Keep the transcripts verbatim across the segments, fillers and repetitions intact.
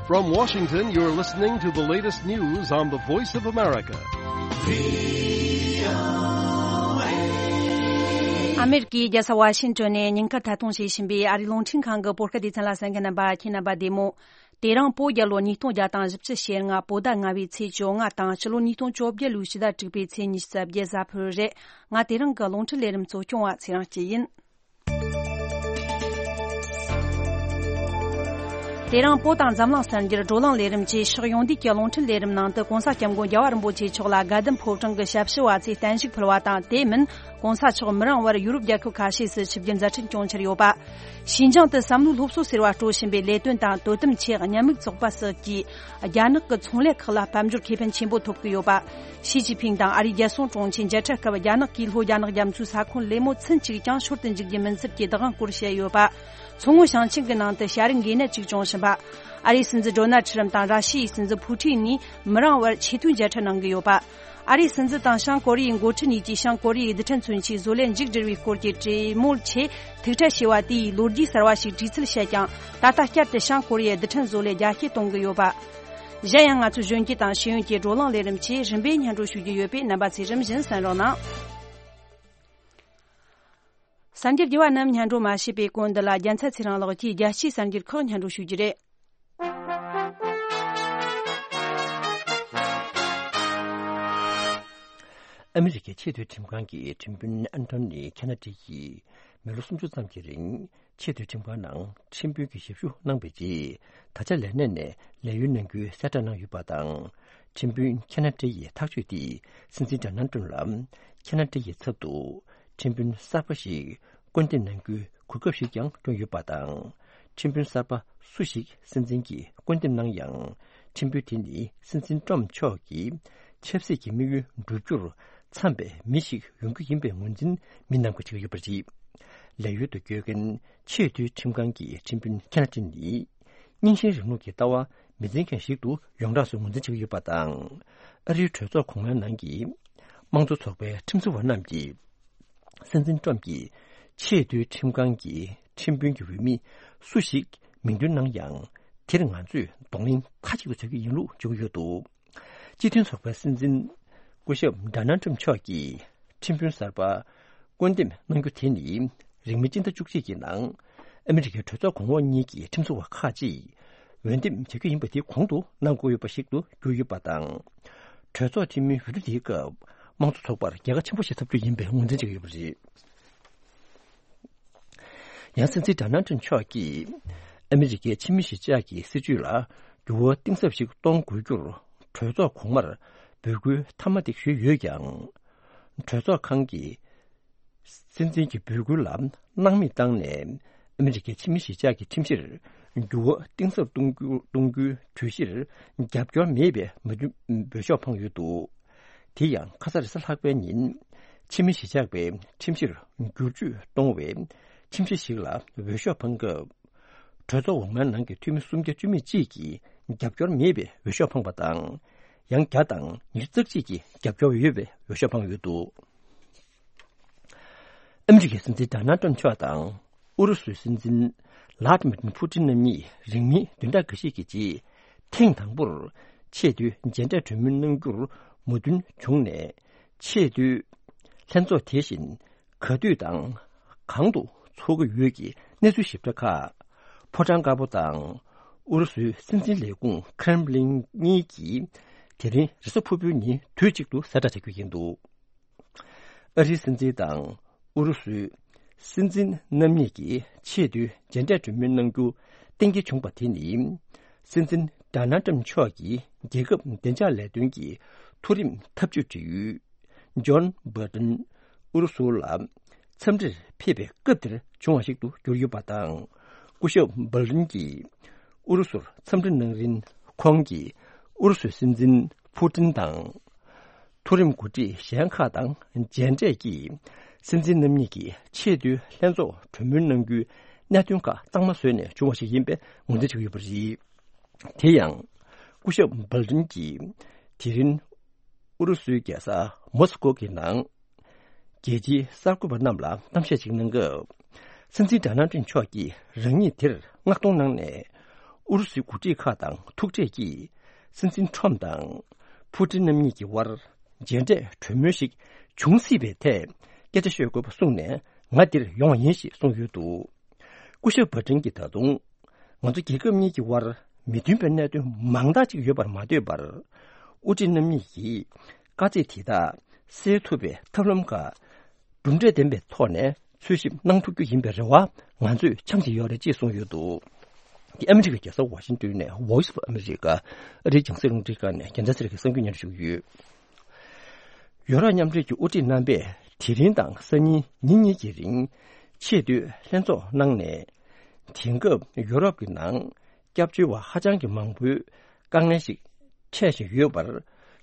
From Washington, you're listening to the latest news on the Voice of America. ཨ་མེ་རི་ཀའི་རྒྱལ་ས་ཝ་ཤིང་ཏོན་ནས་ཉིན་ཁར་ཐད་གཏོང་བྱེད་བཞིན་པའི་ཨ་རིའི་རླུང་འཕྲིན་ཁང་གི་བོད་སྐད་སྡེ་ཚན་ལ་གསན་མཁན་རྣམ་པ་ཁྱེད་རྣམ་པ་བདེ་མོ། དེ་རིང་བོད་རྒྱལ་ལོ་ཉིས་སྟོང་བརྒྱ་དང་བཞི་བཅུ་ཞེ་ལྔ། བོད་ཟླ་ལྔ་པའི་ཚེས་བཅོ་ལྔ་དང་ཕྱི་ལོ་ཉིས་སྟོང་བཅོ་བརྒྱད་ལོའི་ཕྱི་ཟླ་དྲུག་པའི་ཚེས་ཉི་ཤུ་རྩ་བརྒྱད་གཟའ་ཕུར་བུ་རེད། ང་དེ་རིང་གི་རླུང་འཕྲིན་ལས་རིམ་གཙོ་སྐྱོང་བ་ཚེ་རིང་སྐྱིད་ཡིན། དེ་རིང་བོད་དང་འཛམ་གླིང་གསར་འགྱུར་བགྲོ་གླེང་ལས་རིམ་བཅས་ཕྱོགས་ཡོངས་བསྡུས་ཀྱི་རླུང་འཕྲིན་ལས་རིམ་ནང་དུ་གོང་ས་སྐྱབས་མགོན་རྒྱལ་བ་རིན་པོ་ཆེ་མཆོག་ལ་དགའ་ལྡན་ཕོ་བྲང་གི་ཞབས་ཞུ་བ་ཚོས་བརྟན་བཞུགས་ཕུལ་བ་དང་། དེ་མིན་གོང་ས་མཆོག་མི་རིང་བར་ཡུ་རོབ་རྒྱལ་ཁབ་ཁ་ཤས་སུ་ཆིབས་བསྒྱུར་མཛད་འཕྲིན་སྐྱོང་འཆར་ཡོད་པ། ཞིན་ཅང་དུ་བསམ་བློའི་སློབ་གསོ་ཟེར་བ་སྤྲོད་བཞིན་པའི་ལས་དོན་དང་དོ་དམ་ཆེད་ཉམས་མྱོང་ཚོགས་པ་སོགས་ཀྱིས་རྒྱ་ནག་གི་ཚོང་ལས་ཁག་ལ་དཔལ་འབྱོར་ཁེ་ཕན་ཆེན་པོ་ཐོབ་ཀྱི་ཡོད་པ། ཞི་ཅིན་ཕིང་དང་ཨ་རིའི་རྒྱལ་སྲུང་དྲུང་ཆེ་མཇལ་འཕྲད་སྐབས་རྒྱ་ནག་གིས་ལྷོ་རྒྱ་ནག་རྒྱ་མཚོའི་ས་ཁོངས་ལས་མོ་ཚུན་གཅིག་ཀྱང་ཤོར་དུ་འཇུག་རྒྱུ་མིན་ཚུལ་གྱི་བདག་དབང་སྐོར་བཤད་ཡོད་པ། མཚོ་སྔོན་ཞིང་ཆེན་གྱི་ནང་དུ་བྱ་རིགས་འགོས་ནད་ཅིག་བྱུང་བཞིན་པ། ཨ་རིའི་སྲིད་འཛིན་ཌོ་ནལ་ཁྲི་རམ་དང་ར་ཤི་ཡའི་སྲིད་འཛིན་ཕུ་ཀྲིན་གཉིས་མི་རིང་བར་ཆེས་མཐོའི་མཇལ་འཕྲད་གནང་གི་ཡོད་པ། ཨ་རིའི་སྲིད་འཛིན་དང་བྱང་ཀོ་རི་ཡའི་འགོ་ཁྲིད་གཉིས་ཀྱིས་བྱང་ཀོ་རི་ཡའི་རྡུལ་ཕྲན་མཚོན་ཆའི་བཟོ་ལས་མཇུག་བསྒྲིལ་བའི་སྐོར་གྱི་གྲོས་མོལ་ཆེད་ཐུག་འཕྲད་བྱས་པ་དེ་ཡིས་ལོ་རྒྱུས་གསར་བ་ཞིག་བྲིས་ཚུལ་བཤད་ཀྱང་། ད་ལྟ་བསྐྱར་དུ་བྱང་ཀོ་རི་ཡའི་རྡུལ་ཕྲན་བཟོ་ལས་རྒྱ་སྐྱེད་གཏོང་གི་ཡོད་པ། གཞན་ཡང་ང་ཚོའི་གཞོན་སྐྱེས་དང་ཤེས་ཡོན་གྱི་བགྲོ་གླེང་ལས་རིམ་བཅས་རིམ་པས་སྙན་སྒྲོན་ཞུ་རྒྱུ་ཡོད་པས་རྣམ་པ་ཚོས་རིམ་བཞིན་གསན་རོགས་གནང་། གསར་འགྱུར་རྒྱས་པ་རྣམས་སྙན་སྒྲོན་མ་བྱས་པའི་གོང་འདི་ལ་རྒྱལ་མཚན་ཚེ་རིང་ལགས་ཀྱིས་རྒྱལ་སྤྱིའི་གསར་འགྱུར་ཁག་སྙན་སྒྲོན་ཞུ་རྒྱུ་རེད། ཨ་མི་རི་ཀའི་ཆེས་མཐོའི་ཁྲིམས་ཁང་གི་ཁྲིམས་དཔོན་ཨན་ཐོ་ནི་ཁེ་ན་ཏི་ཡིས་མི་ལོ་སུམ་ཅུ་ཙམ་གྱི་རིང་ཆེས་མཐོའི་ཁྲིམས་ཁང་ནང་ཁྲིམས་དཔོན་གྱི་ཞབས་ཞུ་གནང་བའི་རྗེས། ད་ཆ་ལས་གནས་ནས་ལས་གཡོལ་གནང་རྒྱུའི་གསལ་བསྒྲགས་གནང་ཡོད་པ་དང་། ཁྲིམས་དཔོན་ཁེ་ན་ཏི་ཡི་ཐག་གཅོད་དེས་སྲིད་འཛིན་ཌོ་ནལ་ཏྲམ་ལ་ཁེ་ན་ཏི་ཡི་ཚབ་ཏུ་ཁྲིམས་དཔོན་གསར་པ་ཞིག་བསྐོ་འདེམས་གནང་རྒྱུའི་གོ་སྐབས་ཤིག་ཀྱང་བསྐྲུན་ཡོད་པ་དང་། ཁྲིམས་དཔོན་གསར་པ་སུ་ཞིག་སྲིད་འཛིན་གྱིས་བསྐོ་འདེམས་གནང་ཡང་། ཁྲིམས་དཔོན་དེ་ནི་སྲིད་འཛིན་ཏྲམ་མཆོག་གི་ཆབ་སྲིད་ཀྱི་དམིགས་ཡུལ་འགྲུབ་རྒྱུར་འཚམ་པའི་མི་ཞིག་ཡོང་རྒྱུ་ཡིན་པའི་ངོས་འཛིན་མི་རྣམས་ཀྱིས་བྱེད་ཀྱི་ཡོད་པ་རེད། ལས་གཡོལ་དུ་བསྐྱོད་མཁན་ཆེས་མཐོའི་ཁྲིམས་ཁང་གི་ཁྲིམས་དཔོན་ཁེ་ན་ཏི་ནི། རྙིང་ཞེན་རིང་ལུགས་ཀྱི་ལྟ་བ་མི་འཛིན་མཁན་ཞིག་ཏུ་ཡོངས་གྲགས་སུ་ངོས་འཛིན་བྱེད་ཀྱི་ཡོད་པ་དང་། ཨ་རིའི་གྲོས་ཚོགས་གོང་མའི་ནང་གི་དམངས་གཙོ་ཚོགས་པའི་ཁྲིམས་བཟོ་བ་རྣམས་ཀྱིས། སྲིད་འཛིན་ཏྲམ་གྱིས་ཆེས་མཐོའི་ཁྲིམས་ཁང་གི་ཁྲིམས་དཔོན་གྱི་འོས་མི་སུ་ཞིག་མིང་འདོན་གནང་ཡང་། དེར་ང་ཚོས་གདོང་ལེན་མཐའ་གཅིག་ཏུ་བྱ་རྒྱུ་ཡིན་ལུགས་བརྗོད་ཀྱི་ཡོད་འདུག་སྤྱི་མཐུན་ཚོགས་པའི་སྲིད་འཛིན་སྐུ་ཞབས་ཌོ་ནལ་ཏྲམ་མཆོག་གིས་ཁྲིམས་དཔོན་གསར་པ་བསྐོ་འདེམས་གནང་རྒྱུ་དེ་ནི། རིང་མིན་སྤྱི་ཟླ་བཅུ་གཅིག་གི་ནང་ཨ་མི་རི་ཀའི་གྲོས་ཚོགས་གོང་འོག་གཉིས་ཀྱི་ཁྲིམས་བཟོ་བ་ཁག་ཅིག་འོས་འདེམས་བྱ་རྒྱུ་ཡིན་པ་དེ་གོང་དུ་གནང་དགོས་ཡོད་པ་ཞིག་ཏུ་གྱུར་ཡོད་པ་དང་། གྲོས་ཚོགས་འཐུས་མིའི་འོས་བསྡུ་དེའི་སྐབས་དམངས་གཙོ་ཚོགས་པར་རྒྱལ་ཁ་ཆེན་པོ་ཞིག་ཐོབ་རྒྱུ་ཡིན་པའི་ངོས་འཛིན་བྱེད་ཀྱི་ཡོད་པ་རེད། ཡང་སྲིད་འཛིན་ཌོ་ནལ་ཏྲམ་མཆོག་གིས་ཨ་མི་རི་ཀའི་ཕྱི་མི་གཞིས་ཆགས་ཀྱི་སྲིད་བྱུས་ལ་འགྱུར་བ་གཏིང་ཟབ་ཞིག་གཏོང་དགོས་རྒྱུར་གྲོས་ཚོགས་གོང་མར་འབོད་སྐུལ་མཐའ་མ་དེ་ཞུས་ཡོད་ཀྱང་། གྲོས་ཚོགས་ཁང་གི་སྲིད་འཛིན་གྱི་འབོད་སྐུལ་ལ་སྣང་མེད་བཏང་ནས། ཨ་མི་རི་ཀའི་ཕྱི་མི་གཞིས་ཆགས་ཀྱི་ཁྲིམས་གཞིར་འགྱུར་བ་གཏིང་ཟབ་གཏོང་རྒྱུ་གཏོང་རྒྱུའི་གྲོས་གཞིར་རྒྱབ་སྐྱོར་མེད་པའི་མོས་མཐུན་འོས་ཤོག་འཕངས་ཡོད་འདུག་དེ་ཡང་ཁ་ས་རེས་གཟའ་ལྷག་པའི་ཉིན་ཕྱི་མི་གཞིས་ཆགས་པའི་ཁྲིམས་གཞིར་བསྒྱུར་བཅོས་གཏོང་བའི་ཁྲིམས་གཞི་ཞིག་ལ་འོས་ཤོག་འཕངས་སྐབས། གྲོས་ཚོགས་འོག་མའི་ནང་གི་འཐུས་མི་སུམ་བརྒྱ་བཅུ་མེད་གཅིག་གིས་རྒྱབ་སྐྱོར་མེད་པའི་འོས་ཤོག་འཕངས་པ་དང་། ཡང་བརྒྱ་དང་ཉི་ཤུ་རྩ་གཅིག་གིས་རྒྱབ་སྐྱོར་ཡོད་པའི་འོས་ཤོག་འཕངས་ཡོད་འདུག་ཨ་མི་རི་ཀའི་སྲིད་འཛིན་ཌོ་ནལ་ཏྲམ་མཆོག་དང་ཨུ་རུ་སུའི་སྲིད་འཛིན་ལྷ་ཌི་མིར་ཕུ་ཏིན་རྣམ་གཉིས་རིང་མིན་བདུན་ཕྲག་འགའ་ཤས་ཀྱི་རྗེས། ཐེངས་དང་པོར་ཆེས་མཐོའི་མཇལ་འཕྲད་གྲོས་མོལ་གནང་རྒྱུར་མོས་མཐུན་བྱུང་ནས། ཆེས་མཐོའི་ལྷན་ཚོགས་དེ་བཞིན་ག་དུས་དང་གང་དུ་འཚོགས་ཀྱི་ཡོད་ཀྱི་གནས་ཚུལ་ཞིབ་ཕྲ་ཁག་ཕོ་བྲང་དཀར་པོ་དང་ཨུ་རུ་སུའི་སྲིད་འཛིན་ལས་ཁུངས་ཁྲེམ་ལིན་གཉིས་ཀྱིས་དེ་རིང་རེས་གཟའ་ཕུར་བུའི་ཉིན་དུས་གཅིག་ཏུ་གསལ་བསྒྲགས་བྱ་རྒྱུ་ཡིན་འདུག་ཨ་རིའི་སྲིད་འཛིན་དང་ཨུ་རུ་སུའི་སྲིད་འཛིན་རྣམ་གཉིས་ཀྱིས་ཆེས་མཐོའི་མཇལ་འཕྲད་གྲོས་མོལ་གནང་རྒྱུ་གཏན་འཁེལ་བྱུང་པ་དེ་ནི། སྲིད་འཛིན་ཌོ་ནལ་ཏྲམ་མཆོག་གིས་རྒྱལ་ཁབ་བདེ་འཇགས་ལས་དོན་གྱི་མཐོ་རིམ་ཐབས་ཇུས་འབྲེལ་ཡོད་ཇོན་སྦོལ་ཏན་ཨུ་རུ་སུ་ལ་འཚམས་འདྲིར་ཕེབས་པའི་སྐབས་དེར་བྱུང་བ་ཞིག་ཏུ་གྱུར་ཡོད་པ་དང་། སྐུ་ཞབས་སྦོལ་ཏན་གྱིས་ཨུ་རུ་སུར་འཚམས་འདྲི་གནང་རིང་། ཁོང་གིས་ཨུ་རུ་སུའི་སྲིད་འཛིན་ཕུ་ཏིན་དང་། མཐོ་རིམ་འགོ་ཁྲིད་གཞན་ཁག་དང་མཇལ་འཕྲད་ཀྱིས། སྲིད་འཛིན་རྣམ་གཉིས་ཀྱིས་ཆེས་མཐོའི་ལྷན་ཚོགས་གྲོས་མོལ་གནང་རྒྱུའི་གནད་དོན་ཁག་གཙང་མ་བཟོས་ནས་བྱུང་བ་ཞིག་ཡིན་པའི་ངོས་འཛིན་བྱེད་ཀྱི་ཡོད་པ་རེད། དེ་ཡང་། སྐུ་ཞབས་སྦལ་ཏིན་གྱིས་དེ་རིང་ཨུ་རུ་སུའི་རྒྱལ་ས་མོ་སི་ཀོ་གི་ནང་རྒྱལ་སྤྱིའི་གསར་འགོད་པ་རྣམས་ལ་གཏམ་བཤད་ཅིག་གནང་སྐབས། སྲིད་འཛིན་ཌོ་ནལ་ཏྲམ་མཆོག་གིས་རང་ཉིད་དེར་མངགས་གཏོང་གནང་ནས། ཨུ་རུ་སུའི་འགོ་ཁྲིད་ཁག་དང་ཐུག་འཕྲད་ཀྱིས། སྲིད་འཛིན་ཁྲོམ་དང་ཕུ་ཀྲིན་རྣམ་གཉིས་ཀྱི་དབར་མཇལ་འཕྲད་གྲོས་མོལ་ཞིག་འབྱུང་སྲིད་པའི་ཐད་སྐད་ཆ་ཤོད་དགོས་པ་གསུངས་ནས། ང་འདིར་ཡོང་བ་ཡིན་ཞེས་གསུངས་ཡོད་འདུག་སྐུ་ཞབས་བྷ་ཏིན་གྱིས། ད་དུང་ང་ཚོ་རྒྱལ་ཁབ་གཉིས་ཀྱི་དབར་མི་མཐུན་པའི་གནད་དོན་མང་དག་ཅིག་ཡོད་པར་མ་ལྟོས་པར། ཨུ་ཀྲི་རྣམ་གཉིས་ཀྱིས་དཀའ་ཚེགས་དེ་དག་སེལ་ཐུབ་པའི་ཐབས་ལམ་ཁག་གྲུབ་འབྲས་ལྡན་པའི་ཐོག་ནས་འཚོལ་ཞིབ་གནང་ཐུབ་རྒྱུ་ཡིན་པའི་རེ་བ་ང་ཚོས་འཆང་བཞིན་ཡོད་རེད་ཅེས་གསུངས་ཡོད་འདུག་འདི་ཨ་མི་རི་ཀའི་རྒྱལ་ས་ཝ་ཤིང་ཏོན་ནས་Voice of America ཨ་རིའི་རྒྱང་སྲིང་རླུང་འཕྲིན་ཁང་ནས་རྒྱལ་མཚན་ཚེ་རིང་གིས་གསར་འགྱུར་སྙན་སྒྲོན་ཞུ་གི་ཡོད། ཡོ་རོབ་མཉམ་འབྲེལ་གྱི་དབུ་ཁྲིད་རྣམ་པས་དེ་རིང་དང་སང་ཉིན་ཉིན་གཉིས་ཀྱི་རིང་ཆེས་མཐོའི་ལྷན་ཚོགས་གནང་ནས། དེང་སྐབས་ཡོ་རོབ་ཀྱི་ནང་སྐྱབས་བཅོལ་བ་ཧ་ཅང་གི་མང་པོའི་དཀའ་ངལ་ཞིག་འཕྲད་བཞིན་ཡོད་པར།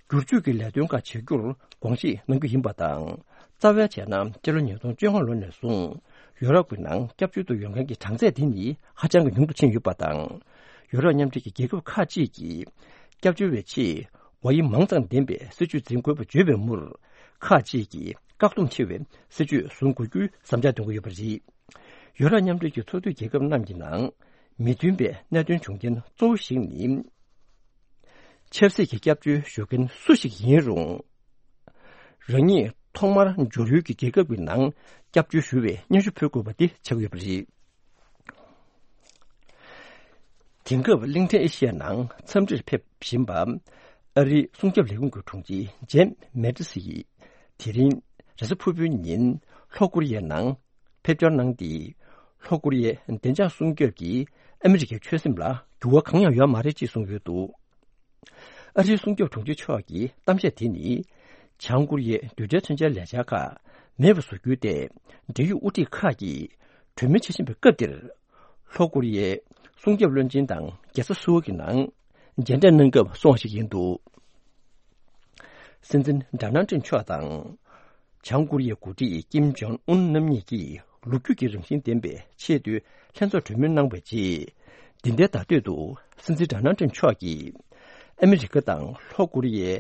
བསྒྱུར་བཅོས་ཀྱི་ལས་དོན་ཁག་བྱ་རྒྱུར་དགོངས་བཞེས་གནང་རྒྱུ་ཡིན་པ་དང་། རྩ་བའི་བྱས་ན་སྤྱི་ལོ་ཉིས་སྟོང་བཅོ་ལྔ་ལོ་ནས་བཟུང་ཡོ་རོབ་ཀྱི་ནང་སྐྱབས་བཅོལ་དུ་ཡོང་མཁན་གྱི་གྲངས་ཚད་དེ་ནི་ཧ་ཅང་གི་ཉུང་དུ་ཕྱིན་ཡོད་པ་དང་། ཡོ་རོབ་མཉམ་འབྲེལ་གྱི་རྒྱལ་ཁབ་ཁག་ཅིག་གིས་སྐྱབས་བཅོལ་བའི་ཆེད་བ་ཡིན་མང་ཙམ་ལྡན་པའི་སྲིད་བྱུས་འཛིན་དགོས་པ་བརྗོད་པའི་མུར། ཁག་ཅིག་གིས་བཀག་སྡོམ་ཆེ་བའི་སྲིད་བྱུས་བཟུང་དགོས་རྒྱུའི་བསམ་འཆར་འདོན་གྱི་ཡོད་པ་རེད། ཡོ་རོབ་མཉམ་འབྲེལ་གྱི་ཚོགས་འཐུས་རྒྱལ་ཁབ་རྣམས་ཀྱི་ནང་མི་མཐུན་པའི་གནད་དོན་བྱུང་རྐྱེན་གཙོ་བོ་ཞིག་ནི། ཆབ་སྲིད་ཀྱི་སྐྱབས་བཅོལ་ཞུ་མཁན་སུ་ཞིག་ཡིན་རུང་། རང་ཉིད་ཐོག་མར་འབྱོར་ཡུལ་གྱི་རྒྱལ་ཁབ་ཀྱི་ནང་སྐྱབས་བཅོལ་ཞུ་བའི་སྙན་ཞུ་ཕུལ་དགོས་པ་དེ་ཆགས་ཀྱི་ཡོད་པ་རེད། དེང་སྐབས་གླིང་ཕྲན་ཨེ་ཤི་ཡའི་ནང་འཚམས་འདྲིར་ཕེབས་བཞིན་པ། ཨ་རིའི་སྲུང་སྐྱོབ་ལས་ཁུངས་ཀྱི་དྲུང་ཆེ་ཇེམ་མེ་ཏི་སི་ཡིས། དེ་རིང་རེས་གཟའ་ཕུར་བུའི་ཉིན་ལྷོ་ཀོ་རི་ཡའི་ནང་ཕེབས་འབྱོར་གནང་སྟེ། ལྷོ་ཀོ་རི་ཡའི་བདེ་འཇགས་སྲུང་སྐྱོབ་ཀྱིས་ཨ་མི་རི་ཀའི་ཆོད་སེམས་ལ་འགྱུར་བ་གང་ཡང་ཡོད་མ་རེད་ཅེས་གསུངས་ཡོད་འདུག་ཨ་རིའི་སྲུང་སྐྱོབ་དྲུང་ཆེ་མཆོག་གི་གཏམ་བཤད་དེ་ནི། བྱང་ཀོ་རི་ཡའི་རྡུལ་ཕྲན་མཚོན་ཆའི་ལས་འཆར་ཁག་མེད་པ་བཟོ་རྒྱུའི་ཐད་འབྲེལ་ཡོད་དབུ་ཁྲིད་ཁག་གིས་གྲོས་མོལ་བྱེད་བཞིན་པའི་སྐབས་འདིར། ལྷོ་ཀོ་རི་ཡའི་སྲུང་སྐྱོབ་བློན་ཆེན་དང་རྒྱལ་ས་སོལ་གྱི་ནང་མཇལ་འཕྲད་གནང་སྐབས་གསུངས་པ་ཞིག་ཡིན་འདུག་སྲིད་འཛིན་ཌོ་ནལ་ཊམ་མཆོག་དང་། བྱང་ཀོ་རི་ཡའི་འགོ་ཁྲིད་ཀིམ་ཇོང་ཨུན་རྣམ་གཉིས་ཀྱིས་ལོ་རྒྱུས་ཀྱི་རང་བཞིན་ལྡན་པའི་ཆེས་མཐོའི་ལྷན་ཚོགས་གྲོས་མོལ་གནང་བའི་རྗེས། འདི་ཟླའི་ཟླ་སྟོད་དུ་སྲིད་འཛིན་ཌོ་ནལ་ཊམ་མཆོག་གིས་ཨ་མི་རི་ཀ་དང་ལྷོ་ཀོ་རི་ཡའི་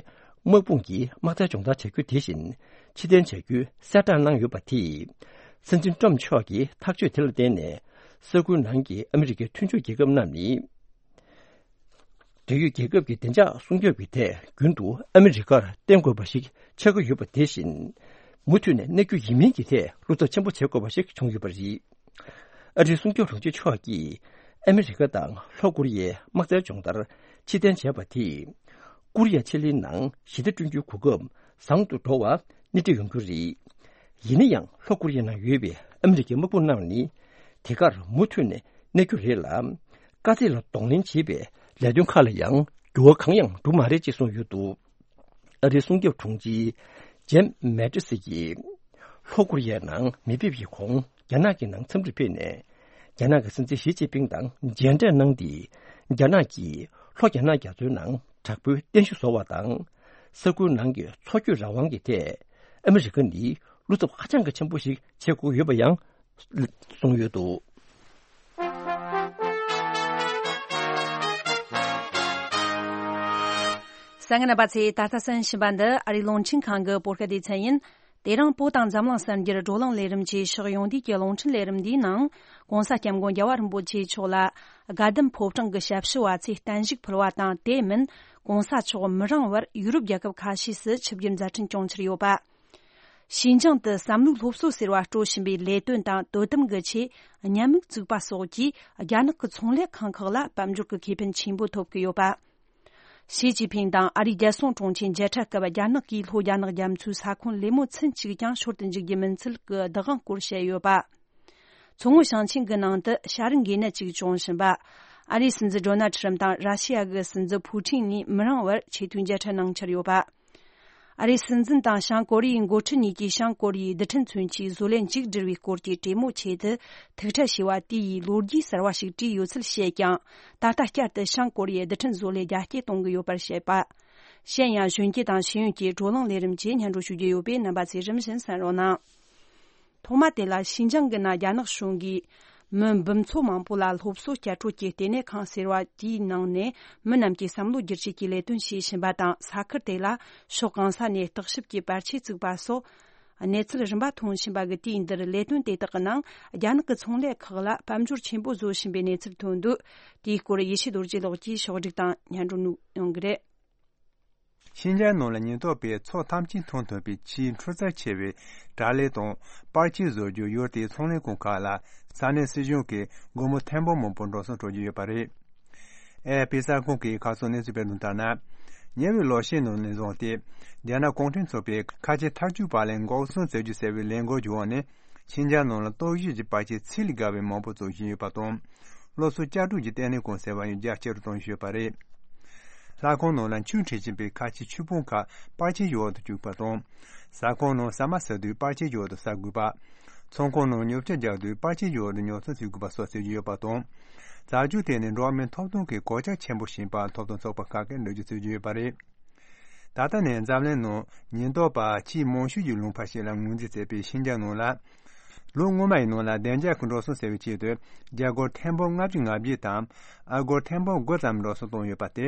དམག་དཔུང་གི་དམག་རྩལ་སྦྱོང་བརྡར་བྱ་རྒྱུ་དེ་བཞིན་ཕྱིར་འཐེན་བྱ་རྒྱུའི་གསལ་བསྒྲགས་གནང་ཡོད་པ་དེས། སྲིད་འཛིན་ཊམ་མཆོག་གི་ཐག་གཅོད་དེ་ལ་བརྟེན་ནས། ས་ཁུལ་ནང་གི་ཨ་མི་རི་ཀའི་མཐུན་ཕྱོགས་རྒྱལ་ཁབ་རྣམས་ནི། འབྲེལ་ཡོད་རྒྱལ་ཁབ་ཀྱི་བདེ་འཇགས་སྲུང་སྐྱོབ་ཀྱི་ཐད་རྒྱུན་དུ་ཨ་མི་རི་ཀར་བརྟེན་དགོས་པ་ཞིག་ཆགས་ཀྱི་ཡོད་པ་དེ་བཞིན། མུ་མཐུད་ནས་གནས་རྒྱུ་ཡིན་མིན་གྱི་ཐད་བློ་འཚབ་ཆེན་པོ་བྱེད་དགོས་པ་ཞིག་བྱུང་ཡོད་པ་རེད། ཨ་རིའི་སྲུང་སྐྱོབ་དྲུང་ཆེ་མཆོག་གིས་ཨ་མི་རི་ཀ་དང་ལྷོ་ཀོ་རི་ཡའི་དམག་རྩལ་སྦྱོང་བརྡར་ཕྱིར་འཐེན་བྱས་པ་དེས། ཀོ་རི་ཡ་ཆེ་གླིང་ནང་ཞི་བདེ་བསྐྲུན་རྒྱུའི་གོ་སྐབས་བཟང་དུ་འགྲོ་བ་སྣེ་ཁྲིད་ཡོང་རྒྱུ་རེད། ཡིན་ན་ཡང་ལྷོ་ཀོ་རི་ཡ་ནང་ཡོད་པའི་ཨ་མི་རི་ཀའི་དམག་དཔུང་རྣམས་ནི་དེ་གར་མུ་མཐུད་ནས་གནས་རྒྱུ་རེད་ལ། དཀའ་ཚེགས་ལ་གདོང་ལེན་བྱེད་པའི་ལས་དོན་ཁག་ལ་ཡང་འགྱུར་བ་གང་ཡང་འགྲོ་མ་རེད་ཅེས་གསུངས་ཡོད་འདུག་ཨ་རིའི་སྲུང་སྐྱོབ་དྲུང་ཆེ་ཇེམ་མེ་ཏི་སི་ཡིས། ལྷོ་ཀོ་རི་ཡའི་ནང་མེ་ཕེབས་ཀྱི་གོང་རྒྱ་ནག་གི་ནང་འཚམས་འདྲིར་ཕེབས་ནས། རྒྱ་ནག་གི་སྲིད་འཛིན་ཞི་ཅིན་ཕིང་དང་མཇལ་འཕྲད་གནང་སྟེ། རྒྱ་ནག་གིས་ལྷོ་རྒྱ་ནག་རྒྱ་མཚོའི་ནང་དྲག་པོའི་རྟེན་གཞི་བཟོ་བ་དང་། ས་ཁུལ་ནང་གི་མཚོ་སྐྱོད་རང་དབང་གི་ཐད་ཨ་མི་རི་ཀ་ནི་བློ་འཚབ་ཧ་ཅང་གི་ཆེན་པོ་ཞིག་བྱེད་དགོས་ཡོད་པ་ཡང་གསུངས་ཡོད་འདུག་གསན་མཁན་རྣམ་པ་ཚོས་ད་ལྟ་གསན་བཞིན་པ་འདི་ཨ་རིའི་རླུང་འཕྲིན་ཁང་གི་བོད་སྐད་སྡེ་ཚན་ཡིན། དེ་རིང་བོད་དང་འཛམ་གླིང་གསར་འགྱུར་བགྲོ་གླེང་ལས་རིམ་གྱི་ཕྱོགས་ཡོང་དུས་ཀྱི་རླུང་འཕྲིན་ལས་རིམ་འདིའི་ནང་། ྋགོང་ས་ྋསྐྱབས་མགོན་རྒྱལ་བ་རིན་པོ་ཆེ་མཆོག་ལ་དགའ་ལྡན་ཕོ་བྲང་གི་ཞབས་ཞུ་བ་ཚོས་བརྟན་བཞུགས་ཕུལ་བ་དང་། དེ་མིན་ྋགོང་ས་མཆོག་མི་རིང་བར་ཡུ་རོབ་རྒྱལ་ཁབ་ཁ་ཤས་སུ་ཆིབས་བསྒྱུར་མཛད་འཕྲིན་བསྐྱངས་འཆར་ཡོད་པ། ཞིན་ཅང་དུ་བསམ་བློའི་སློབ་གསོ་ཟེར་བ་སྤྲོད་བཞིན་པའི་ལས་དོན་དང་དོ་དམ་གྱི་ཆེད་ཉམས་མྱོང་བཙུགས་པ་སོགས་ཀྱིས་རྒྱ་ནག་གི་ཚོང་ལས་ཁང་ཁག་ལ་དཔལ་འབྱོར་གྱི་ཁེ་ཕན་ཆེན་པོ་ཐོབ་ཀྱི་ཡོད་པ། ཞི་ཅིན་ཕིང་དང་ཨ་རིའི་རྒྱལ་སྲུང་དྲུང་ཆེ་མཇལ་འཕྲད་སྐབས། རྒྱ་ནག་གིས་ལྷོ་རྒྱ་ནག་རྒྱ་མཚོའི་ས་ཁོངས་ལས་མོ་ཚུན་གཅིག་ཀྱང་ཤོར་དུ་འཇུག་རྒྱུ་མིན་ཚུལ་གྱི་བདག་དབང་སྐོར་བཤད་ཡོད་པ། མཚོ་སྔོན་ཞིང་ཆེན་གྱི་ནང་དུ་བྱ་རིགས་འགོས་ནད་ཅིག་བྱུང་བཞིན་པ། ཨ་རིའི་སྲིད་འཛིན་ཌོ་ནལ་ཁྲིམ་དང་ར་ཤི་ཡ་གི་སྲིད་འཛིན་ཕུའུ་ཁྲིན་གཉིས་མི་རིང་བར་ཆེས་མཐོའི་མཇལ་འཕྲད་གནང་འཆར་ཡོད་པ། ཨ་རིའི་སྲིད་འཛིན་དང་བྱང་ཀོ་རི་ཡའི་འགོ་ཁྲིད་གཉིས་ཀྱིས་བྱང་ཀོ་རི་ཡའི་རྡུལ་ཕྲན་མཚོན་ཆའི་བཟོ་ལས་མཇུག་སྒྲིལ་བའི་སྐོར་གྱི་གྲོས་མོལ་ཆེད་དུ་ཐུག་འཕྲད་བྱས་པ་དེ་ཡིས་ལོ་རྒྱུས་གསར་བ་ཞིག་བྲིས་ཡོད་ཚུལ་བཤད་ཀྱང་། ད་ལྟ་བསྐྱར་དུ་བྱང་ཀོ་རི་ཡའི་རྡུལ་ཕྲན་བཟོ་ལས་རྒྱ་སྐྱེད་གཏོང་གི་ཡོད་པར་བཤད་པ། གཞན་ཡང་གཞོན་སྐྱེས་དང་ཤེས་ཡོན་གྱི་བགྲོ་གླེང་ལས་རིམ་བཅས་སྙན་སྒྲོན་ཞུ་རྒྱུ་ཡོད་པས། རྣམ་པ་ཚོས་རིམ་བཞིན་གསན་རོགས་གནང་། ཐོག་མ་དེ་ལ་ཞིན་ཅང་གི་ནང་རྒྱ་ནག་གཞུང་གིས་མི་འབུམ་ཚོ་མང་པོ་ལ་སློབ་གསོ་བསྐྱར་སྤྲོད་ཀྱི་ལྟེ་གནས་ཁང་ཟེར་བ་དེའི་ནང་ནས་མི་རྣམས་ཀྱི་བསམ་བློ་བསྒྱུར་བཅོས་ཀྱི་ལས་དོན་བྱེད་བཞིན་པ་དང་། ས་ཁུལ་དེ་ལ་ཕྱོགས་གང་ས་ནས་བརྟག་ཞིབ་ཀྱི་པར་ཆས་བཙུགས་པ་སོགས་ གནས་ཚུལ་རིམ་པ་ཐོན་བཞིན་པ་གི་དུས་འདིར་ལས་དོན་དེ་དག་གི་ནང་རྒྱ་ནག་གི་ཚོང་ལས་ཁག་ལ་དཔལ་འབྱོར་ཆེན་པོ་བཟོ་བཞིན་པའི་གནས་ཚུལ་ཐོན་འདུག་དེའི་སྐོར་ཡེ་ཤེས་རྡོ་རྗེ་ལགས་ཀྱིས་ཕྱོགས་སྒྲིག་དང་སྙན་སྒྲོན་གནང་གི་རེད། ཤིན་ཅང་ནང་ལ་ཉེན་རྟོག་པས་མཚོ་ཐམས་ཅད་འཐུང་ཐུབ་པའི་ཆེས་འཕྲུལ་རྩལ་ཆེ་བའི་དྲ་ལས་དང་པར་ཆས་བཟོ་རྒྱུ་ཡུལ་དེའི་ཚོང་ལས་ཁང་ཁག་ལ་ས་གནས་སྲིད་གཞུང་གིས་སྒོར་མོ་ཐེར་འབུམ་མང་པོ་འགྲོ་སོང་སྤྲོད་ཀྱི་ཡོད་པ་རེད། ཨེ་ཨེཕ་པི་གསར་ཁང་གིས་ཁ་སང་གནས་ཚུལ་སྤེལ་དོན་ལྟར་ན། ཉེ་བའི་ལོ་ཤས་ནང་ནས་བཟུང་སྟེ། རྒྱ་ནག་གུང་ཁྲན་ཚོགས་པའི་ཁ་ཆེ་ཐབས་ཇུས་པ་ལས་འགོག་སྲུང་བྱེད་རྒྱུ་ཟེར་བའི་ལས་འགུལ་གྱི་འོག་ནས། ཤིན་ཅང་ནང་ལ་སྟོབས་ཤུགས་ཀྱི་པར་ཆས་ཚད་ལས་བརྒལ་བའི་མང་པོ་བཙུགས་བཞིན་ཡོད་པ་དང་། སློབ་གསོ་བསྐྱར་སྒྲུབ་ཀྱི་ལྟེ་གནས་ཁང་ཟེར་བ་ཡང་རྒྱ་ཆེ་རུ་གཏོང་བཞིན་ཡོད་པ་རེད། ལྷ་ཁང་ནང་ལ་ཆུ་འཁྲིད་བཞིན་པའི་ཁ་ཆེའི་ཆུ་བུམ་ཁག་པར་ཆས་ཀྱི་འོག་ཏུ་བཅུག་པ་དང་། ཟ་ཁང་ནང་ཟ་མ་ཟ་དུས་པར་ཆས་ཀྱི་འོག་ཏུ་ཟ་དགོས་པ། ཚོང་ཁང་ནང་ཉོ་ཆ་རྒྱག་དུས་པར་ཆས་ཀྱི་འོག་ཏུ་ཉོ་ཆ་བཟོ་དགོས་པ་སོགས་བྱེད་ཀྱི་ཡོད་པ་དང་། བྱ་སྤྱོད་དེ་ནི་འགྲོ་བ་མིའི་ཐོབ་ཐང་གི་གོད་ཆག་ཆེན་པོ་ཞིག་ཡིན་པ་ཐོབ་ཐང་ཚོགས་པ་ཁག་གིས་འགྲེལ་བརྗོད་བྱེད་ཀྱི་ཡོད་པ་རེད། ད་ལྟ་ནས་འཛམ་གླིང་ནང་ཉེན་རྟོག་པ་ཆེས་མང་ཤོས་ཀྱི་ལུང་པ་ཞིག་ལ་ངོས་འཛིན་བྱས་པའི་ཤིན་ཅང་ནང་ལ། ལོ་སྔོན་མ་ཡི་ནང་ལ་བདེ་འཇགས་ཀྱི་འགྲོ་སོང་ཟེར་བའི་ཆེད་དུ་རྒྱ་སྒོར་ཐེར་འབུམ་ལྔ་བཅུ་ང་བརྒྱད་དང་ཨ་སྒོར་ཐེར་འབུམ་དགུ་ཙམ་འགྲོ་སོང་བཏང་ཡོད་པ་དེ།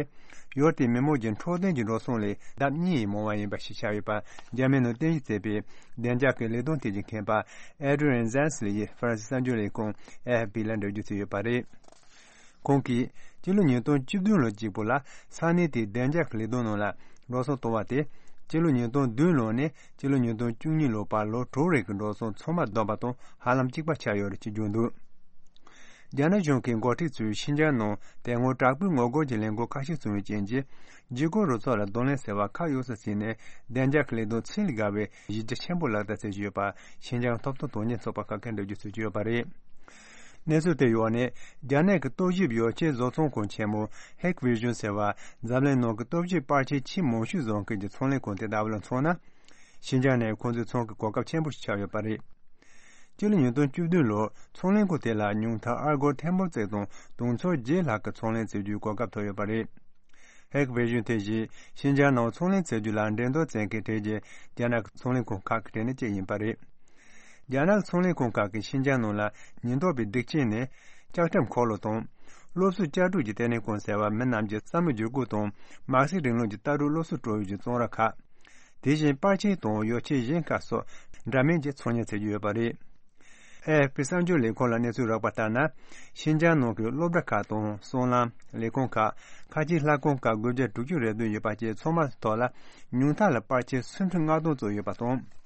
ཡུལ་དེའི་མི་མང་གི་འཕྲོད་བསྟེན་གྱི་འགྲོ་སོང་ལས་ལྡབ་གཉིས་ཡིས་མང་བ་ཡིན་པ་ཞིག་ཆགས་ཡོད་པ། འཇར་མན་ནང་རྟེན་གཞི་བྱས་པའི་བདེ་འཇགས་ཀྱི་ལས་དོན་ཐད་ཀྱི་མཁས་པ་ཨེ་ཌི་རི་ཡན་ཛན་སི་ལི་ཡིས་ཧྥ་རན་སི་གསར་འགྱུར་ལས་ཁང་ཨེ་ཨེཕ་པི་ལ་འགྲེལ་བརྗོད་བྱས་ཡོད་པ་རེད། ཁོང་གིས་སྤྱི་ལོ་ཉིས་སྟོང་བཅུ་བདུན་ལོ་གཅིག་པུ་ལ་ས་གནས་དེའི་བདེ་འཇགས་ཀྱི་ལས་དོན་ནང་ལ་འགྲོ་སོང་བཏང་བ་དེ། སྤྱི་ལོ་ཉིས་སྟོང་བདུན་ལོ་ནས་སྤྱི་ལོ་ཉིས་སྟོང་བཅུ་གཉིས་ལོ་བར་ལོ་དྲུག་རིང་གི་འགྲོ་སོང་ཚང་མ་བསྡོམས་པ་དང་ཧ་ལམ་གཅིག་པ་ཆགས་ཡོད་རེད་ཅེས་བརྗོད་འདུག་རྒྱ་ནག་གཞུང་གི་འགོ་ཁྲིད་ཚོས་ཤིན་ཅང་ནང་དེ་སྔོན་དྲག་པོའི་ངོ་རྒོལ་གྱི་ལས་འགུལ་ཁ་ཤས་བྱུང་བའི་རྐྱེན་གྱིས། འཇིགས་སྐུལ་རུ་ཚོགས་ལ་གདོང་ལེན་ཟེར་བ་ཁག་ཡོད་ས་ཞིག་ནས་བདེ་འཇགས་ཀྱི་ལས་དོན་ཚད་ལས་བརྒལ་བའི་གཞི་རྒྱ་ཆེན་པོ་ལག་བསྟར་བྱེད་ཀྱི་ཡོད་པ་ཤིན་ཅང་ཐོབ་ཐང་དོན་གཉེར་ཚོགས་པ་ཁག་གིས་འགྲེལ་བརྗོད་བྱེད་ཀྱི་ཡོད་པ་རེད། གནས་ཚུལ་དེ་ཡོད་ནས་རྒྱ་ནག་གི་ལྟོ་ཞིབ་ཡོ་བྱད་བཟོ་ཚོང་ཁང་ཆེན་མོ་ཧེག་བི་ཞུན་ཟེར་བ་འཛམ་གླིང་ནང་གི་ལྟོ་ཞིབ་པར་ཆས་ཆེས་མང་ཤོས་བཟོ་མཁན་གྱི་ཚོང་ལས་ཁང་དེ་ལྟ་བུ་ལ་མཚོན་ན། ཤིན་ཅང་ནས་ཁོང་ཚོའི་ཚོང་གི་གོ་སྐབས་ཆེན་པོ་ཞིག་ཆགས་ཡོད་པ་རེད། སྤྱི་ལོ་ཉིས་སྟོང་བཅུ་བདུན་ལོར་ཚོང་ལས་ཁང་དེ་ལ་ཉུང་མཐར་ཨ་སྒོར་ཐེར་འབུམ་གཅིག་དང་དུང་ཕྱུར་བརྒྱད་ལྷག་གི་ཚོང་ལས་བྱེད་རྒྱུའི་གོ་སྐབས་ཐོབ་ཡོད་པ་རེད། ཧེག་བི་ཞུན་དེ་བཞིན་ཤིན་ཅང་ནང་ཚོང་ལས་བྱེད་རྒྱུ་ལ་འགྲན་བསྡུར་བྱེད་མཁན་གྲས་ཀྱི་རྒྱ་ནག་གི་ཚོང་ལས་ཁང་ཁག་གི་གྲས་ནས་གཅིག་ཡིན་པ་རེད། རྒྱ་ནག་ཚོང་ལས་ཁང་ཁག་གིས་ཤིན་ཅང་ནང་ལ་ཉེན་རྟོག་པའི་སྒྲིག་ཆས་ནས་ལྕགས་ཁྲབ་འཁོར་ལོ་དང་། སློབ་གསོ་བསྐྱར་སྒྲུབ་ཀྱི་ལྟེ་གནས་ཁང་ཟེར་བ་མི་རྣམས་ཀྱི་བསམ་བློ་བསྒྱུར་བཀོད་དང་མ་རྩའི་རིང་ལུགས་ཀྱི་ལྟ་གྲུབ་སློབ་གསོ་སྤྲོད་ཡུལ་གྱི་ཚོང་ར་ཁག་དེ་བཞིན་པར་ཆས་དང་ཡོ་བྱད་གཞན་ཁག་སོགས་འདྲ་མིན་གྱི་ཚོང་གཉེར་བྱེད་ཀྱི་ཡོད་པ་རེད། ཨེ་ཨེཕ་པི་གསར་འགྱུར་ལས་ཁང་ལ་གནས་ཚུལ་རག་པ་ལྟར་ན། ཤིན་ཅང་ནང་གི་སློབ་གྲྭ་ཁག་དང་སྲང་ལམ། ལས་ཁུངས་ཁག་ཁ་ཆེའི་ལྷ་ཁང་ཁག་དགུ་བརྒྱ་དྲུག་ཅུ་རེ་བདུན་ཡོད་པ་བཅས་ཚང་མ་ཐོག་ལ་ཉུང་མཐའ་ལ་པར་ཆས་སུམ་ཁྲི་ལྔ་སྟོང་ཙམ་ཡོད་པ་དང་།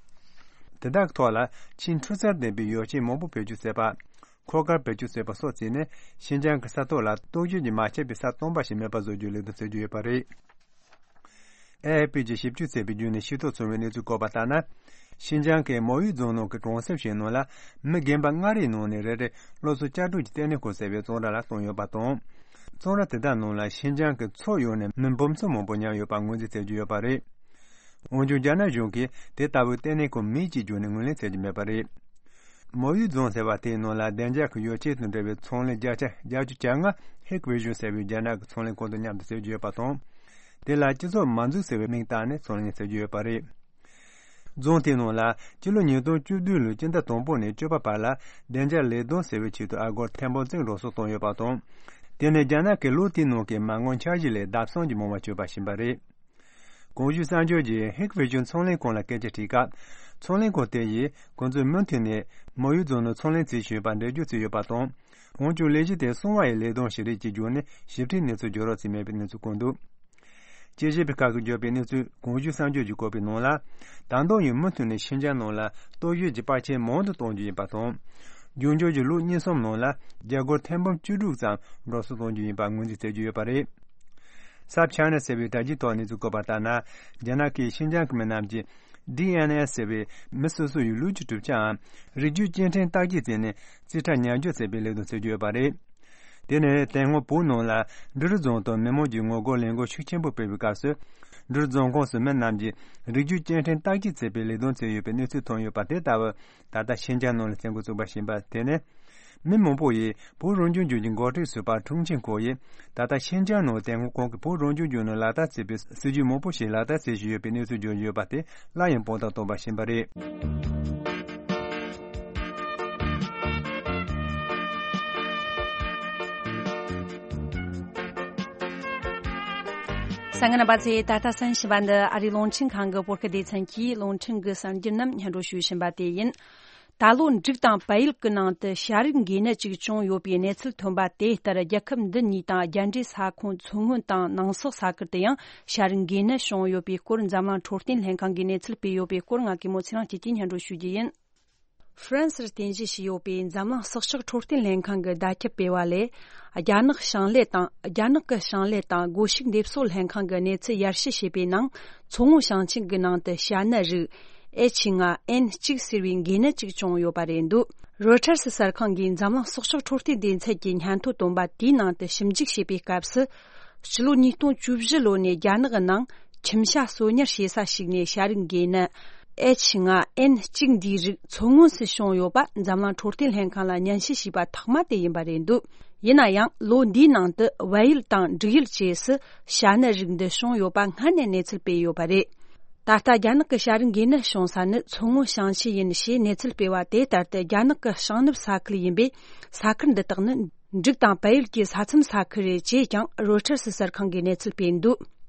དེ་དག་གི་ཐོག་ལ་ཆེས་འཕྲུལ་རྩལ་ལྡན་པའི་ཡོ་བྱད་མང་པོ་བེད་སྤྱོད་བྱས་པ། འཁོར་སྐར་བེད་སྤྱོད་བྱས་པ་སོགས་བྱས་ནས་ཤིན་ཅང་གི་ས་ཐོག་ལ་སྟོབས་ཤུགས་ཀྱིས་མ་ཆད་པའི་ས་སྟོང་པ་ཞིག་མེད་པ་བཟོ་རྒྱུའི་ལས་དོན་བྱེད་ཀྱི་ཡོད་པ་རེད། ཨེ་ཨེཕ་པི་གྱིས་ཞིབ་འཇུག་བྱས་པའི་བརྒྱུད་ནས་ཤེས་རྟོགས་བྱུང་བའི་གནས་ཚུལ་བཀོད་པ་ལྟར་ན། ཤིན་ཅང་གི་མོ་ཡུས་རྫོང་ནང་གི་གྲོང་གསེབ་ཞིག་ནང་ལ་མི་རྒན་པ་ལྔ་རེའི་ནང་ནས་རེ་རེ་སློབ་གསོ་བསྐྱར་སྒྲུབ་ཀྱི་ལྟེ་གནས་ཁང་ཟེར་བའི་ཚོང་ར་ལ་བཏང་ཡོད་པ་དང་། ཚོང་ར་དེ་དག་ནང་ལ་ཤིན་ཅང་གི་ཕྱོགས་ཡོངས་ནས་མི་འབུམ་ཚོ་མང་པོ་ཉར་ཡོད་པ་ངོས་འཛིན་བྱེད་ཀྱི་ཡོད་པ་རེད། འོན་ཀྱང་རྒྱ་ནག་གཞུང་གིས་དེ་ལྟ་བུའི་ལྟེ་གནས་ཁང་མེད་ཅེས་བརྗོད་ནས་ངོས་ལེན་བྱེད་ཀྱི་མེད་པ་རེད། མོ་ཡུས་རྫོང་ཟེར་བ་དེའི་ནང་ལ་བདེ་འཇགས་ཀྱི་ཡོ་བྱད་དང་འབྲེལ་བའི་ཚོང་ལས་བརྒྱ་ཆ་བརྒྱད་ཅུ་གྱ་ལྔ་ཧེག་བི་ཞུན་ཟེར་བའི་རྒྱ་ནག་གི་ཚོང་ལས་ཁང་དང་མཉམ་དུ་བྱེད་ཀྱི་ཡོད་པ་དང་། དེ་ལ་སྤྱི་ཚོགས་མ་འཛུགས་ཟེར་བའི་མིང་བཏགས་ནས་ཚོང་ལས་བྱེད་ཀྱི་ཡོད་པ་རེད། རྫོང་དེའི་ནང་ལ་སྤྱི་ལོ་ཉིས་སྟོང་བཅུ་བདུན་ལོའི་སྤྱི་ཟླ་དང་པོ་ནས་བཅུ་པ་བར་ལ་བདེ་འཇགས་ལས་དོན་ཟེར་བའི་ཆེད་དུ་ཨ་སྒོར་ཐེར་འབུམ་གཅིག་འགྲོ་སོང་བཏང་ཡོད་པ་དང་། དེ་ནི་རྒྱ་ནག་གི་ལོ་དེའི་ནང་གི་མ་དངུལ་འཆར་གཞི་ལས་ལྡབ་གསུམ་གྱིས་མང་བ་བྱས་པ་ཞིག་ཡིན་པ་རེད། གོང་ཞུས་གསར་འགྱུར་གྱིས་ཧིག་ཝེ་ཅུན་ཚོང་ལས་ཁང་ལ་སྐད་ཆ་དྲིས་སྐབས། ཚོང་ལས་ཁང་དེ་ཡིས་ཁོང་ཚོས་མུ་མཐུད་ནས་མོ་ཡུ་རྫོང་ནང་ཚོང་ལས་བྱེད་བཞིན་ཡོད་པར་འགྲེལ་བརྗོད་བྱས་ཡོད་པ་དང་། འོན་ཀྱང་ལས་གཞི་དེ་སྲུང་བ་ཡི་ལས་དོན་ཞིག་རེད་ཅེས་བརྗོད་ནས་ཞིབ་ཕྲའི་གནས་ཚུལ་བརྗོད་རོགས་བྱས་མེད་པའི་གནས་ཚུལ་བཀོད་འདུག་དཔྱད་ཞིབ་པའི་ཁག་གིས་བརྗོད་པའི་གནས་ཚུལ་གོང་ཞུས་གསར་འགྱུར་གྱིས་བཀོད་པའི་ནང་ལ། ད་དུང་ཡང་མུ་མཐུད་ནས་ཤིན་ཅང་ནང་ལ་ལྟོ་བཤད་ཀྱི་པར་ཆས་མང་དུ་གཏོང་རྒྱུ་ཡིན་པ་དང་། རྒྱུན་འཁྱོངས་ཀྱི་ལོ་གཉིས་གསུམ་ནང་ལ་རྒྱ་སྒོར་ཐེར་འབུམ་བཅུ་དྲུག་ཙམ་འགྲོ་སོང་གཏོང་རྒྱུ་ཡིན་པ་ངོས་འཛིན་བྱེད་ཀྱི་ཡོད་པ་རེད། སབ་ཆའི་ན་ཟེར་བའི་དྲ་རྒྱའི་ཐོག་གནས་ཚུལ་བཀོད་པ་ལྟར་ན། རྒྱ་ནག་གིས་ཤིན་ཅང་གི་མི་རྣམས་ཀྱི་ཌི་ཨེན་ཨེ་ཟེར་བའི་མི་སོ་སོ་ཡི་ལུས་ཀྱི་གྲུབ་ཆའམ་རིགས་རྒྱུད་སྐྱེ་ཕྲེང་བརྟག་དཔྱད་བྱས་ནས་རྩིས་ཁྲ་ཉར་འཇོག་བྱེད་པའི་ལས་དོན་བྱེད་ཀྱི་ཡོད་པ་རེད། དེ་ནི་དེ་སྔོན་བོད་ནང་ལ་འབྲི་རུ་རྫོང་དུ་མི་མང་གིས་ངོ་རྒོལ་ལས་འགུལ་ཤུགས་ཆེན་པོ་སྤེལ་བའི་སྐབས་སུ། འབྲི་རུ་རྫོང་ཁོངས་སུ་མི་རྣམས་ཀྱི་རིགས་རྒྱུད་སྐྱེ་ཕྲེང་བརྟག་དཔྱད་བྱེད་པའི་ལས་དོན་བྱས་ཡོད་པའི་གནས་ཚུལ་ཐོན་ཡོད་པ་དེ་ལྟ་བུ། ད་ལྟ་ཤིན་ཅང་ནང་ལ་བཙན་རྒོལ་བཙུགས་པ་ཞིག་ཡིན་པ་དེ་ནི། མི་མང་པོ་ཡིས་བོད་རང་སྐྱོང་ལྗོངས་ཀྱི་འགོ་ཁྲིད་ཟུར་པ་ཁྲུང་ཆིང་ཁོ་ཡིས། ད་ལྟ་ཤིན་ཅང་ནང་དེ་སྔོན་ཁོང་གིས་བོད་རང་སྐྱོང་ལྗོངས་ནང་ལག་བསྟར་བྱས་པའི་སྲིད་ཇུས་མང་པོ་ཞིག་ལག་བསྟར་བྱེད་བཞིན་ཡོད་པའི་གནས་ཚུལ་བརྗོད་བཞིན་ཡོད་པ་དེ་སླར་ཡང་དཔང་རྟགས་བཏོན་པ་ཞིག་ཡིན་པ་རེད། གསན་མཁན་རྣམ་པ་ཚོས། ད་ལྟ་གསན་བཞིན་པ་འདི་ཨ་རིའི་རླུང་འཕྲིན་ཁང་གི་བོད་སྐད་སྡེ་ཚན་གྱིས་རླུང་འཕྲིན་གྱི་གསར་འགྱུར་རྣམས་སྙན་སྒྲོན་ཞུ་བཞིན་པ་དེ་ཡིན། ད་ལོ་འབྲུག་དང་བལ་ཡུལ་གྱི་ནང་དུ་ཤ་རིགས་འགོས་ནད་ཅིག་བྱུང་ཡོད་པའི་གནས་ཚུལ་ཐོན་པ་དེ་ལྟར། རྒྱལ་ཁབ་འདི་གཉིས་དང་རྒྱལ་འབྲེལ་ས་ཁོངས་མཚོ་སྔོན་དང་ནང་སོག་ས་ཁུལ་དུ་ཡང་ཤ་རིགས་འགོས་ནད་བྱུང་ཡོད་པའི་སྐོར། འཛམ་གླིང་འཕྲོད་བསྟེན་ལྷན་ཁང་གིས་གནས་ཚུལ་སྤེལ་ཡོད་པའི་སྐོར། ང་གེ་མོ་ཚེ་རིང་སྐྱིད་ཀྱིས་སྙན་སྒྲོན་ཞུ་རྒྱུ་ཡིན། ཧྥ་རན་སིར་རྟེན་གཞི་བྱས་ཡོད་པའི་འཛམ་གླིང་སྲོག་ཆགས་འཕྲོད་བསྟེན་ལྷན་ཁང་གི་བརྡ་ཁྱབ་སྤེལ་བ་ལས། རྒྱ་ནག་ཞིང་ལས་དང་། རྒྱ་ནག་གི་ཞིང་ལས་དང་སྒོ་ཕྱུགས་འདེབས་གསོ་ལྷན་ཁང་གིས་གནས་ཚུལ་ཡར་ཞུ་བྱས་པའི་ནང་། མཚོ་སྔོན་ཞིང་ཆེན་གྱི་ནང་དུ་ཤ་ནད་རིགས་ཨེཆ་ལྔ་ཨེན་གཅིག་ཟེར་བའི་འགོས་ནད་ཅིག་བྱུང་ཡོད་པ་རེད་འདུག་རོའི་ཊར་སི་གསར་ཁང་གིས་འཛམ་གླིང་སྲོག་ཆགས་འཕྲོད་བསྟེན་སྡེ་ཚན་གྱིས་སྙན་ཐོ་བཏོན་པ་དེའི་ནང་དུ་ཞིབ་འཇུག་བྱས་པའི་སྐབས་སུ། ཕྱི་ལོ་ཉིས་སྟོང་བཅུ་བཞི་ལོ་ནས་རྒྱ་ནག་གི་ནང་ཁྱིམ་ཤ་གསོ་ཉར་བྱེད་ས་ཞིག་ནས་ཤ་རིགས་འགོས་ནད་ཨེཆ་ལྔ་ཨེན་གཅིག་འདིའི་རིགས་མཚོ་སྔོན་སུ་བྱུང་ཡོད་པ་འཛམ་གླིང་འཕྲོད་བསྟེན་ལྷན་ཁང་ལ་སྙན་ཞུ་བྱས་པ་ཐོག་མ་དེ་ཡིན་པ་རེད་འདུག་ཡིན་ན་ཡང་ལོ་འདིའི་ནང་དུ་བལ་ཡུལ་དང་འབྲུག་ཡུལ་བཅས་སུ་ཤ་ནད་རིགས་འདི་བྱུང་ཡོད་པ་སྔ་ནས་གནས་ཚུལ་སྤེལ་ཡོད་པ་རེད། ད་ལྟ་རྒྱ་ནག་གི་ཤ་རིགས་འགོས་ནད་བྱུང་ས་ནི་མཚོ་སྔོན་ཞིང་ཆེན་ཡིན་ཞེས་གནས་ཚུལ་སྤེལ་བ་དེ་ལྟར་དུ། རྒྱ་ནག་གི་ཤིང་ནུབ་ས་ཁུལ་ཡིན་པས། ས་ཁུལ་འདི་དག་ནི་འབྲུག་དང་བལ་ཡུལ་གྱི་ས་མཚམས་ས་ཁུལ་རེད་ཅེས་ཀྱང་རོའི་ཊར་སི་གསར་ཁང་གིས་གནས་ཚུལ་སྤེལ་འདུག་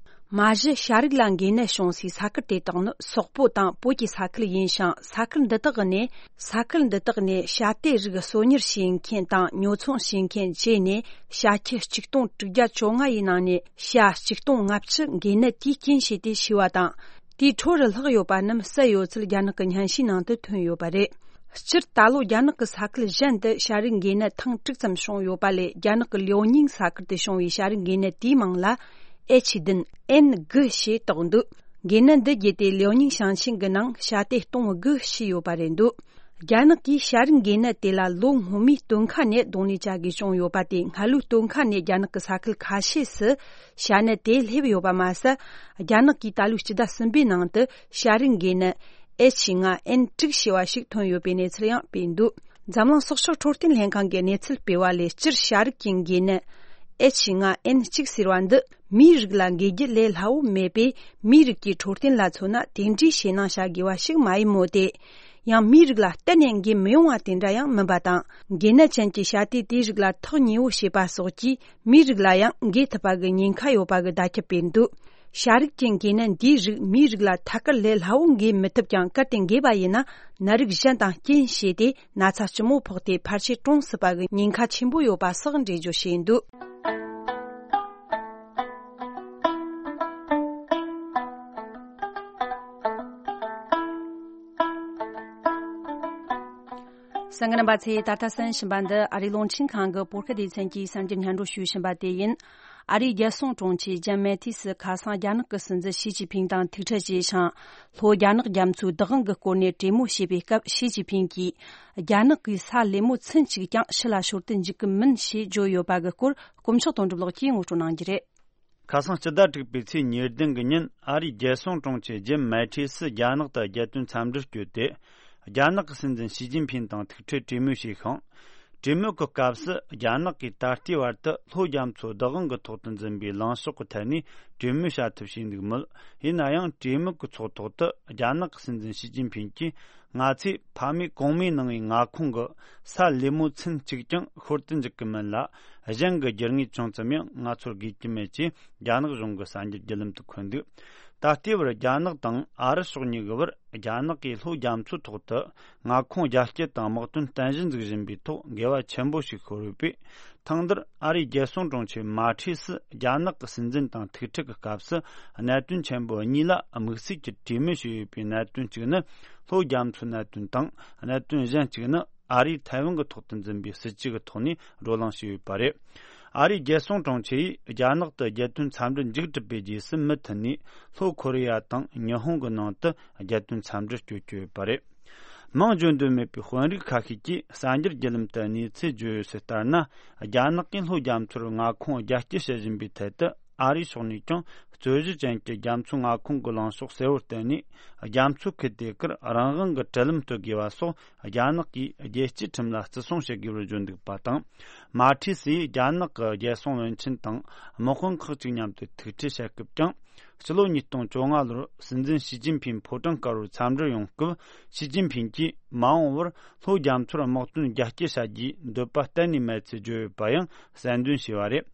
མ་གཞི་ཤ་རིགས་ལ་འགོས་ནད་བྱུང་སའི་ས་ཁུལ་དེ་དག་ནི་སོག་པོ་དང་བོད་ཀྱི་ས་ཁུལ་ཡིན་ཞིང་། ས་ཁུལ་འདི་དག་ནས། ས་ཁུལ་འདི་དག་ནས་ཤ་དེ་རིགས་གསོ་ཉར་བྱེད་མཁན་དང་ཉོ་ཚོང་བྱེད་མཁན་བཅས་ནས། ཤ་ཁྱི་ཆིག་སྟོང་དྲུག་བརྒྱ་བཅོ་ལྔ་ཡི་ནང་ནས་ཤ་ཆིག་སྟོང་ལྔ་བཅུ་འགོས་ནད་དེའི་རྐྱེན་བྱས་ཏེ་ཤི་བ་དང་། དེའི་འཕྲོ་རུ་ལྷག་ཡོད་པ་རྣམས་བསད་ཡོད་ཚུལ་རྒྱ་ནག་གི་སྙན་ཞུའི་ནང་དུ་ཐོན་ཡོད་པ་རེད། སྤྱིར་ད་ལོ་རྒྱ་ནག་གི་ས་ཁུལ་གཞན་དུ་ཤ་རིགས་འགོས་ནད་ཐེངས་དྲུག་ཙམ་བྱུང་ཡོད་པ་ལས། རྒྱ་ནག་གི་ལིའོ་ཉིང་ས་ཁུལ་དུ་བྱུང་བའི་ཤ་རིགས་འགོས་ནད་དེའི་མིང་ལ་ཨེཆ་བདུན་ཨེན་དགུ་ཞེས་བཏགས་འདུག་འགོས་ནད་འདི་བརྒྱུད་དེ་ལིའོ་ཉིང་ཞིང་ཆེན་གྱི་ནང་ཤ་དེ་སྟོང་དགུ་ཤི་ཡོད་པ་རེད་འདུག་རྒྱ་ནག་གིས་ཤ་རིགས་འགོས་ནད་དེ་ལ་ལོ་སྔོན་མའི་སྟོན་ཁ་ནས་གདོང་ལེན་བྱ་དགོས་བྱུང་ཡོད་པ་དེ། སྔ་ལོའི་སྟོན་ཁ་ནས་རྒྱ་ནག་གི་ས་ཁུལ་ཁ་ཤས་སུ་ཤ་ནད་དེ་སླེབས་ཡོད་པ་མ་ཟད། རྒྱ་ནག་གིས་ད་ལོའི་སྤྱི་ཟླ་གསུམ་པའི་ནང་དུ་ཤ་རིགས་འགོས་ནད་ཨེཆ་ལྔ་ཨེན་དྲུག་ཞེས་པ་ཞིག་ཐོན་ཡོད་པའི་གནས་ཚུལ་ཡང་སྤེལ་འདུག་འཛམ་གླིང་སྲོག་ཆགས་འཕྲོད་བསྟེན་ལྷན་ཁང་གིས་གནས་ཚུལ་སྤེལ་བ་ལས། སྤྱིར་ཤ་རིགས་ཀྱི་འགོས་ནད་ཨེཆ་ལྔ་ཨེན་གཅིག་ཟེར་བ་འདི་མིའི་རིགས་ལ་འགོས་རྒྱུ་ལས་སླ་བོ་མེད་པས། མིའི་རིགས་ཀྱི་འཕྲོད་བསྟེན་ལ་མཚོན་ན་དེ་འདྲའི་ཞེད་སྣང་བྱ་དགོས་པ་ཞིག་མ་ཡིན་མོད་དེ། ཡང་མིའི་རིགས་ལ་གཏན་ནས་འགོས་མི་ཡོང་བ་དེ་འདྲ་ཡང་མིན་པ་དང་། འགོས་ནད་ཅན་གྱི་བྱ་དེ་དེའི་རིགས་ལ་ཐག་ཉེ་བོ་བྱེད་པ་སོགས་ཀྱིས་མིའི་རིགས་ལ་ཡང་འགོས་ཐུབ་པ་གི་ཉེན་ཁ་ཡོད་པ་གི་བརྡ་ཁྱབ་སྤེལ་འདུག་བྱ་རིགས་ཀྱི་འགོས་ནད་འདིའི་རིགས་མིའི་རིགས་ལ་ཐད་ཀར་ལས་སླ་བོ་འགོས་མི་ཐུབ་ཀྱང་། གལ་ཏེ་འགོས་པ་ཡིན་ན་ནད་རིགས་གཞན་དང་རྐྱེན་བྱས་ཏེ་ན་ཚ་ལྕི་མོ་ཕོག་སྟེ་ཕལ་ཆེར་གྲོངས་སྲིད་པ་གི་ཉེན་ཁ་ཆེན་པོ་ཡོད་པ་སོགས་འགྲེལ་བརྗོད་བྱས་འདུག་གསན་མཁན་རྣམ་པ་ཚོས། ད་ལྟ་གསན་བཞིན་པ་འདི་ཨ་རིའི་རླུང་འཕྲིན་ཁང་གི་བོད་སྐད་སྡེ་ཚན་གྱིས་གསར་འགྱུར་སྙན་སྒྲོན་ཞུ་བཞིན་པ་དེ་ཡིན། ཨ་རིའི་རྒྱལ་སྲུང་དྲུང་ཆེ་ཇིམ་མེ་ཐིས་སུ་ཁ་སང་རྒྱ་ནག་གི་སྲིད་འཛིན་ཞི་ཅིན་ཕིང་དང་ཐུག་འཕྲད་བྱས་ཤིང་། ལྷོ་རྒྱ་ནག་རྒྱ་མཚོའི་བདག་དབང་གི་སྐོར་ནས་གྲོས་མོལ་བྱས་པའི་སྐབས། ཞི་ཅིན་ཕིང་གིས། རྒྱ་ནག་གིས་ས་ལེབ་མོ་ཚུན་གཅིག་ཀྱང་ཕྱི་ལ་ཤོར་དུ་འཇུག་གི་མིན་ཞེས་བརྗོད་ཡོད་པ་གི་སྐོར། དཀོན་མཆོག་དོན་གྲུབ་ལགས་ཀྱིས་ངོ་སྤྲོད་གནང་རྒྱུ་རེད། ཁ་སང་སྤྱི་ཟླ་དྲུག་པའི་ཚེས་ཉེར་བདུན་གི་ཉིན། ཨ་རིའི་རྒྱལ་སྲུང་དྲུང་ཆེ་ཇིམ་མེ་ཐིས་སུ་རྒྱ་ནག་ཏུ་རྒྱལ་དོན་འཚམས་འདྲིར་བསྐྱོད་དེ། རྒྱ་ནག་གི་སྲིད་འཛིན་ཞི་ཅིན་ཕིང་དང་ཐུག་འཕྲད་གྲོས་མོལ་བྱས་ཤིང་། གྲོས་མོལ་གྱི་སྐབས་སུ། རྒྱ་ནག་གིས་ད་ལྟའི་བར་དུ་ལྷོ་རྒྱ་མཚོ་བདག་དབང་གི་ཐོག་ཏུ་འཛིན་པའི་ལངས་ཕྱོགས་ཀྱི་ཐད་ནས་གྲོས་མོལ་བྱ་ཐབས་བྱས་འདུག་མོད། ཡིན་ན་ཡང་། གྲོས་མོལ་གྱི་ཚོགས་ཐོག་ཏུ་རྒྱ་ནག་གི་སྲིད་འཛིན་ཞི་ཅིན་ཕིང་གིས། ང་ཚོས་ཕ་མེས་གོང་མའི་ནང་བའི་མངའ་ཁོངས་ཀྱི་ས་ལེབ་མོ་ཚུན་གཅིག་ཀྱང་ཤོར་དུ་འཇུག་གི་མིན་ལ། གཞན་གྱི་རྒྱུ་དངོས་ཅུང་ཙམ་ཡང་ང་ཚོར་དགོས་ཀྱི་མེད་ཅེས་རྒྱ་ནག་གཞུང་གི་གསར་འགྱུར་བརྒྱུད་ལམ་དུ་འཁོད་འདུག་ད་ལྟའི་བར་རྒྱ་ནག་དང་ཨ་རི་ཕྱོགས་གཉིས་ཀྱི་བར། རྒྱ་ནག་གིས་ལྷོ་རྒྱ་མཚོའི་ཐོག་ཏུ་མངའ་ཁོངས་རྒྱ་སྐྱེད་དང་དམག་དོན་རྟེན་གཞི་འཛུགས་བཞིན་པའི་ཐོག་འགལ་བ་ཆེན་པོ་ཞིག་ཤོར་ཡོད་པས། ཐེངས་འདིར་ཨ་རིའི་རྒྱལ་སྲུང་དྲུང་ཆེ་མ་ཁྲིས་སུ་རྒྱ་ནག་གི་སྲིད་འཛིན་དང་ཐུག་འཕྲད་ཀྱི་སྐབས་སུ། གནད་དོན་ཆེན་པོ་གཉིས་ལ་དམིགས་བསལ་གྱིས་གྲོས་མོལ་བྱས་ཡོད་པའི་གནད་དོན་གཅིག་ནི་ལྷོ་རྒྱ་མཚོའི་གནད་དོན་དང་། གནད་དོན་གཞན་གཅིག་ནི་ཨ་རིས་ཐའེ་ཝན་གྱི་ཐོག་ཏུ་འཛིན་པའི་སྲིད་ཇུས་ཀྱི་ཐོག་ནས་བགྲོ་གླེང་བྱས་ཡོད་པ་རེད། ཨ་རིའི་རྒྱལ་སྲུང་དྲུང་ཆེ་ཡིས་རྒྱ་ནག་ཏུ་རྒྱལ་དོན་འཚམས་འདྲི་མཇུག་གྲུབ་པའི་རྗེས་སུ་མུ་མཐུད་ནས་ལྷོ་ཁོ་རེ་ཡ་དང་ཉི་ཧོང་གི་ནང་དུ་རྒྱལ་དོན་འཚམས་འདྲིར་བསྐྱོད་ཀྱི་ཡོད་པ་རེད། མིང་བརྗོད་འདོད་མེད་པའི་དཔོན་རིགས་ཁ་ཤས་ཀྱིས་གསར་འགྱུར་བརྒྱུད་ལམ་དུ་གནས་ཚུལ་བརྗོད་ཡོད་ཚུལ་ལྟར་ན། རྒྱ་ནག་གིས་ལྷོ་རྒྱ་མཚོར་མངའ་ཁོངས་རྒྱ་སྐྱེད་བྱེད་བཞིན་པའི་ཐད་དུ། ཨ་རིའི་ཕྱོགས་ནས་ཀྱང་རྩོད་གཞི་ཅན་གྱི་རྒྱ་མཚོའི་མངའ་ཁོངས་ཀྱི་ལངས་ཕྱོགས་གསལ་བོར་བསྟན་ནས། རྒྱ་མཚོ་ཁུལ་དེ་གར་རང་དབང་གི་གྲལ་ལམ་གཏོད་དགོས་པ་སོགས། རྒྱ་ནག་གིས་རྒྱལ་སྤྱིའི་ཁྲིམས་ལ་བརྩི་སྲུང་བྱེད་དགོས་པར་བརྗོད་འདུག་པ་དང་། མ་ཁྲིས་སུ་ཡིས་རྒྱ་ནག་གི་རྒྱལ་སྲུང་བློན་ཆེན་དང་དམག་དཔོན་ཁག་ཅིག་མཉམ་དུ་ཐུག་འཕྲད་བྱེད་སྐབས་ཀྱང་། ཕྱི་ལོ་ཉིས་སྟོང་བཅོ་ལྔ་ལོར་སྲིད་འཛིན་ཞི་ཅིན་ཕིང་ཕོ་བྲང་དཀར་པོར་འཚམས་འདྲིར་ཡོང་སྐབས། ཞི་ཅིན་ཕིང་གིས་མ་འོངས་པར་ལྷོ་རྒྱ་མཚོར་དམག་དོན་རྒྱ་སྐྱེད་བྱ་རྒྱུའི་འདོད་པ་གཏན་ནས་མེད་ཚུལ་བརྗོད་ཡོད་པ་ཡང་གསལ་འདོན་བྱས་པ་རེད།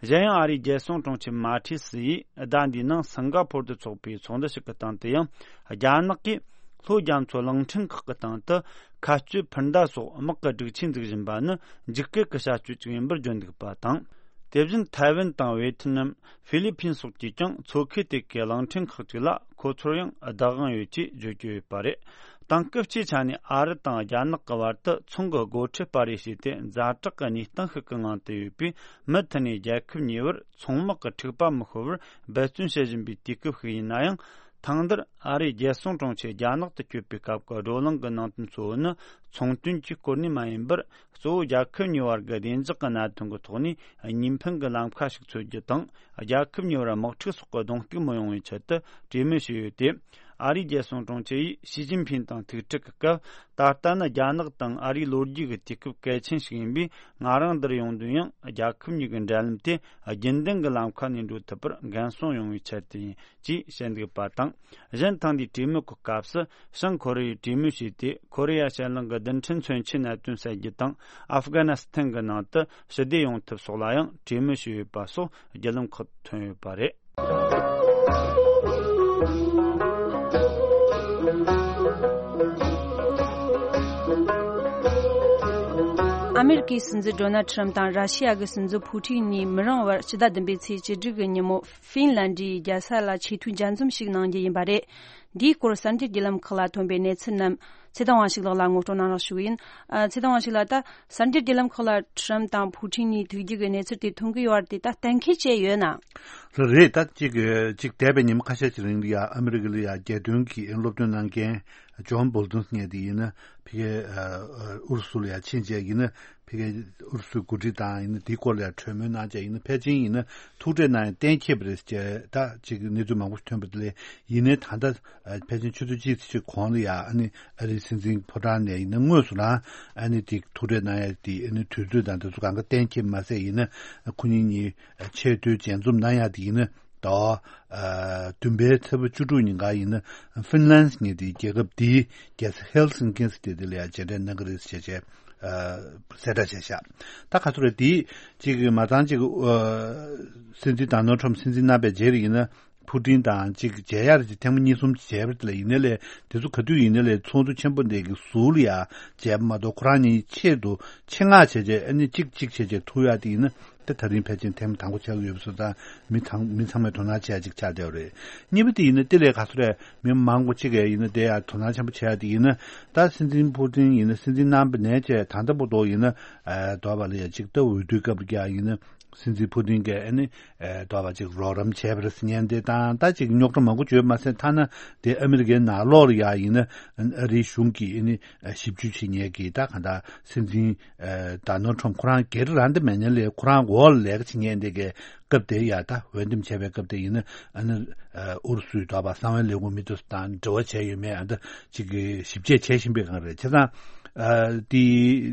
གཞན་ཡང་ཨ་རིའི་རྒྱལ་སྲུང་དྲུང་ཆེ་མ་ཊི་སི་ཡིས་ཟླ་འདིའི་ནང་སིང་ག་ཕོར་དུ་འཚོགས་པའི་ཚོགས་འདུ་ཞིག་གི་སྟེང་དུ་ཡང་རྒྱ་ནག་གིས་ལྷོ་རྒྱ་མཚོ་གླིང་ཕྲན་ཁག་གི་སྟེང་དུ་མཁའ་སྤྱོད་འཕུར་མདའ་སོགས་དམག་གི་སྒྲིག་ཆས་འཛུགས་བཞིན་པ་ནི་འཇིགས་སྐུལ་གྱི་བྱ་སྤྱོད་ཅིག་ཡིན་པར་བརྗོད་འདུག་པ་དང་། དེ་བཞིན་ཐའེ་ཝན་དང་ཝེ་ཐི་ནམ། ཧྥི་ལི་ཕིན་སོགས་ཀྱིས་ཀྱང་མཚོ་ཁུལ་དེ་གའི་གླིང་ཕྲན་ཁག་ཅིག་ལ་ཁོ་ཚོར་ཡང་བདག་དབང་ཡོད་ཅེས་བརྗོད་ཀྱི་ཡོད་པ་རེད། དེང་སྐབས་སྤྱིའི་ཆ་ནས་ཨ་རི་དང་རྒྱ་ནག་གི་བར་དུ་ཚོང་གི་སྒོ་ཁྲལ་སྤར་རེས་བྱས་ཏེ་ཛ་དྲག་གི་གནས་སྟངས་ཤིག་གི་ངང་དུ་ཡོད་པས། མུ་མཐུད་ནས་རྒྱལ་ཁབ་གཉིས་བར་ཚོང་དམག་གི་འཁྲུག་པ་མི་ཤོར་བར་འབད་བརྩོན་བྱེད་བཞིན་པའི་དུས་སྐབས་ཤིག་ཡིན་ན་ཡང་། ཐེངས་འདིར་ཨ་རིའི་རྒྱལ་སྲུང་དྲུང་ཆེ་རྒྱ་ནག་ཏུ་བསྐྱོད་པའི་སྐབས་ཀྱི་བགྲོ་གླེང་གི་ནང་དོན་གཙོ་བོ་ནི། ཚོང་དོན་གྱི་སྐོར་ནས་མ་ཡིན་པར། གཙོ་བོ་རྒྱལ་ཁབ་གཉིས་བར་གྱི་བདེ་འཇགས་ཀྱི་གནད་དོན་གྱི་ཐོག་ནས་གཉིས་ཕན་གྱི་ལམ་ཁ་ཞིག་འཚོལ་རྒྱུ་དང་། རྒྱལ་ཁབ་གཉིས་བར་དམག་འཁྲུག་སོགས་ཀྱི་གདོང་གཏུག་མི་ཡོང་བའི་ཆེད་དུ་གྲོས་མོལ་ཞུས་ཡོད་དེ། ཨ་རིའི་རྒྱལ་སྲུང་དྲུང་ཆེ་ཡིས་ཞི་ཅིན་ཕིན་དང་ཐུག་འཕྲད་ཀྱི་སྐབས། ད་ལྟ་ནི་རྒྱ་ནག་དང་ཨ་རིའི་ལོ་རྒྱུས་ཀྱི་དུས་སྐབས་གལ་ཆེན་ཞིག་ཡིན་པས། ང་རང་འདིར་ཡོང་དོན་ཡང་རྒྱལ་ཁབ་གཉིས་ཀྱི་འབྲེལ་ལམ་དེ་རྒྱུན་ལྡན་གྱི་ལམ་ཁ་ནས་འགྲོ་ཐུབ་པར་འགན་སྲུང་ཡོང་བའི་ཆེད་དུ་ཡིན། ཅེས་བཤད་འདུག་པ་དང་། གཞན་ཐེངས་འདིའི་གྲོས་མོལ་གྱི་སྐབས་སུ། བྱང་ཁོ་རེ་ཡིས་གྲོས་མོལ་བྱས་ཏེ། ཁོ་རེ་ཡ་ཤར་གླིང་གི་རྡུལ་ཕྲན་མཚོན་ཆའི་གནད་དོན་སེལ་རྒྱུ་དང་། ཨབ་གྷ་ནི་སི་ཐན་གྱི་ནང་དུ་ཞི་བདེ་ཡོང་ཐབས་སོགས་ལ་ཡང་གྲོས་མོལ་བྱས་ཡོད་པ་སོགས་བརྒྱུད་ལམ་ཁག་ཐོན་ཡོད་པ་རེད། ཨ་མེ་རི་ཀའི་སྲིད་འཛིན་ཌོ་ནལ་ཁྲམ་དང་ར་ཤི་ཡ་གི་སྲིད་འཛིན་ཕུ་ཀྲིན་གཉིས་མི་རིང་བར་ཕྱི་ཟླ་བདུན་པའི་ཚེས་བཅུ་དྲུག་གི་ཉིན་མོ། ཧྥིན་ལན་ཌིའི་རྒྱལ་ས་ལ་ཆེས་མཐོའི་མཇལ་འཛོམས་ཤིག་གནང་རྒྱུ་ཡིན་པ་རེད། འདིའི་སྐོར་གསར་འགྱུར་བརྒྱུད་ལམ་ཁག་ལ་ཐོན་པའི་གནས་ཚུལ་རྣམས་ཚེ་བརྟན་དབང་ཕྱུག་ལགས་ལ་ངོ་སྤྲོད་གནང་རོགས་ཞུ་གི་ཡིན། ཨ། ཚེ་བརྟན་དབང་ཕྱུག་ལགས། ད་གསར་འགྱུར་བརྒྱུད་ལམ་ཁག་ལ་ཁྲམ་དང་ཕུ་ཀྲིན་གཉིས་ཐུག་རྒྱུ་གི་གནས་ཚུལ་དེ་ཐོན་གི་ཡོད་པ་དེ་ད་གཏན་འཁེལ་བྱས་ཡོད་ན། རེད། ད་ཅིག་ཅིག་འདས་པའི་ཉིན་མོ་ཁ་ཤས་ཀྱི་རིང་ལ་ཡ་ཨ་མི་རི་ཀ་ལ་ཡ་རྒྱལ་དོན་གྱི་སློབ་སྟོན་གནང་མཁན་ཇོན་བོལ་ཏོན་ཟེར་མཁན་དེ་ཡིན་ན་ཕ་གིའི་ཨུ་རུ་སུ་ལ་ཡ་ཕྱིན་བྱས་ཡིན་ན། ཕ་གིའི་ཨུ་རུ་སུའི་འགོ་ཁྲིད་དང་ཡིན་ན་དེའི་སྐོར་ལ་ཡང་གྲོས་མོལ་གནང་བྱས་ཡིན་ན། ཕལ་ཆེར་ཡིན་ན་ཐུག་འཕྲད་གནང་ཡ་གཏན་འཁེལ་བ་རེད་ཅེས་ད་ཅིག་གནས་ཚུལ་མང་པོ་ཞིག་ཐོན་པ་དེ་ལས། ཡིན་ནའི་ད་ལྟ་ཕལ་ཆེར་ཆུ་ཚོད་གཅིག་ཙམ་ཞིག་གོང་ལ་ཡ་ཨ་ནི་ཨ་རིའི་སྲིད་འཛིན་ཕོ་བྲང་ནས་ཡིན་ན་དངོས་སུ་རང་ཨ་ནི་དེ་ཐུག་འཕྲད་གནང་ཡ་དེ་ཨ་ནི་དུས་ཚོད་དང་དེ་ཚོ་གང་ག་གཏན་འཁེལ་མ་ཟད་ཡིན་ན། ཁོ་གཉིས་གཉིས་ཆེས་མཐོའི་མཇལ་འཛོམས་གནང་ཡ་དེ་ཡིན་ན། ཟླ་བ་བདུན་པའི་ཚེས་པ་བཅུ་དྲུག་ཉིན་ཀ་ཡིན་ན་ཧྥིན་ལན་ཟེར་མཁན་དེའི་རྒྱལ་ཁབ་དེའི་རྒྱལ་ས་ཧེལ་སིན་ཀིན་ཟེར་དེ་དེ་ལ་ཡང་མཇལ་འཕྲད་གནང་གི་རེད་ཟེར་བྱས་བྱས་གསལ་བསྒྲགས་བྱས་ཤག་ད་ག་ཚོད་རེད། དེའི་གཅིག་གི་མ་ཚང་གཅིག་སྲིད་འཛིན་ཌོ་ནལ་ཁྲམ་སྲིད་འཛིན་གནང་པའི་རྗེས་ལ་ཡིན་ན་ཕུ་ཀྲིན་དང་གཅིག་མཇལ་ཡ་རེད་ཅེས་ཐེངས་མ་གཉིས་གསུམ་བྱས་པ་དེ་ལ་ཡིན་ནའི་ལས། དེ་ཚོ་ག་དུས་ཡིན་ནའི་ལས་ཚོགས་འདུ་ཆེན་པོ་འདི་གི་ཟུར་ལ་ཡ་མཇལ་བ་མ་གཏོགས་ཁོ་རང་གཉིས་ཆེད་དུ་ཆེད་མངགས་བྱས་བྱས་ཨ་ནི་གཅིག་གཅིག་བྱས་བྱས་ཐུག་ཡ་དེ་ཡིན་ན། དེ་ད་རིང་ཕལ་ཆེར་ཐེངས་དང་པོ་ཆགས་ཀྱི་ཡོད་པ་སོགས་དང་། མི་ཚང་མི་ཚང་མས་དོ་སྣང་བྱེད་ཡ་ཅིག་ཆགས་བསྡད་པ་རེད། གཉིས་པ་དེ་ཡིན་ན་དེ་ལས་ག་ཚོད་རེད། མི་མང་པོ་གཅིག་གིས་ཡིན་ན་དེ་ཡ་དོ་སྣང་ཆེན་པོ་བྱེད་ཡ་དེ་ཡིན་ན། ད་སྲིད་འཛིན་ཕུ་ཀྲིན་ཡིན་ན་སྲིད་འཛིན་གནང་པ་ནས་བྱས་ད་ལྟ་བར་དུ་ཡིན་ན། ཨ། དོ་བ་ལ་ཡ་ཅིག་ལྟ་འོས་བསྡུའི་སྐབས་ཀྱང་ཡིན་ན། སྲིད་འཛིན་ཕུ་ཀྲིན་གྱིས་ཨ་ནི་ཨ་དོ་བ་ཅིག་རོགས་རམ་བྱས་པ་རེད་ཟེར་མཁན་དེ་དང་། ད་ཅིག་རྙོག་དྲ་མང་པོ་བརྗོད་མ་ཟད། ཐ་ན་དེ་ཨ་མི་རི་ཀའི་ནང་ལོགས་ལ་ཡ་ཡིན་ན་ཨ་རིའི་གཞུང་གིས་ཨ་ནི་ཞིབ་འཇུག་བྱེད་མཁན་གྱི་ད་གང་ལྟར་སྲིད་འཛིན་ཨ་ཌོ་ནལ་ཁྲམ་ཁོ་རང་སྒེར་རང་དེ་མེད་མཁན་ལས། ཁོ་རང་འོག་ལ་ལས་ཀ་བྱེད་མཁན་དེ་གའི་སྐབས་དེ་ཡ། ད་འོས་འདེམས་བྱས་པའི་སྐབས་དེ་ཡིན་ན་ཨ་ནི་ཨ་ཨུ་རུ་སུའི་དོ་བ་གསང་བའི་ལས་ཁུངས་མི་དེ་ཚོ་དང་འབྲེལ་བ་བྱས་ཡོད་མེད་ཨ་ད་ཅིག་གི་ཞིབ་དཔྱད་བྱེད་བཞིན་པའི་སྒང་རེད། བྱས་ཙང་ཨ་དེ་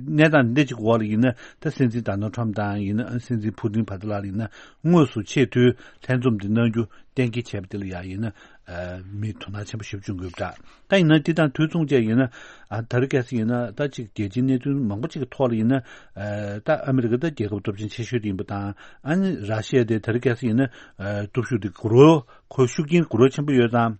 གནས་སྟངས་འདི་འདྲ་ཅིག་འོག་ལ་ཡིན་ན། ད་སྲིད་འཛིན་ཌོ་ནལ་ཁྲམ་དང་ཡིན་ན་སྲིད་འཛིན་ཕུ་ཀྲིན་བར་དུ་ལ་ཡིན་ན་དངོས་སུ་ཆེས་མཐོའི་ལྷན་འཛོམས་འདི་གནང་རྒྱུ་གཏན་འཁེལ་བྱས་པ་དེ་ལ་ཡ་ཡིན་ན། ཨ་མི་དོ་སྣང་ཆེན་པོ་ཞེ་པོ་བྱུང་གི་ཡོད་པ་འདྲ། ད་ཡིན་ན་འདི་དང་དུས་མཚུངས་བཅས་ཡིན་ན། ཨ་ད་རེས་གལ་སྲིད་ཡིན་ན་ད་ཅིག་རྒྱལ་སྤྱིའི་གནད་དོན་མང་པོ་ཅིག་གི་ཐོག་ལ་ཡིན་ན། ཨ་ད་ཨ་མི་རི་ཀ་ད་རྒྱལ་ཁབ་སྟོབས་ཆེན་ཆེ་ཤོས་དེ་ཡིན་པ་དང་། ཨ་ནི་ར་ཤི་ཡ་དེ་ད་རེས་གལ་སྲིད་ཡིན་ན་ཨ་སྟོབས་ཤུགས་དེ་འགུལ་རོགས་ཁོའི་ཤུགས་རྐྱེན་འགུལ་རོགས་ཆེན་པོ་ཡོད་ཙང་།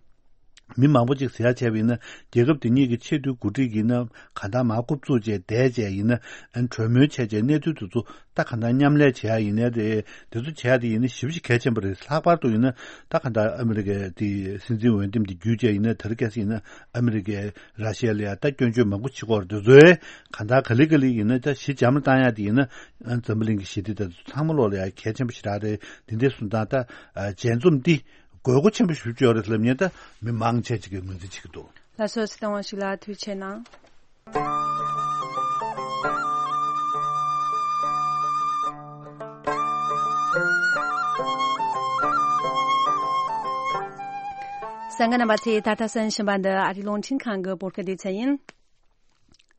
མི་མང་པོ་ཅིག་ཟེར་ཡ་བྱས་པ་ཡིན་ན། རྒྱལ་ཁབ་དེ་གཉིས་ཀྱི་ཆེས་མཐོའི་འགོ་ཁྲིད་ཀྱིས་ན་གང་ལྟར་མར་རྐུབ་བཙུགས་བྱས་བསྡད་བྱས་ཡིན་ན། ཨ་ནི་གྲོས་མོལ་བྱས་བྱས་གནས་ཚུལ་དེ་ཚོ་ད་གང་ལྟར་མཉམ་ལས་བྱེད་ཡ་ཡིན་ནའི་རེད། དེ་ཚོ་བྱེད་ཡ་དེ་ཡིན་ན་ཞེ་པོ་ཞིག་གལ་ཆེན་པོ་རེད། ལྷག་པར་དུ་ཡིན་ན་ད་གང་ལྟར་ཨ་མི་རི་ཀའི་དེ་སྲིད་འཛིན་འོས་འདེམས་དེ་བརྒྱུད་བྱས་ཡིན་ན། ད་རེས་གལ་སྲིད་ཡིན་ན་ཨ་མི་རི་ཀས་ར་ཤི་ཡ་ལ་ཡ་ད་སྐྱོན་བརྗོད་མང་པོ་བྱེད་ཀྱི་ཡོད་རེད། དེ་ཚོས་གང་ལྟར་ག་ལེ་ག་ལེ་ཡིན་ན་ད་ཞི་འཇམ་ལ་བཏང་ཡ་དེ་ཡིན་ན། ཨ་འཛམ་བུ་གླིང་གི་ཞི་བདེ་དང་ཚང་མ་ལོག་ལ་ཡ་གལ་ཆེན་པོ་ཞེ་དྲག་རེད། དེ་འདྲའི་སོང་ཙང་ད་ཨ་མཇལ་འཛོམས་འདི་དགོས་མཁོ་ཆེན་པོ་ཞེ་པོ་ཅིག་ཡོད་རེད་ལབ་མཁན་ད་མི་མང་ཆེ་ཅིག་གིས་ངོས་འཛིན་བྱེད་ཀྱི་འདུག་ལགས་སོ། ཚེ་བརྟན་དབང་ཕྱུག་ལགས་ཐུགས་རྗེ་གནང་། གསན་མཁན་རྣམ་པ་ཚོས་ད་ལྟ་གསན་བཞིན་པ་འདི་ཨ་རིའི་རླུང་འཕྲིན་ཁང་གི་བོད་སྐད་སྡེ་ཚན་ཡིན།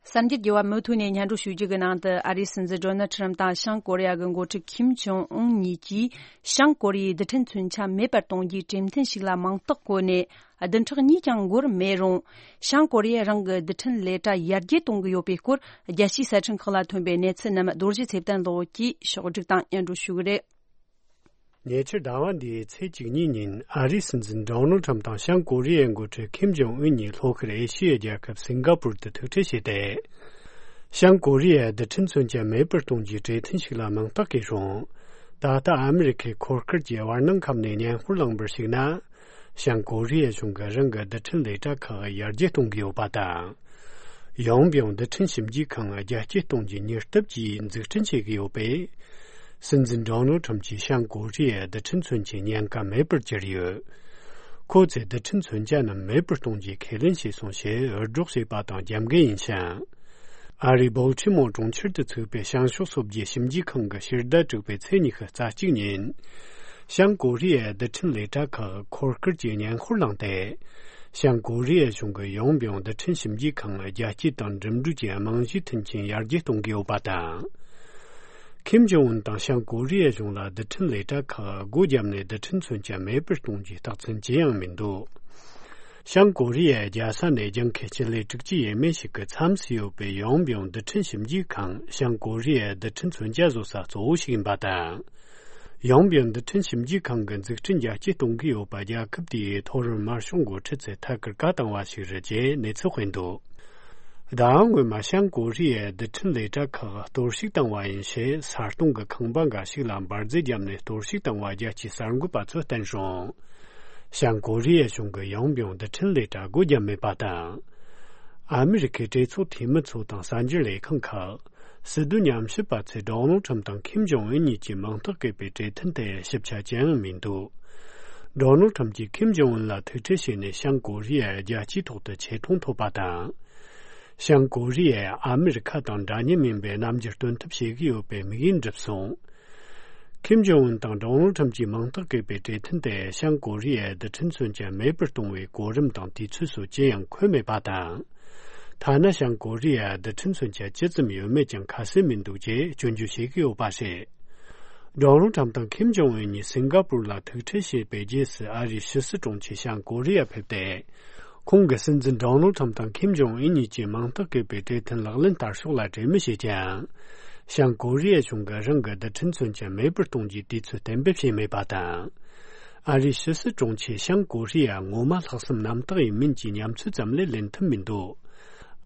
གསར་འགྱུར་རྒྱས་པ་མུ་མཐུད་ནས་སྙན་སྒྲོན་ཞུ་རྒྱུ་གི་ནང་དུ། ཨ་རིའི་སྲིད་འཛིན་ཌོ་ནལ་ཁྲམ་དང་བྱང་ཀོ་རི་ཡ་གི་འགོ་ཁྲིད་ཁིམ་ཇོང་ཨུན་གཉིས་ཀྱིས་བྱང་ཀོ་རི་ཡའི་རྡུལ་ཕྲན་མཚོན་ཆ་མེད་པར་གཏོང་རྒྱུའི་གྲོས་མཐུན་ཞིག་ལ་མིང་རྟགས་བཀོད་ནས། བདུན་ཕྲག་གཉིས་ཀྱང་འགོར་མེད་རུང་། བྱང་ཀོ་རི་ཡས་རང་གི་རྡུལ་ཕྲན་ལས་གྲྭ་ཡར་རྒྱས་གཏོང་གི་ཡོད་པའི་སྐོར། རྒྱལ་སྤྱིའི་གསར་འཕྲིན་ཁག་ལ་ཐོན་པའི་གནས་ཚུལ་རྣམས་རྡོ་རྗེ་ཚེ་བརྟན་ལགས་ཀྱིས་ཕྱོགས་བསྒྲིགས་དང་སྙན་སྒྲོན་ཞུ་གི་རེད། ཉེ་ཆར་ཟླ་བ་འདིའི་ཚེས་བཅུ་གཉིས་ཉིན་ཨ་རིའི་སྲིད་འཛིན་ཌོ་ནལ་ཁྲམ་དང་བྱང་ཀོ་རི་ཡའི་འགོ་ཁྲིད་ཁིམ་ཇོང་ཨུན་གཉིས་ལྷོ་ཤར་ཨེ་ཤི་ཡའི་རྒྱལ་ཁབ་སིང་ག་པུར་དུ་ཐུག་འཕྲད་བྱས་ཏེ། བྱང་ཀོ་རི་ཡའི་རྡུལ་ཕྲན་མཚོན་ཆ་མེད་པར་གཏོང་རྒྱུའི་གྲོས་མཐུན་ཞིག་ལ་མིང་རྟགས་བཀོད་རུང་། ད་ལྟ་ཨ་མི་རི་ཁའི་འཁོར་སྐར་གྱི་བར་སྣང་ཁམས་ནས་བརྙན་འཕྲིན་བླངས་པར་གཞིགས་ན། བྱང་ཀོ་རི་ཡའི་གཞུང་གིས་རང་གི་རྡུལ་ཕྲན་ལས་གྲྭ་ཁག་ཡར་རྒྱས་གཏོང་གི་ཡོད་པ་དང་། ཡང་ཡང་རྡུལ་ཕྲན་ཞིབ་འཇུག་ཁང་རྒྱ་སྐྱེད་གཏོང་རྒྱུའི་མྱུར་སྟབས་ཀྱིས་འཛུགས་སྐྲུན་བྱེད་ཀྱི་ཡོད་པས། སྲིད་འཛིན་ཌོ་ནལ་ཁྲམ་གྱིས་བྱང་ཀོ་རི་ཡའི་རྡུལ་ཕྲན་མཚོན་ཆའི་ཉེན་ཁ་མེད་པར་གྱུར་ཡོད། ཁོ་ཚོས་རྡུལ་ཕྲན་མཚོན་ཆ་རྣམས་མེད་པར་གཏོང་རྒྱུའི་ཁས་ལེན་བྱས་སོང་ཞེས་འུར་སྒྲོག་བྱས་པ་དང་རྒྱབ་འགལ་ཡིན་ཞིང་། ཨ་རིའི་བོལ་ཊི་མོར་གྲོང་ཁྱེར་དུ་ཚུགས་པའི་བྱང་ཕྱོགས་སོ་བརྒྱད་ཞིབ་འཇུག་ཁང་གི་ཕྱི་ཟླ་དྲུག་པའི་ཚེས་ཉི་ཤུ་རྩ་གཅིག་ཉིན། བྱང་ཀོ་རི་ཡའི་རྡུལ་ཕྲན་ལས་གྲྭ་ཁག་འཁོར་སྐར་གྱི་བརྙན་འཕྲིན་བླངས་ཏེ། བྱང་ཀོ་རི་ཡའི་གཞུང་གིས་ཡང་ཡང་རྡུལ་ཕྲན་ཞིབ་འཇུག་ཁང་རྒྱ་སྐྱེད་དང་འགྲིམ་འགྲུལ་གྱི་རྨང་གཞི་མཐུན་རྐྱེན་ཡར་རྒྱས་གཏོང་གི་ཡོད་པ་དང་། ཁིམ་ཇོང་ཨུན་དང་བྱང་ཀོ་རི་ཡའི་གཞུང་ལ་རྡུལ་ཕྲན་ལས་གྲྭ་ཁག་སྒོ་བརྒྱབ་ནས་རྡུལ་ཕྲན་མཚོན་ཆ་མེད་པར་གཏོང་རྒྱུའི་རྟགས་མཚན་ཅི་ཡང་མི་འདུག། བྱང་ཀོ་རི་ཡའི་རྒྱལ་ས་ནས་ལྗང་ཁུའི་སྤྱི་ལེ་དྲུག་ཅུ་ཡས་མས་ཤིག་གི་མཚམས་སུ་ཡོད་པའི་ཡང་ཡང་རྡུལ་ཕྲན་ཞིབ་འཇུག་ཁང་བྱང་ཀོ་རི་ཡའི་རྡུལ་ཕྲན་མཚོན་ཆ་བཟོ་ས་གཙོ་བོ་ཞིག་ཡིན་པ་དང་། ཡང་ཡང་རྡུལ་ཕྲན་ཞིབ་འཇུག་ཁང་གི་འཛུགས་སྐྲུན་རྒྱ་སྐྱེད་གཏོང་གི་ཡོད་པ་རྒྱལ་ཁབ་དེའི་མཐོ་རིམ་དམར་ཤོག་འགོ་ཁྲིད་ཚོས་ཐད་ཀར་བཀའ་བཏང་བ་ཞིག་རེད་ཅེས་གནས་ཚུལ་སྤེལ་འདུག། ཟླ་བ་སྔོན་མ་བྱང་ཀོ་རི་ཡའི་རྡུལ་ཕྲན་ལས་གྲྭ་ཁག་གཏོར་བཤིག་བཏང་བ་ཡིན་ཞེས་ས་སྟོང་གི་ཁང་པ་འགའ་ཞིག་ལ་འབར་རྫས་བརྒྱབ་ནས་གཏོར་བཤིག་བཏང་བ་རྒྱལ་སྤྱིའི་གསར་འགོད་པ་ཚོས་བསྟན་རུང་། བྱང་ཀོ་རི་ཡའི་གཞུང་གིས་ཡང་ཡང་རྡུལ་ཕྲན་ལས་གྲྭ་སྒོ་བརྒྱབ་མེད་པ་དང་། ཨ་མི་རི་ཁའི་གྲོས་ཚོགས་འཐུས་མི་ཚོ་དང་གསར་འགྱུར་ལས་ཁང་ཁག་སྲིད་དོན་ཉམས་ཞིབ་པ་ཚོས་ཌོ་ནལ་ཁྲམ་དང་ཁིམ་ཇོང་ཨུན་གཉིས་ཀྱི་མིང་རྟགས་བཀོད་པའི་གྲོས་མཐུན་དེར་ཞིབ་ཆ་ཅི་ཡང་མི་འདུག། ཌོ་ནལ་ཁྲམ་གྱིས་ཁིམ་ཇོང་ཨུན་ལ་ཐུག་འཕྲད་བྱས་ནས་བྱང་ཀོ་རི་ཡའི་རྒྱལ་སྤྱིའི་ཐོག་ཏུ་ཆེ་མཐོང་ཐོབ་པ་དང་། བྱང་ཀོ་རི་ཡས་ཨ་མི་རི་ཁ་དང་འདྲ་མཉམ་ཡིན་པའི་རྣམ་འགྱུར་སྟོན་ཐབས་བྱེད་ཀྱི་ཡོད་པའི་དམིགས་ཡུལ་འགྲུབ་སོང་། ཁིམ་ཇོང་ཨུན་དང་ཌོ་ནལ་ཁྲམ་གྱི་མིང་རྟགས་བཀོད་པའི་གྲོས་མཐུན་དེ་བྱང་ཀོ་རི་ཡའི་རྡུལ་ཕྲན་མཚོན་ཆ་མེད་པར་གཏོང་བའི་གོ་རིམ་དང་དུས་ཚོད་སོགས་ཅི་ཡང་འཁོད་མེད་པ་དང་། ཐ་ན་བྱང་ཀོ་རི་ཡའི་རྡུལ་ཕྲན་མཚོན་ཆ་ཇི་ཙམ་ཡོད་མེད་ཀྱང་ཁ་གསལ་མི་འདུག་ཅེས་སྐྱོན་བརྗོད་བྱེད་ཀྱི་ཡོད་པ་རེད། ཌོ་ནལ་ཁྲམ་དང་ཁིམ་ཇོང་ཨུན་གཉིས་སིང་ག་པུར་ལ་ཐུག་འཕྲད་བྱས་པའི་རྗེས་སུ་ཨ་རིའི་ཕྱི་སྲིད་དྲུང་ཆེ་བྱང་ཀོ་རི་ཡར་ཕེབས་ཏེ། ཁོང་གིས་སྲིད་འཛིན་ཌོ་ནལ་ཁྲམ་དང་ཁིམ་ཇོང་ཨུན་གཉིས་ཀྱི་མིང་རྟགས་བཀོད་པའི་གྲོས་མཐུན་ལག་ལེན་བསྟར་ཕྱོགས་ལ་གྲོས་མོལ་བྱས་ཀྱང་། བྱང་ཀོ་རི་ཡའི་གཞུང་གིས་རང་གི་རྡུལ་ཕྲན་མཚོན་ཆ་མེད་པར་གཏོང་རྒྱུའི་དུས་ཚོད་གཏན་འབེབས་བྱས་མེད་པ་དང་། ཨ་རིའི་ཕྱི་སྲིད་དྲུང་ཆེས་བྱང་ཀོ་རི་ཡ་ངོ་མ་ལྷག་བསམ་རྣམ་དག་ཡིན་མིན་གྱི་ཉམས་ཚོད་ཙམ་ལས་ལེན་ཐུབ་མི་འདུག།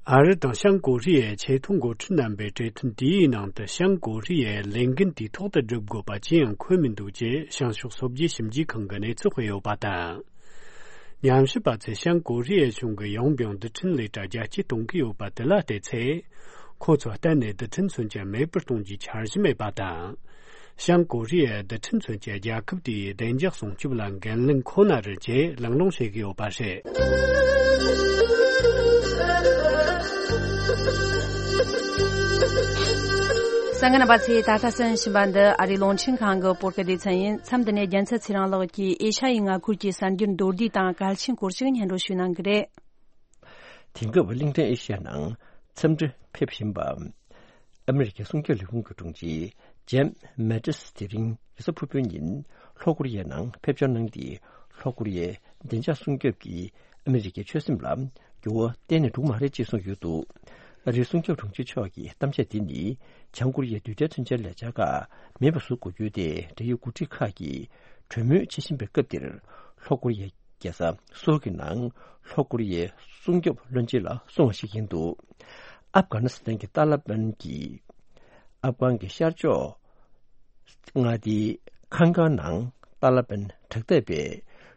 ཨ་རི་དང་བྱང་ཀོ་རི་ཡའི་ཆེས་མཐོའི་འགོ་ཁྲིད་རྣམ་པའི་གྲོས་མཐུན་དེའི་ནང་དུ་བྱང་ཀོ་རི་ཡའི་ལས་འགན་དུས་ཐོག་ཏུ་སྒྲུབ་དགོས་པ་ཅི་ཡང་འཁོད་མི་འདུག་ཅེས་བྱང་ཕྱོགས་སོ་བརྒྱད་ཞིབ་འཇུག་ཁང་གིས་གནས་ཚུལ་སྤེལ་ཡོད་པ་དང་། ཉམས་ཞིབ་པ་ཚོས་བྱང་ཀོ་རི་ཡའི་གཞུང་གིས་ཡང་ཡང་རྡུལ་ཕྲན་ལས་གྲྭ་རྒྱ་སྐྱེད་གཏོང་གི་ཡོད་པ་དེ་ལ་བལྟས་ཚེ། ཁོ་ཚོ་གཏན་ནས་རྡུལ་ཕྲན་མཚོན་ཆ་མེད་པར་གཏོང་རྒྱུའི་འཆར་གཞི་མེད་པ་དང་། བྱང་ཀོ་རི་ཡའི་རྡུལ་ཕྲན་མཚོན་ཆ་རྒྱལ་ཁབ་དེའི་བདེ་འཇགས་སྲུང་སྐྱོབ་ལ་འགན་ལེན་ཁོ་ན་རེད་ཅེས་གླེང་སློང་བྱེད་ཀྱི་ཡོད་པ་རེད། གསན་མཁན་རྣམ་པ་ཚོས་ད་ལྟ་གསན་བཞིན་པ་འདི་ཨ་རིའི་རླུང་འཕྲིན་ཁང་གི་བོད་སྐད་སྡེ་ཚན་ཡིན། མཚམས་འདི་ནས་རྒྱལ་མཚན་ཚེ་རིང་ལགས་ཀྱིས་ཨེ་ཤ་ཡའི་མངའ་ཁུལ་གྱི་གསར་འགྱུར་མདོར་བསྡུས་དང་གལ་ཆེན་སྐོར་ཞིག་སྙན་སྒྲོན་ཞུ་གནང་གི་རེད། དེང་སྐབས་གླིང་ཕྲན་ཨེ་ཤ་ཡའི་ནང་འཚམས་འདྲིར་ཕེབས་བཞིན་པ། ཨ་མི་རི་ཀའི་སྲུང་སྐྱོབ་ལས་ཁུངས་ཀྱི་དྲུང་ཆེ་ཇེམ་མེ་ཏིས་དེ་རིང་རེས་གཟའ་ཕུར་བུའི་ཉིན་ལྷོ་ཀོ་རི་ཡའི་ནང་ཕེབས་འབྱོར་གནང་སྟེ། ལྷོ་ཀོ་རི་ཡའི་བདེ་འཇགས་སྲུང་སྐྱོབ་ཀྱིས་ཨ་མི་རི་ཀའི་ཆོད་སེམས་ལ་འགྱུར་བ་གཏན་ནས་འགྲོ་གི་མ་རེད་ཅེས་གསུངས་ཡོད་འདུག། ཨ་རིའི་སྲུང་སྐྱོབ་དྲུང་ཆེ་མཆོག་གི་གཏམ་བཤད་དེ་ནི་བྱང་ཀོ་རི་ཡའི་རྡུལ་ཕྲན་མཚོན་ཆའི་ལས་འཆར་ཁག་མེད་པ་བཟོ་དགོས་རྒྱུ་དེ་འབྲེལ་ཡོད་འགོ་ཁྲིད་ཁག་གིས་གྲོས་མོལ་བྱེད་བཞིན་པའི་སྐབས་འདིར། ལྷོ་ཀོ་རི་ཡའི་རྒྱལ་ས་སོལ་གྱི་ནང་ལྷོ་ཀོ་རི་ཡའི་སྲུང་སྐྱོབ་བློན་ཆེན་ལ་གསུངས་པ་ཞིག་ཡིན་འདུག། ཨབ་གྷ་ནི་སི་ཐན་གྱི་ཏཱ་ལ་པན་གྱིས་ཨབ་གྷན་གྱི་ཤར་ཕྱོགས་མངའ་སྡེའི་ཁང་ཀང་ནང་ཏཱ་ལ་པན་དྲག་འཐབ་པའི་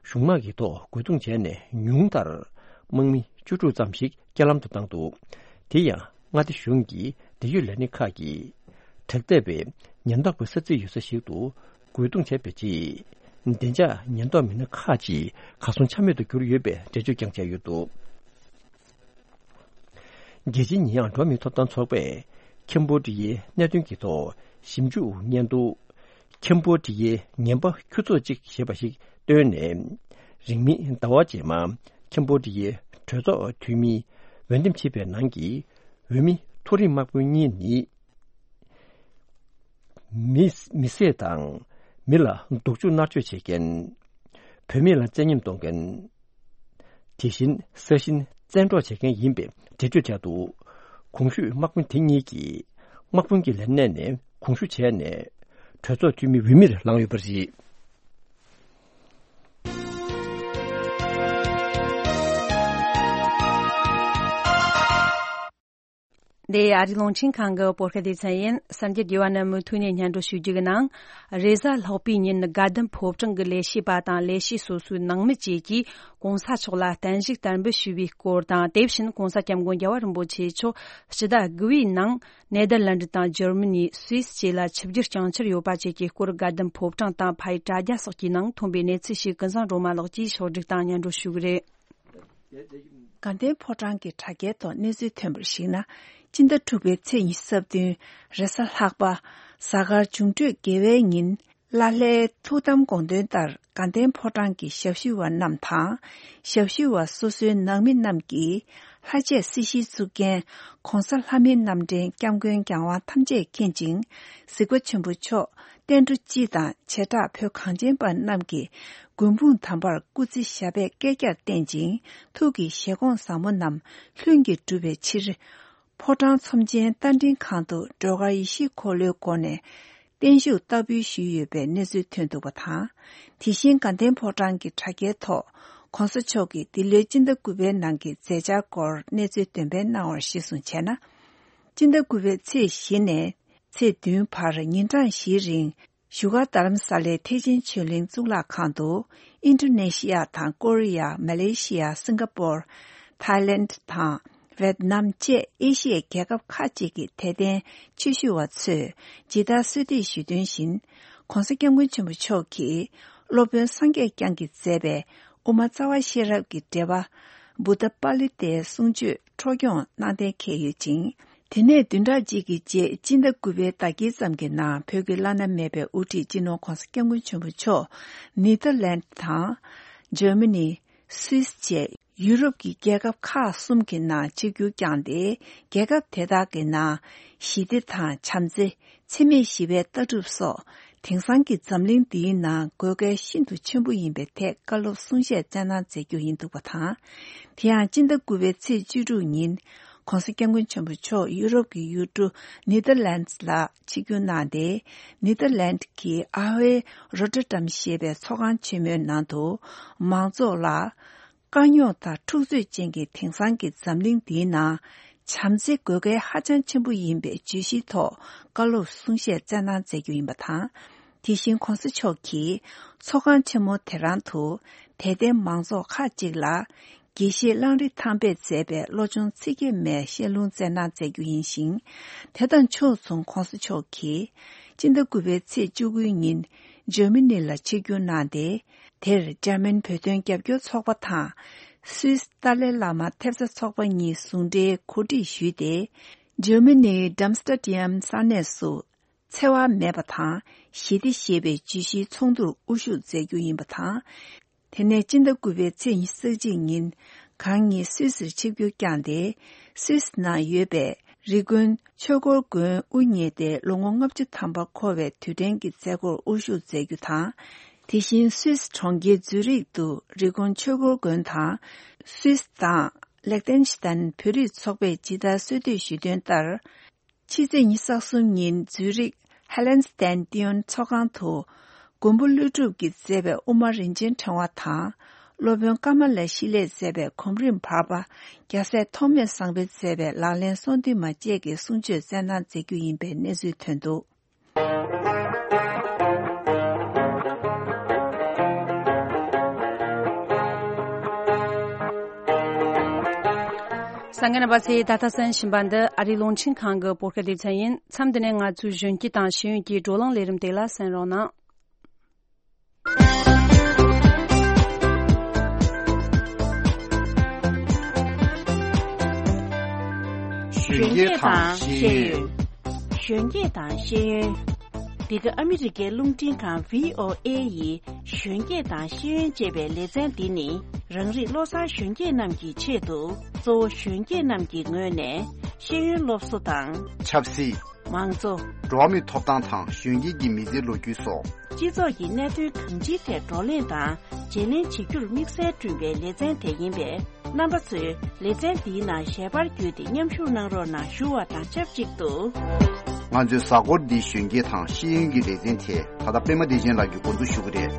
གཞུང་དམག་གི་ཐོག་རྒོལ་རྡུང་བྱས་ནས་ཉུང་མཐར་དམག་མི་བཅུ་དྲུག་ཙམ་ཞིག་རྐྱེན་ལམ་དུ་བཏང་འདུག། དེ་ཡང་མངའ་སྡེ་གཞུང་གི་འབྲེལ་ཡོད་ལས་སྣེ་ཁག་གིས་དྲག་འཐབ་པའི་ཉེན་རྟོག་པའི་ས་ཚིགས་ཡོད་ས་ཞིག་ཏུ་རྒོལ་རྡུང་བྱས་པའི་རྗེས། བདེ་འཇགས་ཉེན་རྟོག་མི་སྣ་ཁག་ཅིག་གར་སོང་ཆ་མེད་དུ་གྱུར་ཡོད་པའི་འགྲེལ་བརྗོད་ཀྱང་བྱས་ཡོད་འདུག། རྒྱལ་སྤྱིའི་ཉེས་ཡངས་འགྲོ་བ་མིའི་ཐོབ་ཐང་ཚོགས་པས་ཁེམ་བྷོ་ཌི་ཡའི་གནད་དོན་གྱི་ཐོག་ཞིབ་འཇུག་སྙན་ཐོ། ཁེམ་བྷོ་ཌི་ཡའི་ངན་པ་ཁྱུ་ཚོགས་གཅིག་ཞེས་པ་ཞིག་བཏོན་ནས། རིང་མིན་ཟླ་བ་རྗེས་མ་ཁེམ་བྷོ་ཌི་ཡའི་གྲོས་ཚོགས་འཐུས་མིས་འོས་འདེམས་བྱས་པའི་ནང་གི་འོས་མི་མཐོ་རིམ་དམག་དཔོན་གཉིས་ནི། མི་མི་བསད་དང་། མི་ལ་སྡུག་སྦྱོང་མནར་གཅོད་བྱེད་མཁན། བུད་མེད་ལ་བཙན་ཉམས་གཏོང་མཁན། དེ་བཞིན་ས་ཞིང་བཙན་འཕྲོག་བྱེད་མཁན་ཡིན་པའི་འགྲེལ་བརྗོད་བྱས་འདུག། གོང་ཞུས་དམག་དཔོན་དེ་གཉིས་ཀྱིས་དམག་དཔོན་གྱི་ལས་གནས་ནས་གོང་ཞུ་བྱས་ནས་གྲོས་ཚོགས་འཐུས་མི་འོས་མིར་ལངས་ཡོད་པ་རེད། འདི་ཨ་རིའི་རླུང་འཕྲིན་ཁང་གི་བོད་སྐད་སྡེ་ཚན་ཡིན། གསར་འགྱུར་རྒྱས་པ་རྣམས་མུ་མཐུད་ནས་སྙན་སྒྲོན་ཞུ་རྒྱུ་གི་ནང་། རེས་གཟའ་ལྷག་པའི་ཉིན་དགའ་ལྡན་ཕོ་བྲང་གི་ལས་བྱེད་པ་དང་ལས་བྱེད་སོ་སོའི་ནང་མི་བཅས་ཀྱིས་གོང་ས་མཆོག་ལ་བརྟན་བཞུགས་དར་འབུལ་ཞུས་པའི་སྐོར་དང་། དེ་བཞིན་གོང་ས་སྐྱབས་མགོན་རྒྱལ་བ་རིན་པོ་ཆེ་མཆོག་ཕྱི་ཟླ་དགུ་པའི་ནང་ནེ་དར་ལན་ཌི་དང་འཇར་མ་ནི། སུད་སི་བཅས་ལ་ཆིབས་བསྒྱུར་བསྐྱངས་འཆར་ཡོད་པ་བཅས་ཀྱི་སྐོར། དགའ་ལྡན་ཕོ་བྲང་དང་ཕ་ཡུལ་དྲ་རྒྱ་སོགས་ཀྱི་ནང་ཐོན་པའི་གནས་ཚུལ་ཞིག་ཀུན་བཟང་སྒྲོལ་མ་ལགས་ཀྱིས་ཕྱོགས་སྒྲིག་དང་སྙན་སྒྲོན་ཞུ་གི་རེད། དགའ་ལྡན་ཕོ་བྲང་གི་དྲ་རྒྱའི་ཐོག་གནས་ཚུལ་ཐོན་པར་གཞིགས་ན། སྤྱི་ཟླ་དྲུག་པའི་ཚེས་ཉི་ཤུ་རྩ་བདུན་རེས་གཟའ་ལྷག་པ། གཟའ་སྐར་འབྱུང་འཕྲོད་དགེ་བའི་ཉིན། ལ་ལྷའི་ཐུགས་དམ་དགོངས་དོན་ལྟར་དགའ་ལྡན་ཕོ་བྲང་གི་ཞབས་ཞུ་བ་རྣམས་དང་། ཞབས་ཞུ་བ་སོ་སོའི་ནང་མི་རྣམས་ཀྱིས་ལྷ་ཆས་སྲི་ཞུའི་གཙུག་རྒྱན་གོང་ས་ལྷ་མིའི་རྣམ་འདྲེན་སྐྱབས་མགོན་རྒྱལ་དབང་ཐམས་ཅད་མཁྱེན་ཅིང་གཟིགས་པ་ཆེན་པོ་མཆོག་བསྟན་འགྲོ་སྤྱི་དང་བྱེ་བྲག་བོད་གངས་ཅན་པ་རྣམས་ཀྱི་མགོན་དཔུང་དམ་པར་སྐུ་ཚེ་ཞབས་པད་བསྐལ་བརྒྱར་བརྟན་ཅིང་ཐུགས་ཀྱི་བཞེད་དགོངས་ཟབ་མོ་རྣམས་ལྷུན་གྱིས་གྲུབ་པའི་ཕྱིར། ཕོ་བྲང་ཚོམས་ཆེན་རྟ་མགྲིན་ཁང་དུ་སྒྲོལ་དཀར་ཡེ་ཤེས་འཁོར་ལོའི་སྒོ་ནས་བརྟན་བཞུགས་བསྟར་འབུལ་ཞུས་ཡོད་པའི་གནས་ཚུལ་ཐོན་འདུག་པ་དང་། དེ་བཞིན་དགའ་ལྡན་ཕོ་བྲང་གི་དྲ་རྒྱའི་ཐོག་གོང་ས་མཆོག་གིས་འདི་ལོའི་སྤྱི་ཟླ་དགུ་པའི་ནང་གི་མཛད་འཆར་སྐོར་གནས་ཚུལ་འདོན་སྤེལ་གནང་བར་གཞིར་བཟུང་བྱས་ན། སྤྱི་ཟླ་དགུ་པའི་ཚེས་བཞི་ནས་ཚེས་བདུན་བར་ཉིན་གྲངས་བཞིའི་རིང་བཞུགས་སྒར་རྡ་རམ་ས་ལའི་ཐེག་ཆེན་ཆོས་གླིང་གཙུག་ལག་ཁང་དུ། ཨིན་ཌོ་ནེ་ཤི་ཡ་དང་ཀོ་རི་ཡ། མ་ལེ་ཤི་ཡ། སིང་ག་པོར། ཐའི་ལེནཌ་དང་ཝེད་ནམ་བཅས་ཨེ་ཤི་ཡའི་རྒྱལ་ཁབ་ཁག་ཅིག་གི་དད་ལྡན་ཆོས་ཞུ་བ་ཚོས་ཇི་ལྟར་གསོལ་འདེབས་ཞུས་དོན་བཞིན། གོང་ས་སྐྱབས་མགོན་ཆེན་པོ་མཆོག་གིས་སློབ་དཔོན་སངས་རྒྱས་བསྐྱངས་ཀྱིས་མཛད་པའི་དབུ་མ་རྩ་བ་ཤེས་རབ་ཀྱི་འགྲེལ་པ། བུདྡྷ་པཱ་ལི་ཏའི་གསུང་ཆོས་འཕྲོ་སྐྱོང་གནང་གཏན་འཁེལ་ཡོད་ཅིང་། དེ་ནས་བདུན་ཕྲག་གཅིག་གི་རྗེས་སྤྱི་ཟླ་དགུ་པའི་ཟླ་དཀྱིལ་ཙམ་གྱི་ནང་བོད་ཀྱི་བླ་ན་མེད་པའི་དབུ་ཁྲིད་སྤྱི་ནོར་གོང་ས་སྐྱབས་མགོན་ཆེན་པོ་མཆོག་ནེ་དར་ལན་དང་། འཇར་མ་ནི། སུད་སི་བཅས་ཡུ་རོབ་ཀྱི་རྒྱལ་ཁབ་ཁག་གསུམ་གྱི་ནང་ཆིབས་བསྒྱུར་བསྐྱངས་ཏེ། རྒྱལ་ཁབ་དེ་དག་གི་ནང་ཞི་བདེ་དང་བྱམས་བརྩེ། འཚེ་མེད་ཞི་བའི་ལྟ་གྲུབ་སོགས་དེང་སང་གི་འཛམ་གླིང་འདིའི་ནང་དགོས་གལ་ཤིན་ཏུ་ཆེན་པོ་ཡིན་པའི་ཐད་བཀའ་སློབ་གསུང་བཤད་སྩལ་གནང་མཛད་རྒྱུ་ཡིན་འདུག་པ་དང་། དེ་ཡང་སྤྱི་ཟླ་དགུ་པའི་ཚེས་བཅུ་དྲུག་ཉིན་གོང་ས་སྐྱབས་མགོན་ཆེན་པོ་མཆོག་ཡུ་རོབ་ཀྱི་ཡུལ་གྲུ་ནེ་དར་ལན་ཌི་ལ་ཆིབས་བསྒྱུར་གནང་སྟེ། ནེ་དར་ལན་ཌི་གི་ཨ་ཧོའི་རོ་ཏར་ཌམ་ཞེས་པའི་ཚོགས་ཁང་ཆེན་མོའི་ནང་དུ་མང་ཚོགས་ལ། དཀའ་རྙོག་དང་འཁྲུག་རྩོད་ཅན་གྱི་དེང་སང་གི་འཛམ་གླིང་འདིའི་ནང་བྱམས་བརྩེ་དགོས་གལ་ཧ་ཅང་ཆེན་པོ་ཡིན་པའི་བརྗོད་གཞིའི་ཐོག་བཀའ་སློབ་གསུང་བཤད་སྩལ་གནང་མཛད་རྒྱུ་ཡིན་པ་དང་། དེ་བཞིན་གོང་ས་མཆོག་གིས་ཚོགས་ཁང་ཆེན་མོ་དེ་རང་དུ་དད་ལྡན་མང་ཚོགས་ཁག་ཅིག་ལ་དགེ་བཤེས་གླང་རི་ཐང་པས་མཛད་པའི་བློ་སྦྱོང་ཚིག་བརྒྱད་མའི་བཤད་ལུང་སྩལ་གནང་མཛད་རྒྱུ་ཡིན་ཞིང་། དེ་དང་ཕྱོགས་མཚུངས་གོང་ས་མཆོག་གིས་སྤྱི་ཟླ་དགུ་པའི་ཚེས་བཅུ་དགུའི་ཉིན་འཇར་མ་ནི་ལ་ཆིབས་བསྒྱུར་གནང་སྟེ། དེར་འཇར་མན་བོད་དོན་རྒྱབ་སྐྱོར་ཚོགས་པ་དང་། སུད་སི་ཏཱ་ལའི་བླ་མ་ཐེབས་རྩ་ཚོགས་པ་གཉིས་ཟུང་འབྲེལ་གོ་སྒྲིག་ཞུས་ཏེ། འཇར་མ་ནིའི་ཌམ་སི་ཊ་ཌི་ཡམ་ས་གནས་སུ། འཚེ་བ་མེད་པ་དང་ཞི་བདེ་ཞེས་པའི་བརྗོད་གཞིའི་ཚོགས་འདུར་དབུ་བཞུགས་མཛད་རྒྱུ་ཡིན་པ་དང་། དེ་ནས་སྤྱི་ཟླ་དགུ་པའི་ཚེས་ཉི་ཤུ་རྩ་གཅིག་ཉིན་གང་ཉིད་སུད་སིར་ཆིབས་བསྒྱུར་བསྐྱངས་ཏེ། སུད་སི་ནང་ཡོད་པའི་རི་ཀོན་ཆོས་འཁོར་དགོན་དབུ་བརྙེས་ཏེ་ལོ་ངོ་ལྔ་བཅུ་ཐམ་པ་འཁོར་བའི་དུས་དྲན་གྱི་མཛད་སྒོར་དབུ་བཞུགས་མཛད་རྒྱུ་དང་། དེ་བཞིན་སུད་སི་གྲོང་ཁྱེར་ཛུ་རིག་ཏུ་རི་ཀོན་ཆོས་འཁོར་དགོན་དང་། སུད་སི་དང་ལེག་ཏེན་ཤི་ཏན་བོད་རིགས་ཚོགས་པས་ཇི་ལྟར་གསོལ་འདེབས་ཞུས་དོན་ལྟར། ཕྱི་ཚེས་ཉི་ཤུ་རྩ་གསུམ་ཉིན་ཛུ་རིག་ཧེ་ལེན་སི་ཏན་ཏིའོན་ཚོགས་ཁང་དུ། མགོན་པོ་ཀླུ་སྒྲུབ་ཀྱིས་མཛད་པའི་དབུ་མ་རིན་ཆེན་ཕྲེང་བ་དང་། སློབ་དཔོན་ཀ་མ་ལ་ཤཱི་ལས་མཛད་པའི་གོམ་རིམ་བར་པ། རྒྱལ་སྲས་ཐོགས་མེད་བཟང་པོས་མཛད་པའི་ལག་ལེན་གསུང་འདུས་མ་བཅས་ཀྱི་གསུང་ཆོས་སྩལ་གནང་མཛད་རྒྱུ་ཡིན་པའི་གནས་ཚུལ་ཐོན་འདུག་གསན་མཁན་རྣམ་པ་ཚོས་ད་ལྟ་གསན་བཞིན་པ་འདི་ཨ་རིའི་རླུང་འཕྲིན་ཁང་གི་བོད་སྐད་སྡེ་ཚན་ཡིན། མཚམས་འདི་ནས་ང་ཚོའི་གཞོན་སྐྱེས་དང་ཤེས་ཡོན་གྱི་བགྲོ་གླེང་ལས་རིམ་དེ་ལ་གསན་རོགས་གནང་། གཞོན་སྐྱེས་དང་ཤེས་ཡོན། གཞོན་སྐྱེས་དང་ཤེས་ཡོན། འདི་ག་ཨ་མི་རི་ཀའི་རླུང་འཕྲིན་ཁང་བྷི་ཨོ་ཨེ་ཡི་གཞོན་སྐྱེས་དང་ཤེས་ཡོན་ཅེས་པའི་ལེ་ཚན་འདི་ནི། རང་རིགས་བློ་བཟང་གཞོན་སྐྱེས་རྣམས་ཀྱི་ཆེད་དུ། གཙོ་བོ་གཞོན་སྐྱེས་རྣམས་ཀྱི་ངོས་ནས་ཤེས་ཡོན་སློབ་གསོ་དང་། ཆབ་སྲིད། མང་གཙོ། འགྲོ་བ་མིའི་ཐོབ་ཐང་དང་གཞོན་སྐྱེས་ཀྱི་མི་ཚེའི་ལོ་རྒྱུས་སོགས། སྤྱི་ཚོགས་ཀྱི་གནད་དོན་གང་ཅིའི་ཐད་བགྲོ་གླེང་དང་བརྗེ་ལེན་བྱེད་རྒྱུར་དམིགས་བསལ་བསྐྲུན་པའི་ལེ་ཚན་དེ་ཡིན་པས། རྣམ་པ་ཚོས་ལེ་ཚན་འདིའི་ནང་ཞལ་པར་བརྒྱུད་དེ་མཉམ་ཞུགས་གནང་རོགས་གནང་ཞུ་བ་དང་ཆབས་ཅིག་ཏུ། ང་ཚོའི་གཟའ་འཁོར་འདིའི་གཞོན་སྐྱེས་དང་ཤེས་ཡོན་གྱི་ལེ་ཚན་དེ་ད་ལྟ་པད་མ་བདེ་ཆེན་ལགས་ཀྱིས་འགོ་འཛུགས་ཞུ་གི་རེད།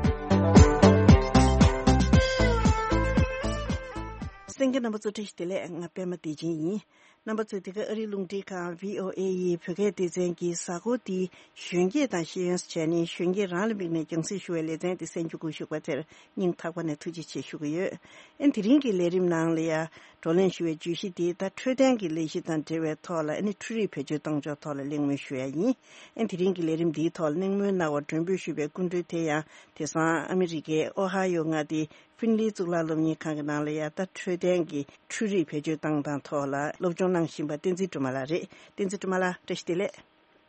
གསན་མཁན་རྣམ་པ་ཚོ་བཀྲ་ཤིས་བདེ་ལེགས། ང་པད་མ་བདེ་ཆེན་ཡིན། རྣམ་པ་ཚོས་འདི་ག་ཨ་རིའི་རླུང་འཕྲིན་ཁང་བྷི་ཨོ་ཨེ་ཡི་བོད་སྐད་སྡེ་ཚན་གྱི་གཟའ་འཁོར་འདིའི་གཞོན་སྐྱེས་དང་ཤེས་ཡོན་བྱས་ནས་གཞོན་སྐྱེས་རང་ལ་དམིགས་ནས་རྒྱང་སྲིང་ཞུ་བའི་ལེ་ཚན་འདི་གསན་རྒྱུ་བཀོད་ཞུགས་པ་དེར་སྙིང་ཐག་པ་ནས་ཐུགས་རྗེ་ཆེ་ཞུ་གི་ཡོད། ཨེ་དེ་རིང་གི་ལས་རིམ་ནང་ལ་ཡང་བགྲོ་གླེང་ཞུ་བའི་བརྗོད་གཞི་འདི་ད་འཕྲོད་བསྟེན་གྱི་ལས་གཞི་དང་འབྲེལ་བའི་ཐོག་ལ་ཨ་ནི་འཕྲུལ་རིག་བེད་སྤྱོད་གཏོང་ཕྱོགས་ཐོག་ལ་གླེང་མོལ་ཞུ་ཡ་ཡིན། ཨེ་དེ་རིང་གི་ལས་རིམ་འདིའི་ཐོག་ལ་གླེང་མོལ་གནང་བར་མགྲོན་འབོད་ཞུས་པའི་སྐུ་མགྲོན་དེ་ཡང་དེང་སང་ཨ་མི་རི་ཀའི་ཨོ་ཧ་ཡོ་མངའ་སྡེའི་ཧྥིན་ལི་གཙུག་ལག་སློབ་གཉེར་ཁང་གི་ནང་ལ་ཡང་ད་འཕྲོད་བསྟེན་གྱི་འཕྲུལ་རིག་བེད་སྤྱོད་བཏང་སྟངས་ཐོག་ལ་སློབ་སྦྱོང་གནང་བཞིན་པ་བསྟན་འཛིན་སྒྲོལ་མ་ལགས་རེད། བསྟན་འཛིན་སྒྲོལ་མ་ལགས་བཀྲ་ཤིས་བདེ་ལེགས།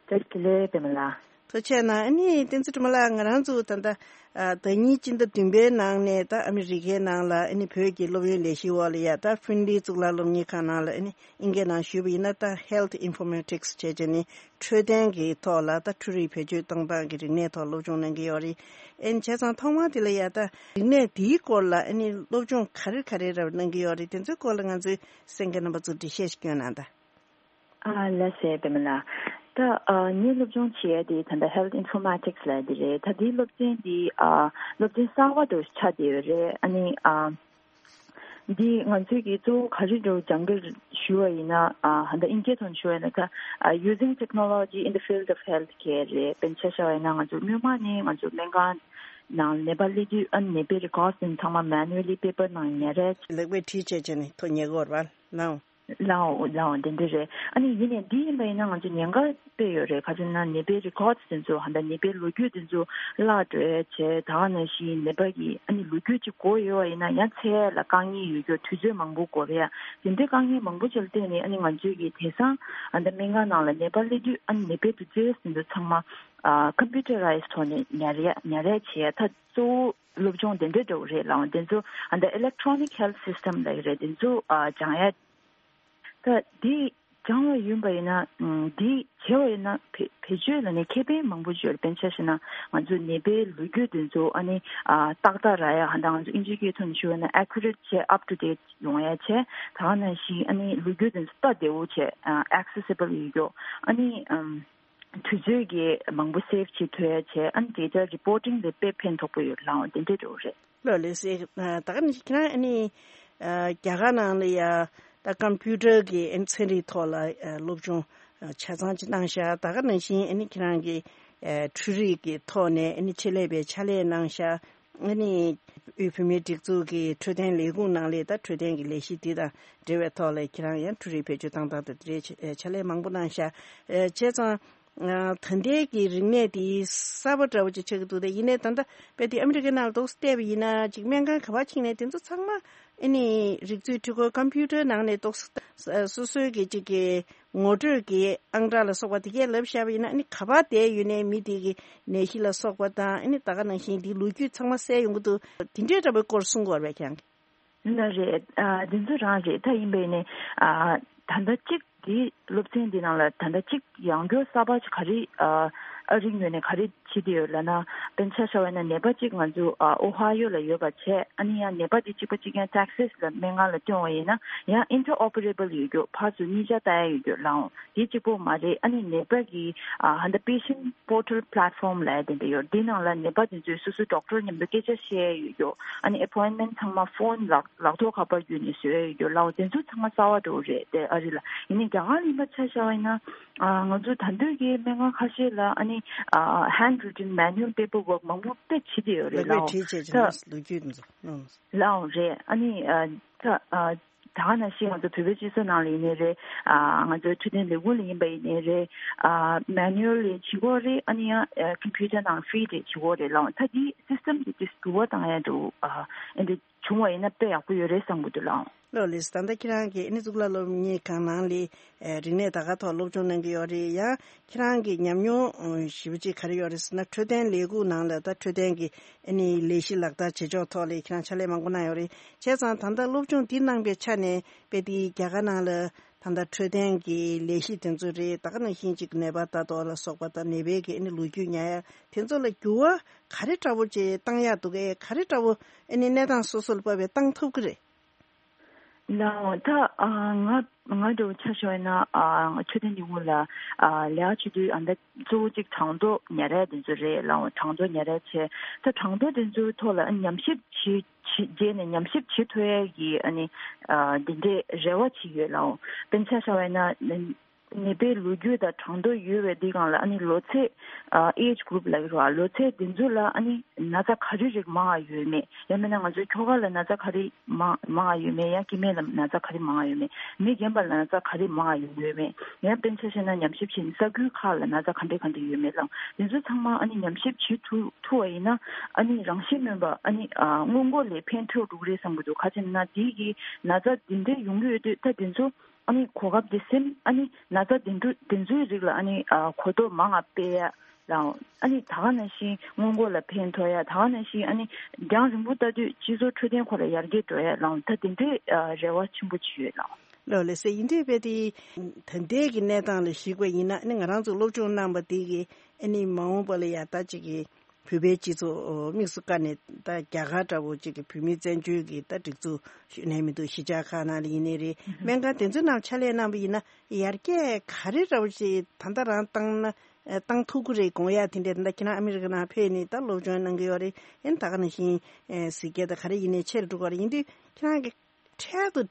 བཀྲ་ཤིས་བདེ་ལེགས་པད་མ་ལགས། ཐུགས་རྗེ་གནང་། ཨ་ནི་བསྟན་འཛིན་སྒྲོལ་མ་ལགས། ང་རང་ཚོ་ད་ལྟ་ཨ་ཟླ་ཉིན་སྤྱི་ཟླ་བདུན་པའི་ནང་ནས་ད་ཨ་མི་རི་ཀའི་ནང་ལ་ཨ་ནི་བོད་ཀྱི་སློབ་ཡོན་ལས་གཞིའི་འོག་ལ་ཡ་ད་ཧྥིན་ལི་གཙུག་ལག་སློབ་གཉེར་ཁང་ནང་ལ་ཨ་ནི་ཨིན་སྐད་ནང་ཞུས་པ་ཡིན་ན་ད་Health Informatics་བྱས་བྱས་ནི་འཕྲོད་བསྟེན་གྱི་ཐོག་ལ་ད་འཕྲུལ་རིག་བེད་སྤྱོད་གཏོང་སྟངས་ཀྱི་རིག་གནས་ཐོག་སློབ་སྦྱོང་གནང་གི་ཡོད་རེད། ཨེ་བྱས་ཙང་ཐོག་མར་དེ་ལ་ཡ་ད་རིག་གནས་དེའི་སྐོར་ལ་ཨ་ནི་སློབ་སྦྱོང་ག་རེ་ག་རེ་རབ་གནང་གི་ཡོད་རེད། དེ་ཚོའི་སྐོར་ལ་ང་ཚོའི་གསན་མཁན་རྣམ་པ་ཚོར་འགྲེལ་བཤད་ཞིག་སྐྱོན་གནང་དང་། ཨ་ལགས་སེ་པད་མ་ལགས། ད་ཨ་ངས་སློབ་སྦྱོང་བྱེད་ཡ་དེ་ད་ལྟ་Health Informatics་ལབ་ཡ་དེ་རེད། ད་དེའི་སློབ་ཚན་དེ་ཨ་སློབ་ཚན་གསར་པ་དུ་ཆགས་བསྡད་ཡོད་རེད། ཨ་ནི་ཨ་འདི་ང་ཚོས་ཀྱིས་གཙོ་བོ་ག་རེ་འགྲོ་སྦྱང་གི་ཞུ་བ་ཡིན་ན་ཨ་ད་ལྟ་ཨིན་སྐད་ཐོག་ནས་ཞུ་བ་ཡིན་ན་ད་ཨ་Using Technology in the Field of Healthcare་རེད། དཔེར་ན་ཆ་བཞག་པ་ཡིན་ན་ང་ཚོ་སྔོན་མ་ནས་ང་ཚོ་སྨན་ཁང་ནང་ནད་པ་སླེབས་དུས་ཨ་ནི་ནད་པའི་records་དེ་ཚང་མ་manually་paper་ནང་ཉར་རེད། ལེགས་པའི་བྲིས་བྱས་བྱས་ནས་ཐོ་ཉེ་གོར་བ་ལའོ། ལའོ་ལའོ་དེ་འདྲ་རེད། ཨ་ནི་ཡིན་ནའི་འདི་ཡིན་པ་ཡིན་ན་ང་ཚོ་ཉེན་ཁ་དཔེ་ཡོད་རེད། ག་ཚོད་ན་ནད་པའི་records་དེ་ཚོ་ཧ་ད་ནད་པའི་ལོ་རྒྱུས་དེ་ཚོ་བརླག་འགྲོ་ཡ་བྱས། ད་ག་ནང་བཞིན་ནད་པ་གི་ཨ་ནི་ལོ་རྒྱུས་ཅིག་འགོར་ཡོད་པ་ཡིན་ན་ཡང་འཚོལ་ཡ་ལ་དཀའ་ངལ་ཡོད་རྒྱུ་དུས་ཚོད་མང་པོ་འགོར་ཡ་དེ་འདྲའི་དཀའ་ངལ་མང་པོ་ཅིག་ལ་བརྟེན་ནས་ཨ་ནི་ང་ཚོས་ཀྱི་དེང་སང་ཨ་ད་སྨན་ཁང་ནང་ལ་ནད་པ་སླེབས་དུས་ཨ་ནི་ནད་པའི་དུས་ཚོད་དེ་ཚོ་ཚང་མ་ཨ་computerized་ཐོག་ནས་ཉར་ཡ་ཉར་ཡ་བྱས་ཡ་ད་གཙོ་བོ་སློབ་སྦྱོང་དེ་འདྲ་འདྲ་བོ་རེད་ལའོ། དེ་ཚོ་ཨ་ད་Electronic Health System་ལབ་ཀྱི་རེད། དེ་ཚོ་ཨ་སྦྱང་ཡ། ད་འདི་སྦྱང་བ་ཡིན་པ་ཡིན་ན་ཨམ་འདི་བྱེད་པ་ཡིན་ན་བེད་བེད་སྤྱོད་ལ་ནི་ཁེ་ཕན་མང་པོ་ཡོད་རེད། དཔེར་ན་ཆ་བཞག་ན་ང་ཚོ་ནད་པའི་ལོ་རྒྱུས་དེ་ཚོ་ཨ་ནི་ཨ་ཏག་ཏག་རག་ཡ་ཧ་ད་ང་ཚོ་ཨིན་ཇིའི་སྐད་ཐོག་ནས་ཞུ་བ་ན་accurate་བྱས་up to date་ཡོང་ཡ་བྱས། ད་ག་ནང་བཞིན་ཨ་ནི་ལོ་རྒྱུས་དེ་ཚོ་ལྟ་བདེ་བོ་བྱས་ཨ་accessible་ཡོད་རྒྱུ། ཨ་ནི་ཨམ་དུས་ཚོད་ཀྱི་མང་པོ་save་བྱེད་ཐུབ་ཡ་བྱས། ཨ་ནི་data reporting་ལ་དཔེ་ཕན་ཐོགས་པོ་ཡོད་ལའོ། དེ་འདྲ་འདྲ་བོ་རེད། ལགས་ལགས་སེ། ད་ག་ནང་བཞིན་ཁྱེད་རང་ཨ་ནི་ཨ་རྒྱ་གར་ནང་ལ་ཡ་ད་computer་གི་ཨ་ནི་ཚན་རིག་ཐོག་ལ་ཨ་སློབ་སྦྱོང་ཨ་ཆ་ཚང་ཅིག་གནང་ཤག་ད་ག་ནང་བཞིན་ཨ་ནི་ཁྱེད་རང་གི་ཨ་འཕྲུལ་རིག་གི་ཐོག་ནས་ཨ་ནི་ཆེད་ལས་པའི་ཕྱག་ལས་གནང་ཤག་ཨ་ནི་དབུས་བོད་མིའི་སྒྲིག་འཛུགས་ཀྱི་འཕྲོད་བསྟེན་ལས་ཁུངས་ནང་ལ་ད་འཕྲོད་བསྟེན་གྱི་ལས་གཞི་འདི་དང་འབྲེལ་བའི་ཐོག་ལ་ཁྱེད་རང་ཡང་འཕྲུལ་རིག་བེད་སྤྱོད་བཏང་སྟངས་དང་དེ་འབྲེལ་ཕྱག་ལས་མང་པོ་གནང་ཤག་ཨ་བྱས་ཙང་། ཨ་ད་ལྟའི་གི་རིག་གནས་དེ་གསར་པ་འདྲ་བོ་ཅིག་ཆགས་ཀྱི་འདུག་དེ་ཡིན་ནའི་ད་ལྟ་དཔེ་དེ་ཨ་མི་རི་ཀའི་ནང་ལ་ཏོག་ཙམ་བལྟས་པ་ཡིན་ན་ཅིག་སྨན་ཁང་ག་པར་ཕྱིན་ནའི་དེ་ཚོ་ཚང་མ་ཨ་ནི་རིག་མཛོད་འཕྲུལ་འཁོར་computer་ནང་ནས་ཏོག་ཙམ་སོ་སོའི་གི་ཅིག་གི་ངོ་སྤྲོད་ཀྱི་ཨང་གྲངས་ལ་སོགས་པ་དེ་གས་ལབ་བཞག་པ་ཡིན་ན་ཨ་ནི་ག་པར་བསྡད་ཡོད་ནའི་མི་དེ་གི་ནད་གཞི་ལ་སོགས་པ་དང་ཨ་ནི་ད་ག་ནང་བཞིན་དེའི་ལོ་རྒྱུས་ཚང་མ་གསལ་ཡོང་གི་འདུག་དེ་འདྲའི་འདྲ་བོའི་སྐོར་གསུང་དགོས་རེད་ཁྱེད་རང་གིས། ལགས་རེད། ཨ་འདི་ཚོ་རང་རེད། ད་ཡིན་པས་ནི་ཨ་ད་ལྟ་གཅིག་འདི་སློབ་ཚན་འདི་ནང་ལ་ད་ལྟ་གཅིག་ཡང་སྐྱར་གསར་པ་ཅིག་ག་རེ་ཨ་ཨ་རིའི་ངོས་ནས་ག་རེ་བྱེད་བསྡད་ཡོད་ལབ་ན། དཔེར་ན་ཆ་བཞག་པ་ཡིན་ན་ནད་པ་གཅིག་ང་ཚོ་ཨ་ཨོ་ཧ་ཡོ་ལ་ཡོད་པ་བྱས། ཨ་ནི་ཡང་ནད་པ་འདི་གཅིག་པ་གཅིག་རྐྱང་Texas་ལ་སྨན་ཁང་ལ་བསྐྱོན་པ་ཡིན་ན་ཡང་interoperable་ཡོད་རྒྱུ། ཕར་ཚུར་གཉིས་ཆ་ལྟ་ཡ་ཡོད་རྒྱུ་ལའོ། དེ་གཅིག་པོ་མ་རེད། ཨ་ནི་ནད་པ་གི་ཨ་ཧ་ད་patient portal platform་ལབ་ཡ་དེ་འདྲ་ཡོད། དེ་ནང་ལ་ནད་པ་དེ་ཚོས་སོ་སོའི་doctor་མཉམ་དུ་སྐད་ཆ་བཤད་ཡ་ཡོད་རྒྱུ། ཨ་ནི་appointment་ཚང་མ་phone་ལག་ལག་ཐོག་ཁ་པར་བརྒྱུད་ནས་བཟོ་ཡ་ཡོད་རྒྱུ་ལའོ། དེ་ཚོ་ཚང་མ་གསར་པ་འདྲ་བོ་རེད་དེ་ཨ་རི་ལ། ཡིན་ནའི་རྒྱ་གར་ལ་ཡིན་པ་ཆ་བཞག་པ་ཡིན་ན་ཨ་ང་ཚོ་ད་འདོད་ཀྱི་སྨན་ཁང་ཁ་ཤས་ལ་ཨ་ནི་ཨ་handwritten manual paperwork་མང་པོ་དཔེ་བྱེད་བསྡད་ཡོད་རེད་ལགས་ལའོ། བྲིས་བྱས་ད་ཀྱི་ལོ་རྒྱུས་དེ་ཚོ་ལའོ། ལའོ་རེད། ཨ་ནི་ཨ་ད་ཨ་ད་ག་ནང་བཞིན་ང་ཚོ་བོད་པའི་སྤྱི་ཚོགས་ནང་ལ་ཡིན་ནའི་རེད། ཨ་ང་ཚོའི་འཕྲོད་བསྟེན་ལས་ཁུངས་ལ་ཡིན་པ་ཡིན་ནའི་རེད། ཨ་manual་ལས་བྱེད་ཀྱི་ཡོད་རེད། ཨ་ནི་ཡང་ཨ་computer་ནང་feed་རེད་བྱེད་ཀྱི་ཡོད་རེད་ལའོ། ད་འདི་system་འདི་འདི་འགྱུར་བ་བཏང་ཡ་འདུག་ཨ་ཨ་འདི་བྱུང་བ་ཡིན་ན་དཔེ་ཡག་པོ་ཡོད་རེད་བསམ་གྱི་འདུག་ལའོ། ལགས་ལགས། ད་ལྟ་ཁྱེད་རང་གིས་ཨ་ནི་གཙུག་ལག་སློབ་གཉེར་ཁང་ནང་ལ་ཨ་རིག་གནས་ད་ག་ཐོག་སློབ་སྦྱོང་གནང་གི་ཡོད་རེད། ཡང་ཁྱེད་རང་གི་ཉམས་མྱོང་ཨ་ཞེ་པོ་ཅིག་ག་རེ་ཡོད་རེད་ཟེར་ན་འཕྲོད་བསྟེན་ལས་ཁུངས་ནང་ལ་ད་འཕྲོད་བསྟེན་གྱི་ཨ་ནི་ལས་གཞི་ལག་བསྟར་བྱེད་ཕྱོགས་ཐོག་ལ་ཁྱེད་རང་ཕྱག་ལས་མང་པོ་གནང་ཡོད་རེད། བྱས་ཙང་ད་ལྟ་སློབ་སྦྱོང་འདི་གནང་པའི་ཆ་ནས་དཔེ་དེ་རྒྱ་གར་ནང་ལ་ད་ལྟ་འཕྲོད་བསྟེན་གྱི་ལས་གཞི་དེ་ཚོ་རེད། ད་ག་ནང་བཞིན་ཅིག་ནད་པ་ལྟ་རྟོག་ལ་སོགས་པ་དང་ནད་པའི་གི་ཨ་ནི་ལོ་རྒྱུས་ཉར་ཡ་དེ་ཚོ་ལ་འགྱུར་བ་ག་རེ་འདྲ་བོ་ཅིག་བཏང་ཡག་འདུག་གས། ག་རེ་འདྲ་བོ་ཨ་ནི་གནས་སྟངས་སོ་སོ་ལ་དཔག་པའི་བཏང་ཐུབ་ཀྱི་རེད། ལའོ། ད་ཨ་ང་ང་འདྲ་བོ་ཆ་བཞག་ན་ཨ་ང་འཕྲོད་བསྟེན་ལས་ཁུངས་ལ་ཨ་ལས་ཀ་བྱེད་དུས་ཨ་ད་གཙོ་བོ་གཅིག་གྲངས་ཐོ་ཉར་ཡ་དེ་ཚོ་རེད་ལའོ། གྲངས་ཐོ་ཉར་ཡ་བྱས། ད་གྲངས་ཐོ་དེ་ཚོའི་ཐོག་ལ་ཨ་ཉམས་ཞིབ་བྱེད་བྱེད་རྗེས་ནས་ཉམས་ཞིབ་བྱེད་ཐུབ་ཡ་གི་ཨ་ནི་ཨ་དེ་འདྲའི་རེ་བ་ཅིག་ཡོད་ལའོ། དཔེར་ན་ཆ་བཞག་པ་ཡིན་ན། ནད་པའི་ལོ་རྒྱུས་དང་གྲངས་ཐོ་ཡོད་པའི་འདི་སྒང་ལ་ཨ་ནི་ལོ་ཚད་ཨ་age group ལབ་ཀྱི་རེད་བ། ལོ་ཚད་འདི་ཚོ་ལ་ཨ་ནི་ན་ཚ་ག་རེ་རིགས་མང་བ་ཡོད་མེད། ཡང་མིན་ན་ང་ཚོའི་ཁྱོ་ག་ལ་ན་ཚ་ག་རེ་མང་མང་བ་ཡོད་མེད། ཡང་སྐྱེ་དམན་ལ་ན་ཚ་ག་རེ་མང་བ་ཡོད་མེད། མི་རྒན་པ་ལ་ན་ཚ་ག་རེ་མང་བ་ཡོད་མེད། ཡང་དཔེར་ན་ཆ་བཞག་ན་ཉམས་ཞིབ་བྱས་ནས་ས་ཁུལ་ཁག་ལ་ན་ཚ་ག་འདྲ་ག་འདྲ་ཡོད་མེད་ལ་འདི་ཚོ་ཚང་མ་ཨ་ནི་ཉམས་ཞིབ་བྱེད་ཐུབ་ཐུབ་པ་ཡིན་ན་ཨ་ནི་རང་བཞིན་སྨན་པ་ཨ་ནི་ཨ་སྔོན་འགོག་ལས་ཕན་ཐོགས་འགྲོ་གི་རེད་བསམ་གྱི་འདུག་ག་ཅི་ཡིན་ན་དེ་གི་ན་ཚ་འདི་འདྲ་ཡོང་གི་ཡོད་དུས་ད་དེ་ཚོ། ཨ་ནི་གོ་སྐབས་དེ་ཟིན། ཨ་ནི་ན་ཚ་དེ་འདྲ་དེ་ཚོའི་རིགས་ལ་ཨ་ནི་ཨ་གོ་རྟོགས་མང་ང་སྤེལ་ཡ་ལའང་། ཨ་ནི་ད་ག་ནང་བཞིན་སྔོན་འགོག་ལ་ཕན་ཐོགས་ཡ། ད་ག་ནང་བཞིན་ཨ་ནི་རྒྱང་རིང་པོ་ལྟ་དུས་སྤྱི་ཚོགས་འཕྲོད་བསྟེན་སྐོར་ལ་ཡར་རྒྱས་འགྲོ་ཡ་ལའང་ད་དེ་འདྲའི་ཨ་རེ་བ་ཆེན་པོ་ཅིག་ཡོད་ལའང་། ལགས་ལགས་སེ། ཡིན་དུས་དཔེ་དེ་ད་ལྟའི་གི་གནས་སྟངས་ལ་གཞིགས་པ་ཡིན་ན་ཨ་ནི་ང་རང་ཚོ་སློབ་སྦྱོང་གནང་པ་དེ་གི་ཨ་ནི་མ་འོངས་པ་ལ་ཡ་ད་ཅིག་གི་བོད་པའི་སྤྱི་ཚོགས་དམིགས་སུ་བཀར་ནས་ད་རྒྱ་གར་འདྲ་བོ་གཅིག་གི་བོད་མིའི་བཙན་བྱོལ་གྱི་ད་སྒྲིག་འཛུགས་ཞུ་ནས་མི་འདུག་གཞིས་ཆགས་ཁག་ནང་ལ་ཡིན་ནའི་རེད། སྨན་ཁང་དེ་ཚོའི་ནང་ཕྱག་ལས་གནང་བ་ཡིན་ན་ཡར་རྒྱས་ག་རེ་འདྲ་བོ་ཞིག་ད་ལྟ་རང་བཏང་ན་བཏང་ཐུབ་ཀྱི་རེད་དགོངས་ཡ་དེ་འདྲ། ད་ལྟ་ཁྱེད་རང་ཨ་མི་རི་ཀ་ནང་ཕེབས་ནས་ད་སློབ་སྦྱོང་གནང་གི་ཡོད་རེད། ཨེ་ད་ག་ནང་བཞིན་གཟིགས་སྐད་ད་ག་རེ་ཡིན་ནའི་ཆེར་འགྲོ་གི་རེད། ཡིན་དུས་ཁྱེད་རང་གི་འཕྲལ་དུ་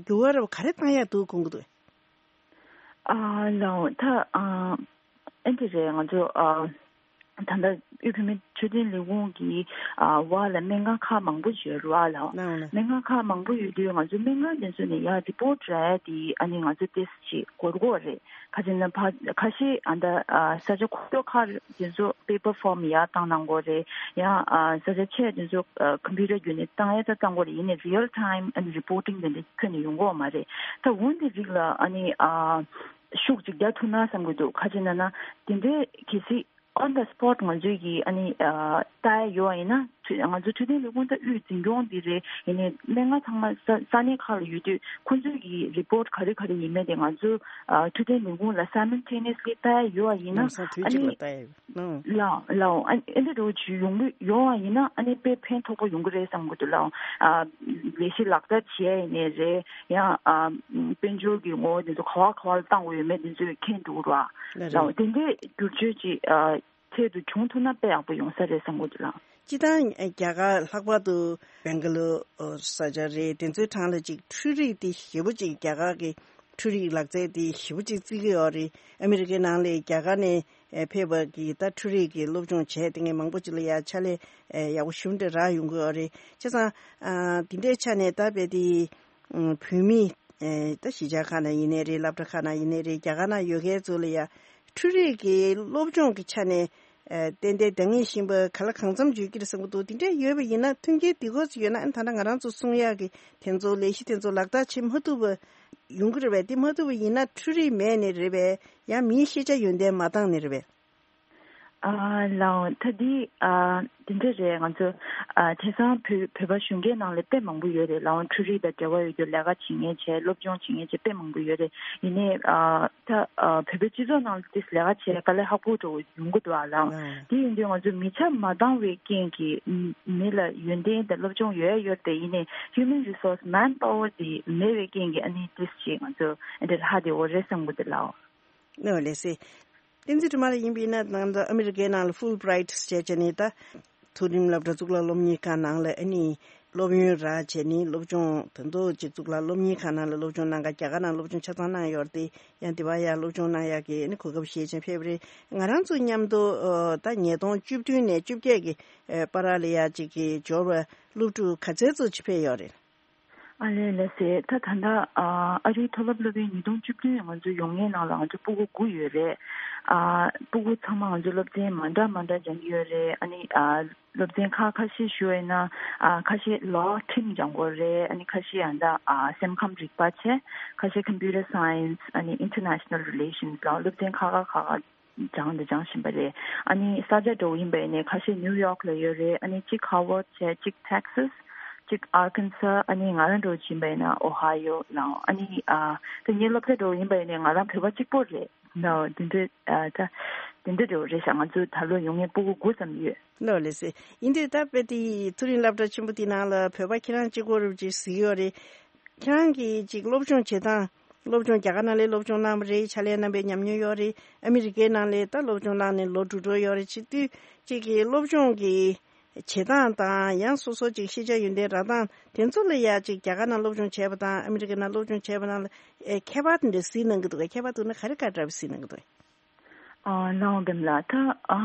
འགྱུར་བ་འདྲ་བོ་ག་རེ་བཏང་ཡ་འདུག་དགོངས་ཀྱི་འདུག་ཨ་ལའོ། ད་ཨ་ཨེ་འདྲ་རེད། ང་ཚོ་ཨ་ད་ལྟ་དབུས་བོད་མིའི་འཕྲོད་བསྟེན་ལས་ཁུངས་ཀྱི་ཨ་བར་ལ་སྨན་ཁང་ཁག་མང་པོ་ཡོད་རེད་བ་ལའོ། ལའོ་ལ། སྨན་ཁང་ཁག་མང་པོ་ཡོད་དུས་ང་ཚོ་སྨན་ཁང་དེ་ཚོ་ནས་ཡར་རི་པོ་ཊི་རག་ཡ་དེ་ཨ་ནི་ང་ཚོ་ཏོག་ཙམ་ཅིག་འགོར་འགོར་རེད། ཁ་ཅིག་ན་ཕ་ཁ་ཤས་ཨ་ད་ཨ་ས་ཆ་ཁོ་ཚོ་ཁག་དེ་ཚོ་པེ་པར་ཕོརམ་ཡར་བཏང་གནང་དགོས་རེད། ཡང་ཨ་ས་ཆ་ཆེ་དེ་ཚོ་ཨ་ཀམ་པུ་ཊར་བརྒྱུད་ནས་བཏང་ཡ་ད་བཏང་དགོས་རེད། ཡིན་ནའི་རི་ཡལ་ཊའིམ་ཨ་ནི་རི་པོ་ཊིང་དེ་འདྲ་ཁྱོན་ནས་ཡོང་གི་ཡོད་མ་རེད། ད་འོན་ཏེ་རིགས་ལ་ཨ་ནི་ཨ་ཤུགས་ཅིག་རྒྱག་ཐུབ་ན་བསམ་གྱི་འདུག་ག་ཅི་ན་ན་དེ་འདྲའི་གལ་སྲིད་on the spot ང་ཚོས་ཀྱིས་ཨ་ནི་ཨ་ལྟ་ཡ་ཡོད་པ་ཡིན་ན་ང་ཚོ་འཕྲོད་བསྟེན་ལས་ཁུངས་ད་དབུས་འཛིན་སྐྱོང་འདི་རེད། ཡིན་ནའི་སྨན་ཁང་ཚང་མ་ས་ས་གནས་ཁག་ལ་ཡོད་དུས་ཁོ་ཚོས་ཀྱི་རི་པོ་ཊི་ག་རེ་ག་རེ་ཡིན་མིན་དེ་ང་ཚོ་ཨ་འཕྲོད་བསྟེན་ལས་ཁུངས་ལ་simultaneously ལྟ་ཡ་ཡོད་པ་ཡིན་ན་ལམ་སང་དུས་ཨ་གཅིག་ལ་ནི་ལྟ་ཡ་ཡོད། ཨང་། ལའོ་ལའོ། ཨ་ཨེ་འདྲ་འདྲ་བོ་ཅིག་ཡོང་གི་ཡོང་བ་ཡིན་ན་ཨ་ནི་དཔེ་ཕན་ཐོགས་པོ་ཡོང་གི་རེད་བསམ་གྱི་འདུག་ལའོ། ཨ་ལས་གཞི་ལག་བསྟར་བྱེད་ཡ་ཡིན་ནའི་རེད། ཡང་ཨ་དཔལ་འབྱོར་གྱི་ངོ་བོ་དེ་ཚོ་ག་བ་ག་བ་ལ་བཏང་དགོས་ཡོད་མེད་དེ་ཚོ་མཁྱེན་འགྲོ་གི་རེད་བ། ལ་རེད། ལའོ། དེ་འདྲའི་བསྒྱུར་བཅོས་ཅིག་ཨ་ཆེད་དུ་བྱུང་ཐུབ་ན་དཔེ་ཡག་པོ་ཡོང་ས་རེད་བསམ་གྱི་འདུག་ལ། སྤྱིར་བཏང་རྒྱ་གར་ལྷག་པར་དུ་བེང་ག་ལོར་ས་ཆ་རེད། དེ་ཚོའི་གྲས་ལ་ཅིག་འཕྲུལ་རིག་དེ་ཞེ་པོ་ཅིག་རྒྱ་གར་གྱི་འཕྲུལ་རིག་ལག་རྩལ་དེ་ཞེ་པོ་ཅིག་བརྩི་གི་ཡོད་རེད། ཨ་མི་རི་ཀའི་ནང་ལ་རྒྱ་གར་ནས་ཕེབས་པ་གི་ད་འཕྲུལ་རིག་གི་སློབ་སྦྱོང་བྱས་དེ་ངས་མང་པོ་ཅིག་ལ་ཡ་ཕྱག་ལས་ཡག་པོ་ཞེ་པོ་འདྲ་རག་ཡོང་གི་ཡོད་རེད། བྱས་ཙང་དེ་འདྲའི་ཆ་ནས་ད་དཔེ་དེ་བོད་མི་ད་གཞིས་ཆགས་ཁག་ན་ཡིན་ནའི་རེད། སློབ་གྲྭ་ཁག་ན་ཡིན་ནའི་རེད། རྒྱ་གར་ན་ཡོད་མཁན་ཚོ་ལ་ཡ་འཕྲུལ་རིག་གི་སློབ་སྦྱོང་གི་ཆ་ནས། ཨ་ཏན་ཏན་འདང་ངེས་བཞིན་པ་ག་ལ་གང་འཚམ་ཡོད་ཀྱི་རེད་བསམ་གྱི་འདུག་དེ་འདྲ་ཡོད་པ་ཡིན་ན་མཐུན་རྐྱེན་དེ་ག་ཚོད་ཡོད་ན་ཨ་ནི་ད་ལྟ་ང་རང་ཚོ་གསུང་ཡག་གི་དེ་ཚོ་ལས་གཞི་དེ་ཚོ་ལག་བསྟར་བྱེད་མ་ཐུབ་པ་ཡོང་གི་རེད་པས། དེ་མ་ཐུབ་པ་ཡིན་ན་འཕྲུལ་རིག་མེད་ནས་རེད་པས། ཡང་མིའི་ཤེས་བྱ་ཡོན་ཏན་མ་འདང་ནས་རེད་པས། ཨ་ལའོ། ད་འདི་ཨ་དེ་འདྲ་རེད། ང་ཚོ་ཨ་དེང་སང་བོད་བོད་པ་གཞོན་སྐྱེས་ནང་ལ་དཔེ་མང་པོ་ཡོད་རེད་ལའོ། འཕྲུལ་རིག་དང་འབྲེལ་བ་ཡོད་རྒྱུ་ལས་ཀ་བྱེད་མཁན་བྱས་སློབ་སྦྱོང་བྱེད་མཁན་བྱས་དཔེ་མང་པོ་ཡོད་རེད། ཡིན་ནའི་ཨ་ད་ཨ་བོད་པའི་སྤྱི་ཚོགས་ནང་ལ་ཏིས་ལས་ཀ་བྱེད་དཀའ་ལས་ཁག་པོ་འདྲ་བོ་ཡོང་གི་འདུག་ཨ་ལའོ། ཨ་དེ་ཡིན་དུས་ང་ཚོ་མི་ཆ་མ་འདང་བའི་རྐྱེན་གྱིས་མི་ལ་ཡོན་ཏན་དང་སློབ་སྦྱོང་ཡོད་ཡོད་དེ་ཡིན་ནའི་human resource manpower དེ་མེད་པའི་རྐྱེན་གྱིས་ཨ་ནི་ཏིས་ཅིག་ང་ཚོ་ཨ་འདྲ་ཧ་དེ་འོ་རེད་བསམ་གི་འདུག་ལའོ། ནོ་ལེ་སི། བསྟན་འཛིན་སྒྲོལ་མ་ལགས་ཡིན་པས་ན་ང་ཚོ་ཨ་མི་རི་ཀའི་ནང་ལ་ཧྥུལ་བྷི་རའིཊ་ཟེར་བྱས་ནས་ད་མཐོ་རིམ་སློབ་གྲྭ་གཙུག་ལག་སློབ་གཉེར་ཁང་ནང་ལ་ཨ་ནི་སློབ་ཡོན་རག་བྱས་ནས་སློབ་སྦྱོང་ད་དུང་ཅིག་གཙུག་ལག་སློབ་གཉེར་ཁང་ནང་ལ་སློབ་སྦྱོང་གནང་ག་རྒྱ་གར་ནང་སློབ་སྦྱོང་ཆ་ཚང་གནང་ཡོད་རེད་དེ་ཡང་དེ་བ་ཡ་སློབ་སྦྱོང་གནང་ཡག་གི་ཨ་ནི་གོ་སྐབས་ཤེས་ཅན་ཕེབས་རེད། ང་རང་ཚོ་མཉམ་དུ་ད་ཉིས་སྟོང་བཅུ་བདུན་ནས་བཅོ་བརྒྱད་ཀྱི་བར་ལ་ཡ་ཅིག་གི་འབྱོར་བ་སློབ་ཕྲུག་ག་ཚད་ཙམ་ཅིག་ཕེབས་ཡོད་རེད། ཨ་ལེ་ལེ་སེ། ད་ད་ལྟ་ཨ་ཨ་རིའི་མཐོ་སློབ་སློབ་ཡོན་ཉིས་སྟོང་བཅུ་བདུན་ང་ཚོ་ཡོང་མཁན་ནང་ལ་ང་ཚོ་སྤུ་གུ་དགུ་ཡོད་རེད། ཨ་སྤུ་གུ་ཚང་མ་ང་ཚོ་སློབ་ཚན་མ་འདྲ་མ་འདྲ་སྦྱང་གི་ཡོད་རེད། ཨ་ནི་ཨ་སློབ་ཚན་ཁག་ཁ་ཤས་ཞུ་བ་ཡིན་ན་ཨ་ཁ་ཤས་ལོ་ཁྲིམས་སྦྱང་དགོས་རེད། ཨ་ནི་ཁ་ཤས་ཨ་ད་ཨ་སེམས་ཁམས་རིག་པ་བྱས། ཁ་ཤས་computer science ཨ་ནི་international relations ལ་སློབ་ཚན་ཁག་ཁག་ཁག་སྦྱང་དང་སྦྱང་བཞིན་པ་རེད། ཨ་ནི་ས་ཆ་འདྲ་བོ་ཡིན་པ་ཡིན་ནའི་ཁ་ཤས་ནིའུ་ཡོག་ལ་ཡོད་རེད། ཨ་ནི་གཅིག་ཧར་ཝརཌ་བྱས། གཅིག་ཊེག་སཱས། གཅིག་ཨར་ཁན་སཱ། ཨ་ནི་ང་རང་འདྲ་བོ་ཡིན་པ་ཡིན་ན་ཨོ་ཧའི་ཡོ་ལའོ། ཨ་ནི་ཨ་ད་ངའི་སློབ་གྲྭ་འདྲ་བོ་ཡིན་པ་ཡིན་ནའི་ང་རང་བོད་པ་གཅིག་པོ་རེད། ནའོ་དེ་འདྲ་ཨ་ད་དེ་འདྲ་འདྲ་བོ་རེད་ཤག་ང་ཚོ་ད་ལོ་ཡོང་མཁན་སྤུ་གུ་དགུ་ཙམ་ཡོད། ལོ་ལེ་སི། ཡིན་དུས་ད་དཔེ་དེ་མཐོ་རིམ་སློབ་གྲྭ་ཆེན་པོ་དེ་ནང་ལ་བོད་པ་ཁྱེད་རང་གཅིག་པོ་རེད་ཅེས་ཟེར་གྱི་ཡོད་རེད། ཁྱེད་རང་གིས་ཅིག་སློབ་སྦྱོང་བྱེད་སྟངས། སློབ་སྦྱོང་རྒྱ་གར་ནང་ལ་སློབ་སྦྱོང་གནང་བ་རེད། ཕྱག་ལས་གནང་པའི་ཉམས་མྱོང་ཡོད་རེད། ཨ་མི་རི་ཀའི་ནང་ལ་ད་སློབ་སྦྱོང་གནང་ནས་ལོ་དྲུག་འགྲོ་ཡོད་རེད། བྱེད་དུས་ཅིག་གི་སློབ་སྦྱོང་གི་བྱེད་སྟངས་དང་། ཡང་སོ་སོ་ཅིག་ཤེས་བྱ་ཡོན་ཏན་རག་སྟངས་དེ་ཚོ་ལ་ཡ་ཅིག་རྒྱ་གར་ནང་སློབ་སྦྱོང་བྱས་པ་དང་ཨ་མི་རི་ཀའི་ནང་སློབ་སྦྱོང་བྱས་པ་ནང་ལ་ཨེ་ཁྱད་པར་དེ་འདྲ་གཟིགས་གནང་གི་འདུག་གས། ཁྱད་པར་འདུག་ན་ག་རེ་ག་འདྲ་བ་གཟིགས་གནང་གི་འདུག་གས། ཨ་ལའོ་འདེམ་ལ་ད་ཨ་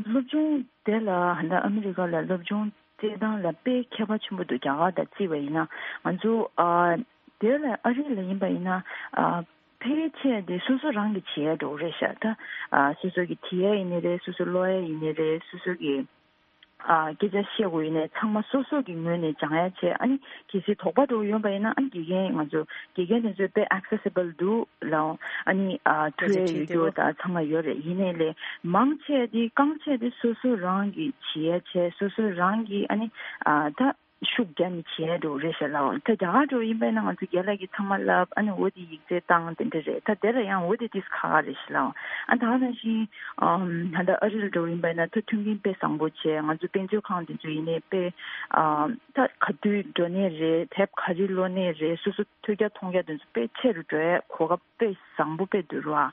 སློབ་སྦྱོང་དེ་ལ་ཧ་ལ་ཨ་མི་རི་ཀ་ལ་སློབ་སྦྱོང་བྱེད་སྟངས་ལ་དཔེ་ཁྱད་པར་ཆེན་པོ་འདུག་རྒྱ་གར་དང་བརྩིས་པ་ཡིན་ན། ང་ཚོ་ཨ་དེ་ལ་ཨ་རི་ལ་ཡིན་པ་ཡིན་ན་ཨ་ཕལ་ཆེར་དེ་སོ་སོ་རང་གིས་བྱེད་ཡ་འགྲོ་གི་རེད་ཤག་ད་ཨ་སོ་སོ་གིས་བྲིས་ཡ་ཡིན་ནི་རེད། སོ་སོ་ཀློག་ཡ་ཡིན་ནི་རེད། སོ་སོ་གིས་ཨ་སྐད་ཆ་བཤད་དགོས་ཡིན་ནའི་ཚང་མ་སོ་སོ་གི་ངོས་ནས་སྦྱང་ཡ་བྱས། ཨ་ནི་གལ་སྲིད་དོགས་པ་འགྲོ་ཡོང་པ་ཡིན་ན་ཨ་ནི་དགེ་རྒན། ང་ཚོ་དགེ་རྒན་དེ་ཚོས་དཔེ་accessible་འདུག་ལའོ། ཨ་ནི་ཨ་ཐུགས་ཡ་ཡོད་རྒྱུ་དང་ཚང་མ་ཡོད་རེད། ཡིན་ནའི་ལས་མང་ཆེ་དེ་རྐང་ཆེ་དེ་སོ་སོ་རང་གིས་བྱེད་ཡ་བྱས། སོ་སོ་རང་གིས་ཨ་ནི་ཨ་ད་ཤུགས་རྒྱག་ནས་བྱེད་ཡ་འགྲོ་རེད་ཤག་ལའོ། ད་རྒྱ་གར་འགྲོ་ཡིན་པ་ཡིན་ན་ང་ཚོ་རྒན་ལགས་ཀྱིས་ཚང་མ་བསླབ། ཨ་ནི་འོ་དེ་ཡིག་ཚད་བཏང་དེ་འདྲ་རེད། ད་དེ་ལ་ཡང་འོ་དེ་ཏིས་ཁག་ཁག་རེད་ཤག་ལའོ། ཨ་ད་ག་ནང་བཞིན་ཨམ་ད་ལྟ་ཨ་རི་ལ་འགྲོ་ཡིན་པ་ཡིན་ན་ད་མཐུན་རྐྱེན་དཔེ་བཟང་པོ་བྱས། ང་ཚོ་དཔེ་མཛོད་ཁང་དེ་ཚོ་ཡིན་ནའི་དཔེ་ཨམ་ད་ག་དུས་འགྲོ་ནའི་རེད། དེབ་ག་རེ་ཀློག་ནའི་རེད། སོ་སོ་ཐོས་རྒྱ་མཐོང་རྒྱ་དེ་ཚོ་དཔེ་ཆེ་རུ་འགྲོ་ཡ་གོ་སྐབས་དཔེ་བཟང་པོ་དཔེ་འདུག་ར།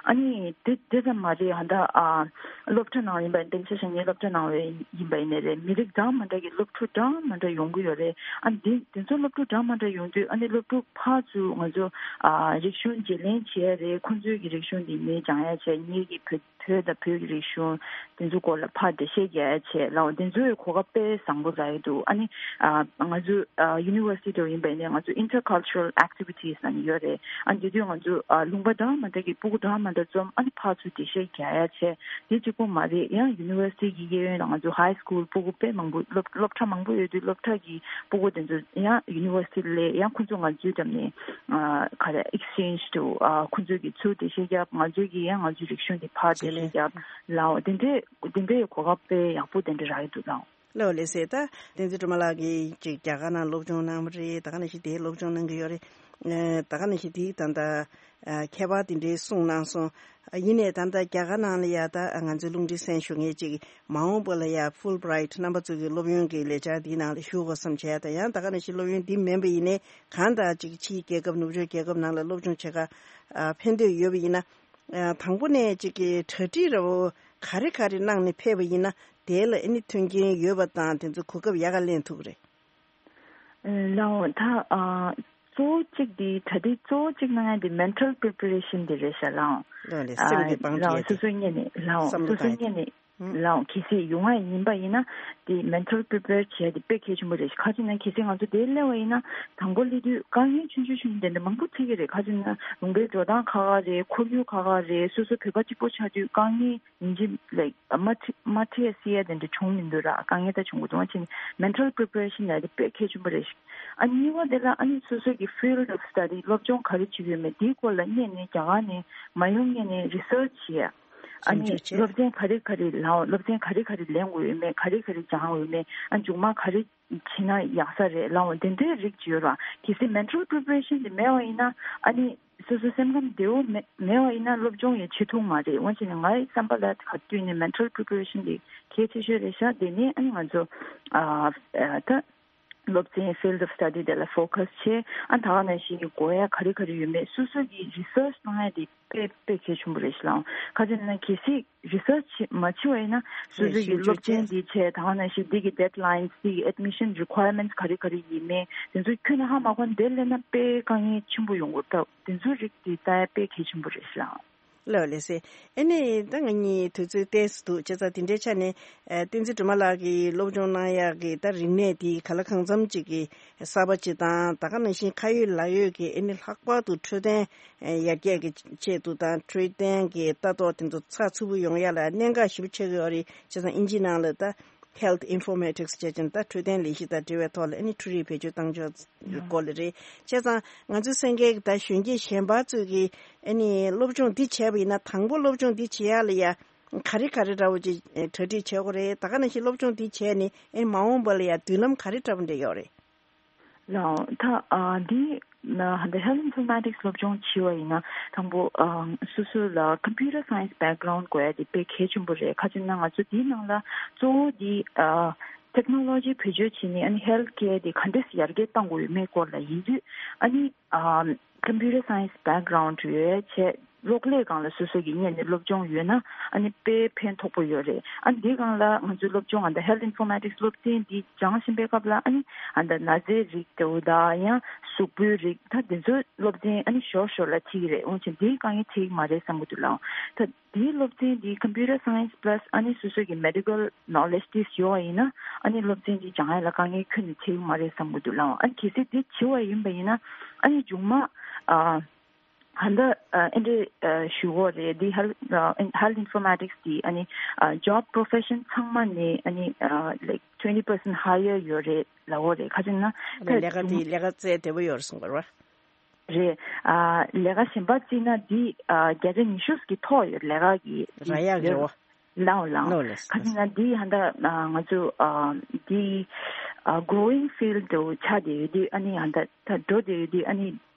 ཨ་ནི་དེ་དེ་ཙམ་མ་རེད། ཧ་ད་ཨ་སློབ་གྲྭ་ནང་ཡིན་པ་ཡིན། དེང་ཆ་བཞག་ངའི་སློབ་གྲྭ་ནང་བའི་ཡིན་པ་ཡིན་ནའི་རེད། མི་རིགས་འདྲ་མི་འདྲ་གི་སློབ་ཕྲུག་འདྲ་མི་འདྲ་ཡོང་གི་ཡོད་རེད། ཨ་ནི་དེ་དེ་ཚོ་སློབ་ཕྲུག་འདྲ་མི་འདྲ་ཡོང་དུས་ཨ་ནི་སློབ་ཕྲུག་ཕར་ཚུར་ང་ཚོ་ཨ་རིག་གཞུང་བརྗེ་ལེན་བྱེད་ཡ་རེད། ཁོང་ཚོའི་གི་རིག་གཞུང་དེ་ངས་སྦྱང་ཡ་བྱས། ངའི་གི་བོད་བོད་དང་བོད་ཀྱི་རིག་གཞུང་དེ་ཚོ་སྐོར་ལ་ཕར་འགྲེལ་བཤད་རྒྱག་ཡ་བྱས་ལའོ། དེ་ཚོའི་གོ་སྐབས་དཔེ་བཟང་པོ་རག་གི་འདུག་ཨ་ནི་ཨ་ང་ཚོ་ཨ་university་འགྲོ་ཡིན་པ་ཡིན་ནའི་ང་ཚོ་intercultural activities་ཨ་ནི་ཡོད་རེད། ཨ་ནི་དེ་དུས་ང་ཚོ་ཨ་ལུང་པ་འདྲ་མི་འདྲ་གི་སྤུ་གུ་འདྲ་མི་འདྲ་འཛོམས། ཨ་ནི་ཕར་ཚུར་འགྲེལ་བཤད་རྒྱག་ཡ་བྱས། དེ་གཅིག་པོ་མ་རེད། ཡང་university་གི་གཡས་གཡོན་ལ་ང་ཚོ་high school་སྤུ་གུ་དཔེ་མང་པོ། སློབ་སློབ་གྲྭ་མང་པོ་ཡོད་དུས་སློབ་གྲྭ་གི་སྤུ་གུ་དེ་ཚོ་ཡང་university་ལ་ཡང་ཁོ་ཚོ་ང་ཚོའི་འགྲམ་ནས་ཨ་ག་རེ་exchange་དུ་ཨ་ཁོ་ཚོ་གི་ཚུར་འགྲེལ་བཤད་རྒྱབ། ང་ཚོ་གི་ཡང་ང་ཚོའི་རིག་གཞུང་དེ་ཕར་འགྲེལ་བཤད་རྒྱབ་ལའོ། དེ་འདྲའི་དེ་འདྲའི་གོ་སྐབས་དཔེ་ཡག་པོ་དེ་འདྲ་རག་གི་འདུག་ལའོ། ལགས་ལགས་སེ། ད་བསྟན་འཛིན་སྒྲོལ་མ་ལགས་ཀྱིས་ཅིག་རྒྱ་གར་ནང་སློབ་སྦྱོང་གནང་བ་རེད། ད་ག་ནང་བཞིན་དེའི་སློབ་སྦྱོང་གནང་གི་ཡོད་རེད། ཨ་ད་ག་ནང་བཞིན་དེའི་ད་ལྟ་ཨ་ཁྱད་པར་དེ་འདྲའི་གསུངས་གནང་སོང་། ཨ་ཡིན་ནའི་ད་ལྟ་རྒྱ་གར་ནང་ལ་ཡ་ད་ང་ཚོའི་རླུང་འཕྲིན་གསན་ཞུ་མཁན་ཅིག་མ་འོངས་པ་ལ་ཡ་Fulbright་རྣམ་པ་ཚོ་གི་སློབ་ཡོན་གྱི་ལས་འཆར་འདིའི་ནང་ལ་ཞུགས་དགོས་བསམ་བྱས། ད་ཡང་ད་ག་ནང་བཞིན་སློབ་ཡོན་འདི་མིན་པ་ཡིན་ནའི་གང་ལྟར་ཅིག་ཕྱིའི་རྒྱལ་ཁབ་ནུབ་ཕྱོགས་རྒྱལ་ཁབ་ནང་ལ་སློབ་སྦྱོང་བྱེད་ག་ཨ་ཕན་འདོད་ཡོད་པ་ཡིན་ན། ཨ་དང་པོ་ནས་ཅིག་གི་གྲ་སྒྲིག་ར་བོ་ག་རེ་ག་རེ་གནང་ནས་ཕེབས་པ་ཡིན་ན་དེ་ལ་ཨ་ནི་མཐུན་རྐྱེན་ཡོད་པ་དང་དེ་ཚོ་གོ་སྐབས་ཡག་ག་ལེན་ཐུབ་ཀྱི་རེད། ལའོ། ད་ཨ་གཙོ་བོ་གཅིག་དེ་གྲ་སྒྲིག་གཙོ་བོ་གཅིག་གནང་ཡ་དེ་mental preparation་དེ་རེད་ཤག་ལའོ། ལའོ་ལས་སེམས་ཀྱི་སྤང་ལའོ་བྱེད་སོ་དེ་སོ་སྔོན་ནས་ལའོ་བསམ་བློ་སོ་སོ་བཏང་ཡ་སྔོན་ནས་ལའོ། གལ་སྲིད་ཡོང་བ་ཡིན་པ་ཡིན་ན་དེ་mental prepare་བྱས་དེ་དཔེ་གལ་ཆེན་པོ་རེད། ཁ་ཅིག་ན་གལ་སྲིད་ང་ཚོ་དེ་སླེབས་པ་ཡིན་ན་དང་པོ་སླེབས་དུས་དཀའ་ངལ་ཆུང་ཆུང་ཆུང་ཆུང་དེ་འདྲ་མང་པོ་འཕྲད་ཀྱི་རེད། ཁ་ཅིག་ན་ལུང་པའི་འགྲོ་སྟངས་ཁག་ཁག་རེད། ཁོར་ཡུག་ཁག་ཁག་རེད། སོ་སོ་བོད་པ་གཅིག་པོ་ཆགས་དུས་དཀའ་ངལ་ཡིན་གཅིག་like་མ་འཕྲད་མ་འཕྲད་སྲིད་ཡ་དེ་འདྲ་བྱུང་མི་འདུག་ར། དཀའ་ངལ་ད་བྱུང་གི་འདུག་ཨ་ཅེ་mental preparation་ལ་དེ་དཔེ་གལ་ཆེན་པོ་རེད་ཤག་ཨ་གཉིས་པ་དེ་ལ་ཨ་ནི་སོ་སོ་གི་field of study་སློབ་སྦྱོང་ག་རེ་བྱེད་ཀྱི་ཡོད་མེད་དེའི་སྐོར་ལ་སྔོན་ནས་རྒྱ་གར་ནས་མ་ཡོང་སྔོན་ནས་research་བྱེད་ཡ། ཨ་ནི་ཞིབ་འཇུག་བྱེད། སློབ་ཚན་ག་རེ་ག་རེ་ལའོ། སློབ་ཚན་ག་རེ་ག་རེ་ལེན་དགོས་ཡོད་མེད། ག་རེ་ག་རེ་སྦྱང་དགོས་ཡོད་མེད། ཨ་མཇུག་མ་ག་རེ་བྱེད་ན་ཡག་ས་རེད་ལའོ། དེ་འདྲའི་རིགས་ཅིག་ཡོད་ར། གལ་སྲིད་mental preparation་དེ་མེད་པ་ཡིན་ན་ཨ་ནི་སོ་སོ་སེམས་ཁམས་བདེ་བོ་མེད་མེད་པ་ཡིན་ན་སློབ་སྦྱོང་ཡང་བྱེད་ཐུབ་མ་རེད། འོན་ཀྱང་ངའི་བསམ་པ་ལ་ག་དུས་ནས་mental preparation་དེ་གལ་ཆེ་ཤོས་རེད་ཤག་དེ་ནས་ཨ་ནི་ང་ཚོ་ཨ་ཨ་ད་སློབ་ཚན་field of study་དེ་ལ་focus་བྱས། ཨ་ད་ག་ནང་བཞིན་གྱི་དགོས་ཡ་ག་རེ་ག་རེ་ཡོད་མེད་སོ་སོ་གིས་research་གནང་ཡ་དེ་དཔེ་དཔེ་གལ་ཆེན་པོ་རེད་ཤག་ལའོ། ཁ་ཅིག་ན་གལ་སྲིད་research་བྱེད་མ་བྱེད་པ་ཡིན་ན་སོ་སོ་གི་ཞིབ་འཇུག་སློབ་ཚན་བྱས། འདི་བྱས། ད་ག་ནང་བཞིན་འདི་གི་deadlines་འདི་གི་admission requirements་ག་རེ་ག་རེ་ཡིན་མིན་དེ་ཚོ་ཁྱོན་ནས་ཧ་མ་གོ་ན་དེ་སླེབས་ན་དཔེ་དཀའ་ངལ་ཆེན་པོ་ཡོང་གི་རེད། ད་དེ་ཚོའི་རིགས་དེ་ལྟ་ཡ་དཔེ་གལ་ཆེན་པོ་རེད་ཤག་ལའོ། ལགས་ལགས་སེ། ཨ་ནི་ད་ང་གཉིས་དུས་ཚོད་ཏོག་ཙམ་འདུག་བྱས་ཙང་དེ་འདྲའི་ཆ་ནས་ཨ་བསྟན་འཛིན་སྒྲོལ་མ་ལགས་ཀྱིས་སློབ་སྦྱོང་གནང་ཡག་གི་ད་རིག་གནས་དེ་ག་ལ་གང་འཚམ་ཅིག་གི་གསར་པ་ཅིག་དང་། ད་ག་ནང་བཞིན་ཁ་ཡོད་ལག་ཡོད་ཀྱི་ཨ་ནི་ལྷག་པར་དུ་འཕྲོད་བསྟེན་ཡར་རྒྱས་ཀྱི་ཆེད་དུ་དང་འཕྲོད་བསྟེན་གྱི་ལྟ་རྟོག་དེ་ཚོ་ཚགས་ཚུད་པོ་ཡོང་ཡ་ལ་གནད་འགག་ཞེ་པོ་ཆགས་ཀྱི་ཡོད་རེད། བྱས་ཙང་ཨིན་ཇིའི་ནང་ལ་ད་health informatics་བྱས་ཙང་ད་འཕྲོད་བསྟེན་ལས་གཞི་དང་འབྲེལ་བའི་ཐོག་ལ་ཨ་ནི་འཕྲུལ་རིག་བེད་སྤྱོད་བཏང་ཕྱོགས་སྐོར་ལ་རེད། བྱས་ཙང་ང་ཚོའི་གསན་མཁན་གྱི་ད་གཞོན་སྐྱེས་གཞན་པ་ཚོས་ཀྱིས་ཨ་ནི་སློབ་སྦྱོང་འདི་བྱས་པ་ཡིན་ན་དང་པོ་སློབ་སྦྱོང་འདི་བྱེད་ཡ་ལ་ཡ་ག་རེ་ག་རེ་འདྲ་བོ་ཅིག་གྲ་སྒྲིག་བྱེད་དགོས་རེད། ད་ག་ནང་བཞིན་སློབ་སྦྱོང་འདི་བྱས་ནས་ཨ་ནི་མ་འོངས་པ་ལ་ཡ་མདུན་ལམ་ག་རེ་འདྲ་བོ་འདྲ་ཡོད་རེད། ལའོ། ད་ཨ་འདི་ན་ཧ་འདི་health informatics་སློབ་སྦྱོང་བྱེད་པ་ཡིན་ན་དང་པོ་ཨ་སོ་སོ་ལ་computer science background་དགོས་ཡ་དེ་དཔེ་གལ་ཆེན་པོ་རེད། ཁ་ཅིག་ན་ང་ཚོ་འདིའི་ནང་ལ་གཙོ་བོ་འདི་ཨ་ ཊེག་ནོ་ལོ་ཇི་བེད་སྤྱོད་བྱས་ནས་ཨ་ནི་ཧེལ་ཐི་ཀེར་དེ་ག་འདྲས་ཡར་རྒྱས་གཏང་དགོས་ཡོད་མེད་སྐོར་ལ་ཡིན་དུས། ཨ་ནི་ཨ་ཀམ་པུ་ཊར་སའེན་སི་བེག་གྷ་རའུན་ཌི་ཡོད་བྱས། གློག་ཀླད་སྒང་ལ་སོ་སོ་གི་གཉེར་ནས་སློབ་སྦྱོང་ཡོད་ན་ཨ་ནི་དཔེ་ཕན་ཐོགས་པོ་ཡོད་རེད། ཨ་ནི་འདི་སྒང་ལ་ང་ཚོའི་སློབ་སྦྱོང་ཨ་ད་ཧེལ་ཐི་ཨིན་ཕོར་མ་ཊིག་སི་སློབ་ཚན་འདི་སྦྱང་བཞིན་པའི་སྐབས་ལ་ཨ་ནི་ཨ་ད་ན་ཚའི་རིགས་དེ་འུ་ད་ཡང་གཟུགས་པོའི་རིགས་ད་འདི་ཚོའི་སློབ་ཚན་ཨ་ནི་ཞོར་ཞོར་ལ་ཁྲིད་ཀྱི་རེད། འོན་ཀྱང་འདིའི་དཀའ་ངལ་འཕྲད་ཀྱི་མ་རེད་བསམ་གྱི་འདུག་ལགས། ད་འདིའི་སློབ་ཚན་འདི་ཀམ་པུ་ཊར་སའེན་སི་པ་ལ་སི་ཨ་ནི་སོ་སོ་གི་མེ་ཌི་ཀལ་ནོ་ལེཇ་དེ་ཡོད་པ་ཡིན་ན་ཨ་ནི་སློབ་ཚན་འདི་སྦྱང་ཡ་ལ་དཀའ་ངལ་ཁྱོན་ནས་འཕྲད་ཀྱི་མ་རེད་བསམ་གྱི་འདུག་ལགས། ཨ་ནི་གལ་སྲིད་འདི་བྱེད་པ་ཡིན་པ་ཡིན་ན་ཨ་ནི་མཇུག་མ་ཨ། ཧན་ད་ཨ་ཨེ་འདྲས་ཨ་ཞུ་གོ་རེད། འདི་ཧེལ་ཨ་ཧེལ་ཐི་ཨིན་ཕོར་མ་ཊིག་སི་འདི་ཨ་ནི་ཨ་ཇོབ་པོ་རོ་ཕེ་ཤན་ཚང་མ་ནས་ཨ་ནི་ཨ་ལའིཀ་ཊུ་ཝེན་ཊི་པར་སེན་ཊི་ཧ་ཡར་ཡོད་རེད་ལབ་གོ་རེད། ཁ་ཅིག་ན་ད་ལས་ཀ་དེ་ལས་ཀ་བཙལ་བདེ་པོ་ཡོད་རེད་གསུང་གི་རེད་བ། རེད། ཨ་ལས་ཀ་གཞན་པ་བརྩིས་ན་འདི་ཨ་བརྒྱ་ཆ་ཉི་ཤུ་ཀྱི་ཐོག་ཡོད་ལས་ཀ་གི་རག་ཡག་རེད་བ། ལའོ་ལའོ། ལོ་ལེ་ཁ་ཅིག་ན་འདི་ཧན་ད་ཨ་ང་ཚོ་ཨ་འདི་ཨ་གོ་རོ་ཝིང་ཕིལ་ཌི་དུ་ཆགས་བསྡད་ཡོད་དུས་ཨ་ནི་ཧན་ད་ད་འགྲོ་བསྡད་ཡོད་དུས་ཨ་ནི།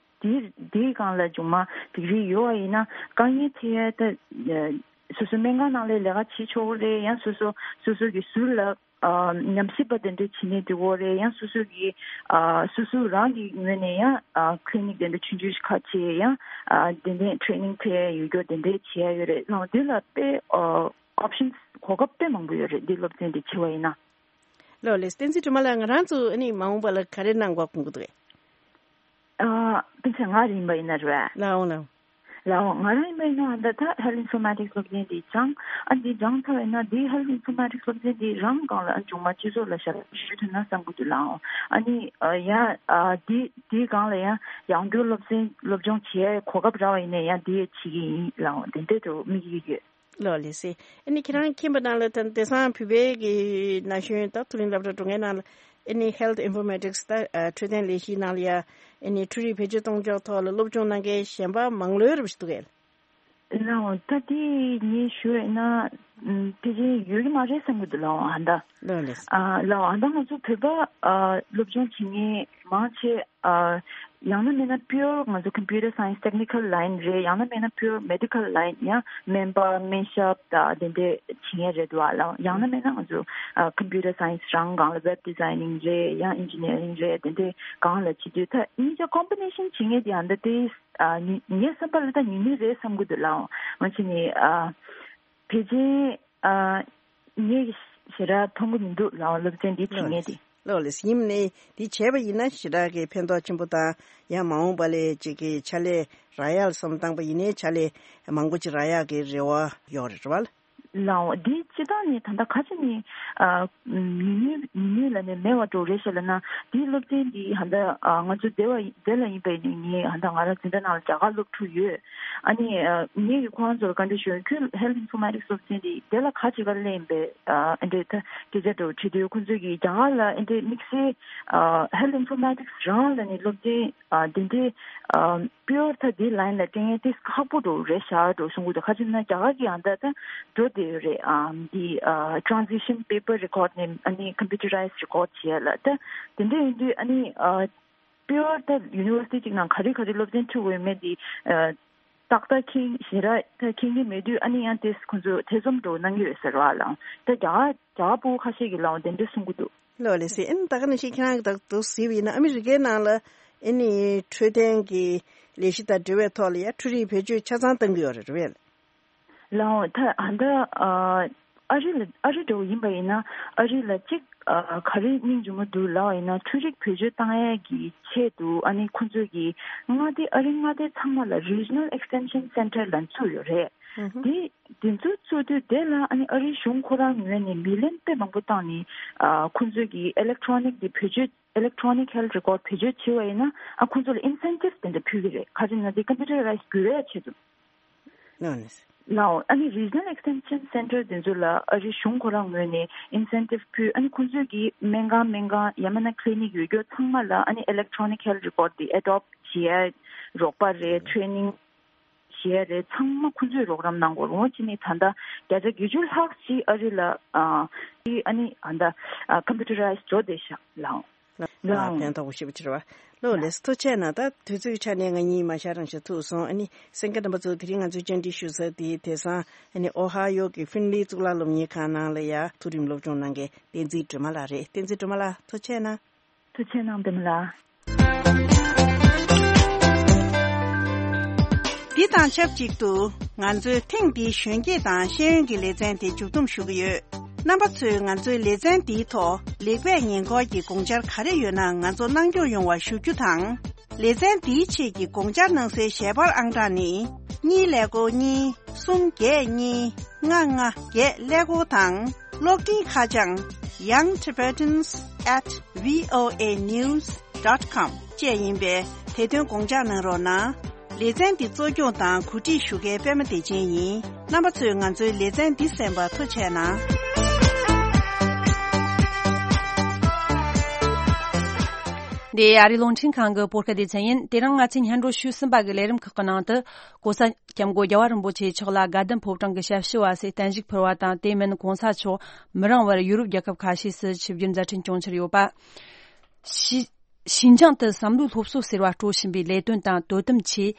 དེའི་དེའི་སྒང་ལ་མཇུག་མ་ཌིག་རི་ཡོད་པ་ཡིན་ན་དཀའ་ངལ་འཕྲད་ཡ་ད་སོ་སོའི་སྨན་ཁང་ནང་ལ་ལས་ཀ་བྱེད་ཆོག་གི་རེད། ཡང་སོ་སོ་སོ་སོ་གི་ཟུར་ལ་ཨ་ཉམས་ཞིབ་པ་དེ་འདྲ་བྱེད་ནས་འགྲོ་གི་རེད། ཡང་སོ་སོ་གི་ཨ་སོ་སོ་རང་གི་ངོས་ནས་ཡང་ཨ་ཀི་ལི་ནིག་དེ་འདྲ་ཆུང་ཆུང་ཞིག་ཁ་ཕྱེ། ཡང་ཨ་དེ་འདྲའི་ཊེ་རེ་ནིང་འཕྲད་ཡ་ཡོད་རྒྱུ་དེ་འདྲ་བྱེད་ཡ་ཡོད་རེད། ལགས་འདི་ལ་དཔེ་ཨ་ཨོབ་ཤན་གོ་སྐབས་དཔེ་མང་པོ་ཡོད་རེད། འདི་སློབ་ཚན་འདི་བྱེད་པ་ཡིན་ན། ལོ་ལེ་བསྟན་འཛིན་སྒྲོལ་མ་ལགས་ང་རང་ཚོ་ཨ་ནི་མ་འོངས་པ་ལ་ག་རེ་གནང་དགོས་དགོངས་ཀྱི་འདུག་གས། ཨ་དཔེ་ཆ་ང་རང་ཡིན་པ་ཡིན་ན་རེད་བས། ལའོ་ལའོ། ལའོ་ང་རང་ཡིན་པ་ཡིན་ན་ད་ད་ཧེལ་ཐི་ཨིན་ཕོར་མ་ཊིག་སི་སློབ་ཚན་འདི་སྦྱངས། ཨ་འདི་སྦྱངས་ཚར་བ་ཡིན་ན་འདི་ཧེལ་ཐི་ཨིན་ཕོར་མ་ཊིག་སི་སློབ་ཚན་འདི་རང་སྒང་ལ་ཨ་མཇུག་མ་སྤྱི་ཚོགས་ལ་ཞབས་ཞུ་ཞུ་ཐུབ་ན་བསམ་གྱི་འདུག་ལའོ། ཨ་ནི་ཨ་ཡ་ཨ་འདི་འདི་སྒང་ལ་ཡང་ཡང་སྐྱོར་སློབ་ཚན་སློབ་སྦྱོང་བྱེད་ཡའི་གོ་སྐབས་རག་པ་ཡིན་ན་ཡང་འདི་ཡ་བྱེད་ཀྱི་ཡིན་ལའོ། དེ་འདྲས་དུ་དམིགས་ཀྱི་ཡོད། ལོ་ལེ་སི། ཨ་ནི་ཁྱེད་རང་མཁྱེན་པ་ནང་ལ་ད་དེང་སང་བོད་པའི་གི་ན་གཞོན་ད་མཐོ་རིམ་སློབ་གྲྭ་འགྲོ་མཁན་ནང་ལ་ཨ་ནི་ཧེལ་ཐི་ཨིན་ཕོར་མ་ཊིག་སི་ད་ཨ་འཕྲོད་བསྟེན་ལས་གཞིའི་ནང་ལ་ཡ་ཨ་ནི་འཕྲུལ་རིག་བེད་སྤྱོད་གཏོང་ཕྱོགས་ཐོག་ལ་སློབ་སྦྱོང་གནང་མཁན་གཞན་པ་མང་ལོས་རེ་བ་ཞིག་འདུག་གས། ལའོ་ད་དེ་ངས་ཞུ་ཡོད་ན་ཨམ་ཕལ་ཆེར་ཡོད་ཀྱི་མ་རེད་བསམ་གྱི་འདུག་ལའོ་ཨ་ད། ལོ་ལེ་སི། ཨ་ལའོ་ཨ་ད་ང་ཚོ་བོད་པ་ཨ་སློབ་སྦྱོང་བྱེད་མཁན་མང་ཆེ། ཨ་ཡང་ན་མིན་ན་པིའོར་ང་ཚོ་ཀམ་པུ་ཊར་སའེན་སི་ཊེག་ནི་ཀལ་ལའིན་རེད། ཡང་ན་མིན་ན་པིའོར་མེ་ཌི་ཀལ་ལའིན་ཡང་སྨན་པ་སྨན་ཞབས་དང་དེ་འདྲས་བྱེད་མཁན་རེད་འདུག་ཨ་ལའོ། ཡང་ན་མིན་ན་ང་ཚོ་ཨ་ཀམ་པུ་ཊར་སའེན་སི་རང་སྒང་ལ་ཝེབ་ཌི་ཛའི་ནིང་རེད། ཡང་ཨིན་ཇི་ནི་ཡ་རིང་རེད། དེ་འདྲས་སྒང་ལ་བྱེད་དུས་ད་གཉིས་ཆ་ཀོམ་བི་ནེ་ཤན་བྱེད་མཁན་དེ་ཨ་ད་དེ་ཨ་ངའི་བསམ་པ་ལ་ད་ཉུང་ཉུང་རེད་བསམ་གྱི་འདུག་ལའོ། འོན་ཀྱང་ནི་ཨ་ཕལ་ཆེར་ཨ་ངས་ཞེ་དྲག་མཐོང་གི་མི་འདུག་ལའོ། སློབ་ཚན་འདི་བྱེད་མཁན་དེ། ལོ་ལེ་སི། ཡིན་ནའི་འདི་བྱས་པ་ཡིན་ན་ཞེ་དྲག་གི་ཕན་ཐོགས་ཆེན་པོ་དང་ཡང་མ་འོངས་པ་ལ་ཅིག་གི་ཕྱག་ལས་རག་ཡག་ལ་བསམ་བཏང་པ་ཡིན་ནའི་ཕྱག་ལས་མང་པོ་ཅིག་རག་ཡག་གི་རེ་བ་ཡོད་རེད་བ། ལའོ་འདི་སྤྱི་བཏང་ནས་ད་ལྟ་ཁ་ཅིག་ནས་ཨ་ཉུང་ཉུང་ཉུང་ཉུང་ལ་ནས་མེད་པ་འགྲོ་རེད་ཤག་ལབ་ན། འདིའི་སློབ་ཚན་འདི་ཧ་ད་ཨ་ང་ཚོ་སྡེ་བ་སྡེ་ལ་ཡིན་པའི་ནི་ངས་ཧ་ད་ང་རང་འཛིན་གྲྭ་ནང་ལ་རྒྱ་གར་སློབ་ཕྲུག་ཡོད། ཨ་ནི་ཨ་ངས་ཀྱི་ཁོ་རང་ཚོ་ལ་བཀའ་འདྲི་ཞུ། ཁྱོད་ཧེལ་ཐི་ཨིན་ཕོར་མ་ཊིག་སློབ་ཚན་འདི་དེ་ལ་ག་ཅིག་ག་སླེབས་ཡིན་པས། ཨ་ཨེ་འདྲས་ད་སྐད་ཆ་འདྲ་བོ་དྲིས་དུས་ཁོ་ཚོས་ཀྱིས་རྒྱ་གར་ལ་ཨེ་འདྲས་དམིགས་བསལ་ཨ་ཧེལ་ཐི་ཨིན་ཕོར་མ་ཊིག་རང་ལ་ནི་སློབ་ཚན་ཨ་དེ་འདྲས་ཨ་པིའོར་ད་དེ་ལའིན་ལ་སྤྲད་མཁན་དེ་ཁག་པོ་འདྲ་བོ་རེད་ཤག་འདྲ་བོ་གསུང་གི་འདུག་ཁ་ཅིག་ན་རྒྱ་གར་གྱི་ཨ་ད་ད་འགྲོ་བསྡད་ཡོད་རེད། ཨ་འདི་ཨ་ཊ་རན་སི་ཤན་པེ་པར་རི་ཀོཌ་ནས་ཨ་ནི་ཀམ་པུ་ཊ་རའི་ཛི་རི་ཀོཌ་བྱེད་ཡ་ལ་ད་དེ་འདྲས་ཡིན་དུས་ཨ་ནི་ཨ། པིའོར་ད་ཡུ་ནི་ཝར་སི་ཊི་གཅིག་ནང་ག་རེ་ག་རེ་སློབ་ཚན་ཁྲིད་དགོས་ཡོད་མེད་དེ་ཨ་ཏག་ཏག་མཁྱེན་ཞེ་དྲག་ད་མཁྱེན་གྱི་མེད་དུས་ཨ་ནི་ཡང་དེ་ཁོ་ཚོས་ཐེ་ཚོམ་འདྲ་བོ་གནང་གི་ཡོད་ཟེར་བ་ལ། ད་རྒྱ་གར་རྒྱ་གར་ཕྲུ་གུ་ཁ་ཤས་ཀྱིས་ལའང་དེ་འདྲ་གསུང་གི་འདུག་ལོ་ལེ་སི། ཨ་ནི་ད་ག་ནང་བཞིན་ཁྱེད་རང་གིས་ད་དུང་གཟིགས་པ་ཡིན་ན་ཨ་མི་རི་ཀའི་ནང་ལ་ཨ་ནི་འཕྲོད་བསྟེན་གྱི་ལས་གཞི་དང་འབྲེལ་བའི་ཐོག་ལ་ཡ་འཕྲུལ་རིག་བེད་སྤྱོད་ཆ་ཚང་གཏང་གི་ཡོད་རེད། རེད་པས། ལའོ་ད་ཨ་ད་ཨ་ཨ་རི་ལ་ཨ་རི་འདྲ་བོ་ཡིན་པ་ཡིན་ན་ཨ་རི་ལ་གཅིག་ཨ་ག་རེ་སྙིང་རྗེ་མོ་འདུག་ལབ་པ་ཡིན་ན་འཕྲུལ་རིག་བེད་སྤྱོད་བཏང་ཡས་ཀྱི་ཆེད་དུ་ཨ་ནི་ཁོང་ཚོས་ཀྱི་མངའ་སྡེ་ཨ་རི་མངའ་སྡེ་ཚང་མ་ལ་Regional Extension Center་ལབ་བཙུགས་ཡོད་རེད། ཧུམ་ཧུམ། དེ་དེ་ཚོ་བཙུགས་དུས་དེ་ལ་ཨ་ནི་ཨ་རིའི་གཞུང་ཁོ་རང་ངོས་ནས་མི་ལན་དཔེ་མང་པོ་བཏང་ནས་ཨ་ཁོང་ཚོས་ཀྱི་ཨི་ལེག་ཊོ་རོ་ནིག་དེ་བེད་སྤྱོད་Electronic Health Record་བེད་སྤྱོད་བྱས་པ་ཡིན་ན་ཨ་ཁོང་ཚོ་ལ་ཨིན་སེན་ཊིབ་དེ་འདྲ་ཕུལ་གྱི་རེད། ག་རེ་ཡིན་ན་དེ་ཀམ་པུ་ཊར་རའི་ཛི་འགྱུར་བའི་ཆེད་དུ། ལའོ་ཨ་ནི་Regional Extension Center་དེ་ཚོ་ལ་ཨ་རིའི་གཞུང་ཁོ་རང་ངོས་ནས་ཨིན་སེན་ཊིབ་ཕུལ། ཨ་ནི་ཁོང་ཚོས་ཀྱི་སྨན་ཁང་སྨན་ཁང་ཡང་མིན་ན་ཀི་ལི་ནིག་ཡོད་རྒྱུ་ཚང་མ་ལ་ཨ་ནི་Electronic Health Record་དེ་ཨེ་ཌོབ་བྱེད་ཡ་རོགས་པ་རེད། ཊེ་རེ་ནིང་བྱེད་ཡ་རེད། ཚང་མ་ཁོང་ཚོས་རོགས་རམ་གནང་དགོས་རེད། འོ་བྱས་ནས་ད་ལྟ་བརྒྱ་ཆ་བརྒྱད་ཅུ་ལྷག་ཅིག་ཨ་རི་ལ་ཨ་ཨ་ནི་ཨ་ད་ཀམ་པུ་ཊར་རའི་ཛི་འགྲོ་བསྡད་ཤག་ལའོ། ལ་ཕན་ཐོགས་པོ་ཞེ་པོ་ཅིག་རེད་བ། ལོ་ལེགས་ཐུགས་རྗེ་ཆེ་གནང་། ད་དུས་ཚོད་ཆ་ནས་ང་གཉིས་མ་ཤར་རང་ཤར་ཐུག་སོང་། ཨ་ནི་གསན་མཁན་རྣམ་པ་ཚོ་དེ་རིང་ང་ཚོའི་བཅར་འདྲི་ཞུ་ས་དེ་དེང་སང་ཨ་ནི་ཨོ་ཧ་ཡོ་གི་ཧྥིན་ལི་གཙུག་ལག་སློབ་གཉེར་ཁང་ནང་ལ་ཡ་མཐོ་རིམ་སློབ་སྦྱོང་གནང་མཁན་བསྟན་འཛིན་སྒྲོལ་མ་ལགས་རེད། བསྟན་འཛིན་སྒྲོལ་མ་ལགས་ཐུགས་རྗེ་ཆེ་གནང་། ཐུགས་རྗེ་ཆེ་གནང་བདེ་མོ་ལགས། འདི་དང་ཆབས་ཅིག་ཏུ་ང་ཚོའི་ཐེངས་འདིའི་གཞོན་སྐྱེས་དང་ཤེས་ཡོན་གྱི་ལེ་ཚན་དེ་མཇུག་བསྡོམས་ཞུ་གི་ཡོད། རྣམ་པ་ཚོས་ང་ཚོའི་ལེ་ཚན་འདིའི་ཐོག་ལེགས་སྤེལ་ཉེས་འགོག་གི་དགོངས་འཆར་ག་རེ་ཡོད་ན་ང་ཚོ་གནང་སྐྱོང་ཡོང་བ་ཞུ་རྒྱུ་དང་། ལེ་ཚན་འདིའི་ཆེད་ཀྱི་དགོངས་འཆར་གནང་སའི་ཞལ་པར་ཨང་གྲངས་ནི། གཉིས་ཀླད་ཀོར་གཉིས། གསུམ་བརྒྱད་གཉིས། ལྔ་ལྔ་བརྒྱད་ཀླད་ཀོར་དང་། གློག་འཕྲིན་ཁ་བྱང་young tibetans at voa news dot com བཅས་ཡིན་པས་དེ་དོན་དགོངས་འཇགས་གནང་རོགས་གནང་། ལེ་ཚན་འདི་གཙོ་སྐྱོང་དང་གོ་སྒྲིག་ཞུ་མཁན་པད་མ་བདེ་ཆེན་ཡིན། རྣམ་པ་ཚོས་ང་ཚོའི་ལེ་ཚན་འདི་གསན་པར་ཐུགས་རྗེ་གནང་། འདི་ཨ་རིའི་རླུང་འཕྲིན་ཁང་གི་བོད་སྐད་སྡེ་ཚན་ཡིན། དེ་རིང་ང་ཚོས་སྙན་སྒྲོན་ཞུས་ཟིན་པ་གི་ལས་རིམ་ཁག་གི་ནང་དུ། གོང་ས་སྐྱབས་མགོན་རྒྱལ་བ་རིན་པོ་ཆེ་མཆོག་ལ་དགའ་ལྡན་ཕོ་བྲང་གི་ཞབས་ཕྱི་བ་སོགས་བརྟན་བཞུགས་ཕུལ་བ་དང་། དེ་མིན་གོང་ས་མཆོག་མི་རིང་བར་ཡུ་རོབ་རྒྱལ་ཁབ་ཁ་ཤས་སུ་ཆིབས་བསྒྱུར་མཛད་འཕྲིན་སྐྱོང་འཆར་ཡོད་པ། ཞི- ཞིན་ཅང་དུ་བསམ་བློའི་སློབ་གསོ་ཟེར་བ་སྤྲོ་བཞིན་པའི་ལས་དོན་དང་དོ་དམ་ཆེད།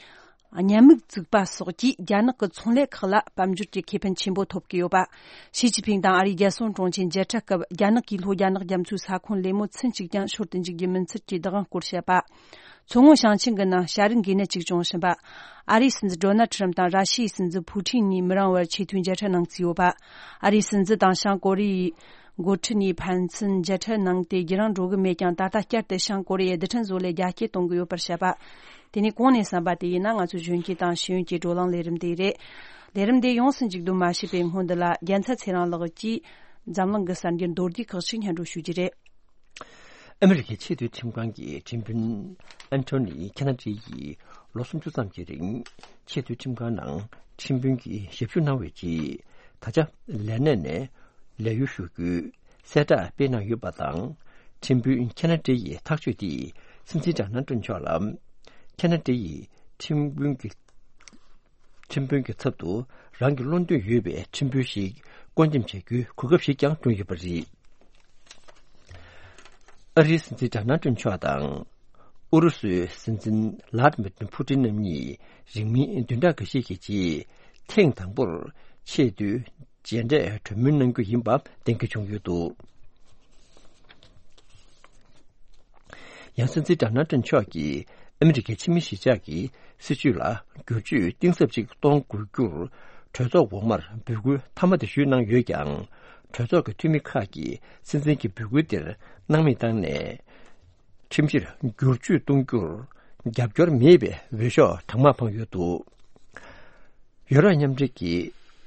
ཉན་མིག་བཙུགས་པ་སོགས་ཀྱིས་རྒྱ་ནག་གི་ཚོང་ལས་ཁག་ལ་དཔལ་འབྱོར་གྱི་ཁེ་ཕན་ཆེན་པོ་ཐོབ་ཀྱི་ཡོད་པ། ཞི་ཅིན་ཕིང་དང་ཨ་རིའི་རྒྱལ་སྲུང་དྲུང་ཆེ་མཇལ་འཕྲད་སྐབས། རྒྱ་ནག་གིས་ལྷོ་རྒྱ་ནག་རྒྱ་མཚོའི་ས་ཁོངས་ལས་མོ་ཚུན་གཅིག་ཀྱང་ཤོར་དུ་འཇུག་རྒྱུ་མིན་ཚུལ་གྱི་བདག་དབང་སྐོར་བཤད་པ། མཚོ་སྔོན་ཞིང་ཆེན་གྱི་ནང་བྱ་རིགས་འགོས་ནད་ཅིག་བྱུང་བཞིན་པ། ཨ་རིའི་སྲིད་འཛིན་ཌོ་ནལ་ཁྲམ་དང་ར་ཤི་ཡའི་སྲིད་འཛིན་ཕུ་ཊིན་གཉིས་མི་རིང་བར་ཆེས་མཐོའི་མཇལ་འཕྲད་གནང་རྩིས་ཡོད་པ། ཨ་རིའི་སྲིད་འཛིན་དང་བྱང་ཀོ་རི་ཡའི་འགོ་ཁྲིད་གཉིས་ཕན་ཚུན་མཇལ་འཕྲད་གནང་སྟེ་རྒྱུན་རིང་འགྲོ་གི་མེད་ཀྱང་། ད་ལྟ་བསྐྱར་དུ་བྱང་ཀོ་རི་ཡའི་རྡུལ་ཕྲན་བཟོ་ལས་རྒྱ་སྐྱེད་གཏོང་གི་ཡོད་པར་བཤད་པ། དེ་ནས་གོང་ནས་གསན་པ་དེ་ཡིན་ན། ང་ཚོའི་གཞོན་སྐྱེས་དང་ཤེས་ཡོན་གྱི་བགྲོ་གླེང་ལས་རིམ་དེ་རེད། ལས་རིམ་དེ་ཡོངས་སུ་མཇུག་བསྡོམས་མ་བྱས་པའི་སྔོན། འདི་ལ་རྒྱལ་མཚན་ཚེ་རིང་ལགས་ཀྱིས་འཛམ་གླིང་གི་གསར་འགྱུར་མདོར་བསྡུས་ཁག་ཅིག་སྙན་སྒྲོན་ཞུ་རྒྱུ་རེད། ཨ་མི་རི་ཀའི་ཆེས་མཐོའི་ཁྲིམས་ཁང་གི་ཁྲིམས་དཔོན་ཨན་ཐོ་ནི་ཁེ་ན་ཏྲི་ཡིས་ལོ་སུམ་ཅུ་ཙམ་གྱི་རིང་ཆེས་མཐོའི་ཁྲིམས་ཁང་ནང་ཁྲིམས་དཔོན་གྱི་ཞབས་ཞུ་གནང་བའི་རྗེས། ད་ཆ་ལས་གནས་ནས་ལས་གཡོལ་ཞུ་རྒྱུའི་གསལ་བསྒྲགས་སྤེལ་གནང་ཡོད་པ་དང་། ཁྲིམས་དཔོན་ཁེ་ན་ཏྲི་ཡི་ཐག་གཅོད་དེས་སྲིད་འཛིན་ཌོ་ནལ་ཏྲམ་མཆོག་ལ་ཁེ་ན་ཏྲི་ཡི་ཁྲིམས་དཔོན་གྱི་ཁྲིམས་དཔོན་གྱི་ཚབ་ཏུ་རང་གི་བློ་འདོད་ཡོད་པའི་ཁྲིམས་དཔོན་ཞིག་བསྐོ་འདེམས་བྱ་རྒྱུའི་གོ་སྐབས་ཤིག་ཀྱང་བསྐྲུན་ཡོད་པ་རེད། ཨ་རིའི་སྲིད་འཛིན་ཌོ་ནལ་ཏྲམ་མཆོག་དང་ཨུ་རུ་སུའི་སྲིད་འཛིན་ལཱ་ཏི་མིར་ཕུ་ཏིན་རྣམ་གཉིས་རིང་མིན་བདུན་ཕྲག་འགའ་ཤས་ཀྱི་རྗེས་ཐེངས་དང་པོར་ཆེས་མཐོའི་མཇལ་འཕྲད་གྲོས་མོལ་གནང་རྒྱུ་ཡིན་པ་གཏན་འཁེལ་བྱུང་ཡོད་འདུག། ཡང་སྲིད་འཛིན་ཌོ་ནལ་ཏྲམ་མཆོག་གིས་ཨ་མི་རི་ཀའི་ཕྱི་མི་གཞིས་ཆགས་ཀྱི་སྲིད་བྱུས་ལ་བསྒྱུར་བཅོས་གཏིང་ཟབ་ཅིག་གཏོང་དགོས་རྒྱུར་གྲོས་ཚོགས་འོག་མར་འབོད་སྐུལ་མཐའ་མ་དེ་ཞུས་གནང་ཡོད་ཀྱང་། གྲོས་ཚོགས་ཀྱི་འཐུས་མི་ཁག་གིས་སྲིད་འཛིན་གྱི་འབོད་སྐུལ་དེར་སྣང་མེད་བཏང་ནས། ཁྲིམས་གཞིར་བསྒྱུར་བཅོས་གཏོང་རྒྱུར་རྒྱབ་སྐྱོར་མེད་པའི་འོས་ཤོག་གྲངས་མང་འཕངས་ཡོད་འདུག། ཡོ་རོབ་མཉམ་འབྲེལ་གྱི་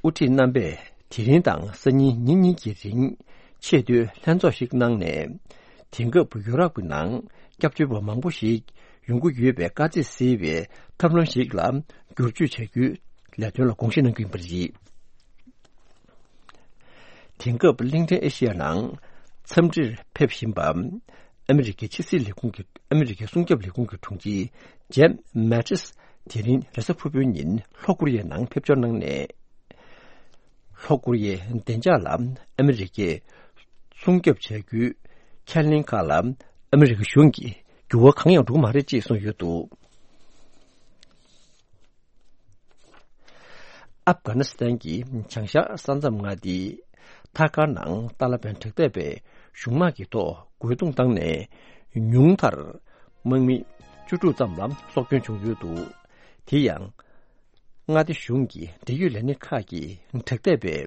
དབུ་ཁྲིད་རྣམ་པས་དེ་རིང་དང་སང་ཉིན་ཉིན་གཉིས་ཀྱི་རིང་ཆེས་མཐོའི་ལྷན་ཚོགས་ཤིག་གནང་ནས། དེང་སྐབས་ཡོ་རོབ་ཀྱི་ནང་སྐྱབས་བཅོལ་བ་མང་པོ་ཞིག་ཡོང་གི་ཡོད་པའི་དཀའ་ཚེགས་སེལ་བའི་ཐབས་ལམ་ཞིག་ལ་བསྒྱུར་བཅོས་བྱ་རྒྱུའི་ལས་དོན་ལ་དགོངས་བཞེས་གནང་གི་ཡིན་པ་རེད། དེང་སྐབས་གླིང་ཕྲན་ཨེ་ཤི་ཡ་ནང་འཚམས་འདྲིར་ཕེབས་བཞིན་པ། ཨ་མི་རི་ཀའི་ཕྱི་སྲིད་ལས་ཁུངས་ཀྱི་ཨ་མི་རི་ཀའི་སྲུང་སྐྱོབ་ལས་ཁུངས་ཀྱི་དྲུང་ཆེ་ཇེབ་མེ་ཏིས་དེ་རིང་རེས་གཟའ་ཕུར་བུའི་ཉིན་ལྷོ་ཀོ་རི་ཡའི་ནང་ཕེབས་འབྱོར་གནང་ནས། ལྷོ་ཀོ་རི་ཡའི་བདེ་འཇགས་ལ་ཨ་མི་རི་ཀས་སྲུང་སྐྱོབ་བྱ་རྒྱུའི་ཁས་ལེན་ཁག་ལ་ཨ་མི་རི་ཀ་གཞུང་གིས་འགྱུར་བ་གང་ཡང་འགྲོ་གི་མ་རེད་ཅེས་གསུངས་ཡོད་འདུག། ཨབ་གྷ་ནི་སི་ཐན་གྱི་བྱང་ཤར་ས་མཚམས་མངའ་སྡེའི་ཐ་ཀར་ནང་ཏཱ་ལ་པན་དྲག་འཐབ་པའི་གཞུང་དམག་གི་ཐོག་རྒོལ་རྡུང་བཏང་ནས་ཉུང་མཐར་དམག་མི་བཅུ་དྲུག་ཙམ་ལ་སྲོག་སྐྱོན་བྱུང་ཡོད་འདུག། དེ་ཡང་མངའ་སྡེ་གཞུང་གི་འབྲེལ་ཡོད་ལས་སྣེ་ཁག་གིས་དྲག་འཐབ་པའི་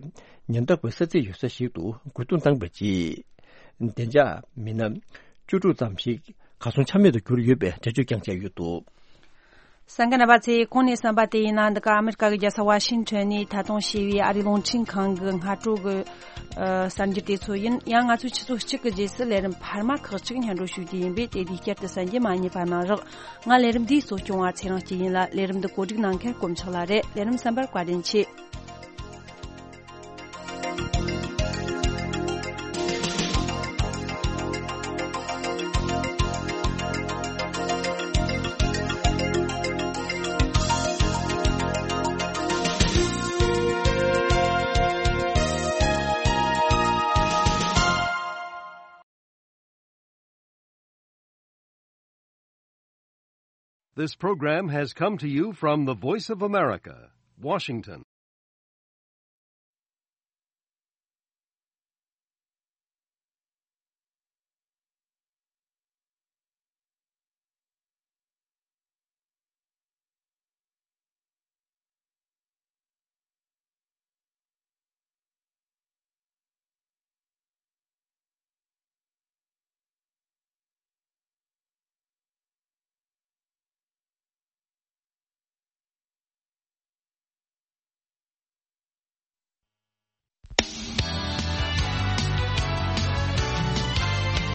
ཉེན་རྟོག་པའི་ས་ཚིགས་ཡོད་ས་ཞིག་ཏུ་རྒོལ་རྡུང་བཏང་བའི་རྗེས། བདེ་འཇགས་མི་སྣ་བཅུ་དྲུག་ཙམ་ཞིག་གར་སོང་ཆ་མེད་དུ་གྱུར་ཡོད་པའི་འགྲེལ་བརྗོད་ཀྱང་བྱས་ཡོད་འདུག། གསན་མཁན་རྣམ་པ་ཚོས་གོང་ནས་གསན་པ་དེ་ཡིན་ན། འདི་ག་ཨ་མི་རི་ཀ་གི་རྒྱལ་ས་ཝ་ཤིང་ཊོན་ནས་ཐད་གཏོང་བྱས་པའི་ཨ་རིའི་རླུང་འཕྲིན་ཁང་གི་སྔ་དྲོ་གི་ཨ་གསར་འགྱུར་དེ་ཚོ་ཡིན། ཡང་ང་ཚོས་ཆུ་ཚོད་གཅིག་གི་རྗེས་སུ་ལས་རིམ་འཕར་མ་ཁག་ཅིག་སྙན་སྒྲོན་ཞུ་རྒྱུ་ཡིན་པས། དེ་དུས་བསྐྱར་དུ་གསན་རྒྱུ་མ་བསྙེལ་བ་གནང་རོགས། ང་ལས་རིམ་འདིའི་གཙོ་སྐྱོང་བ་ཚེ་རིང་སྐྱིད་ཡིན་ལ། ལས་རིམ་འདི་གོ་སྒྲིག་གནང་མཁན་དཀོན་མཆོག་ལགས་རེད། ལས་རིམ་གསན་པར་བཀའ་དྲིན་ཆེ། This program has come to you from the Voice of America, Washington.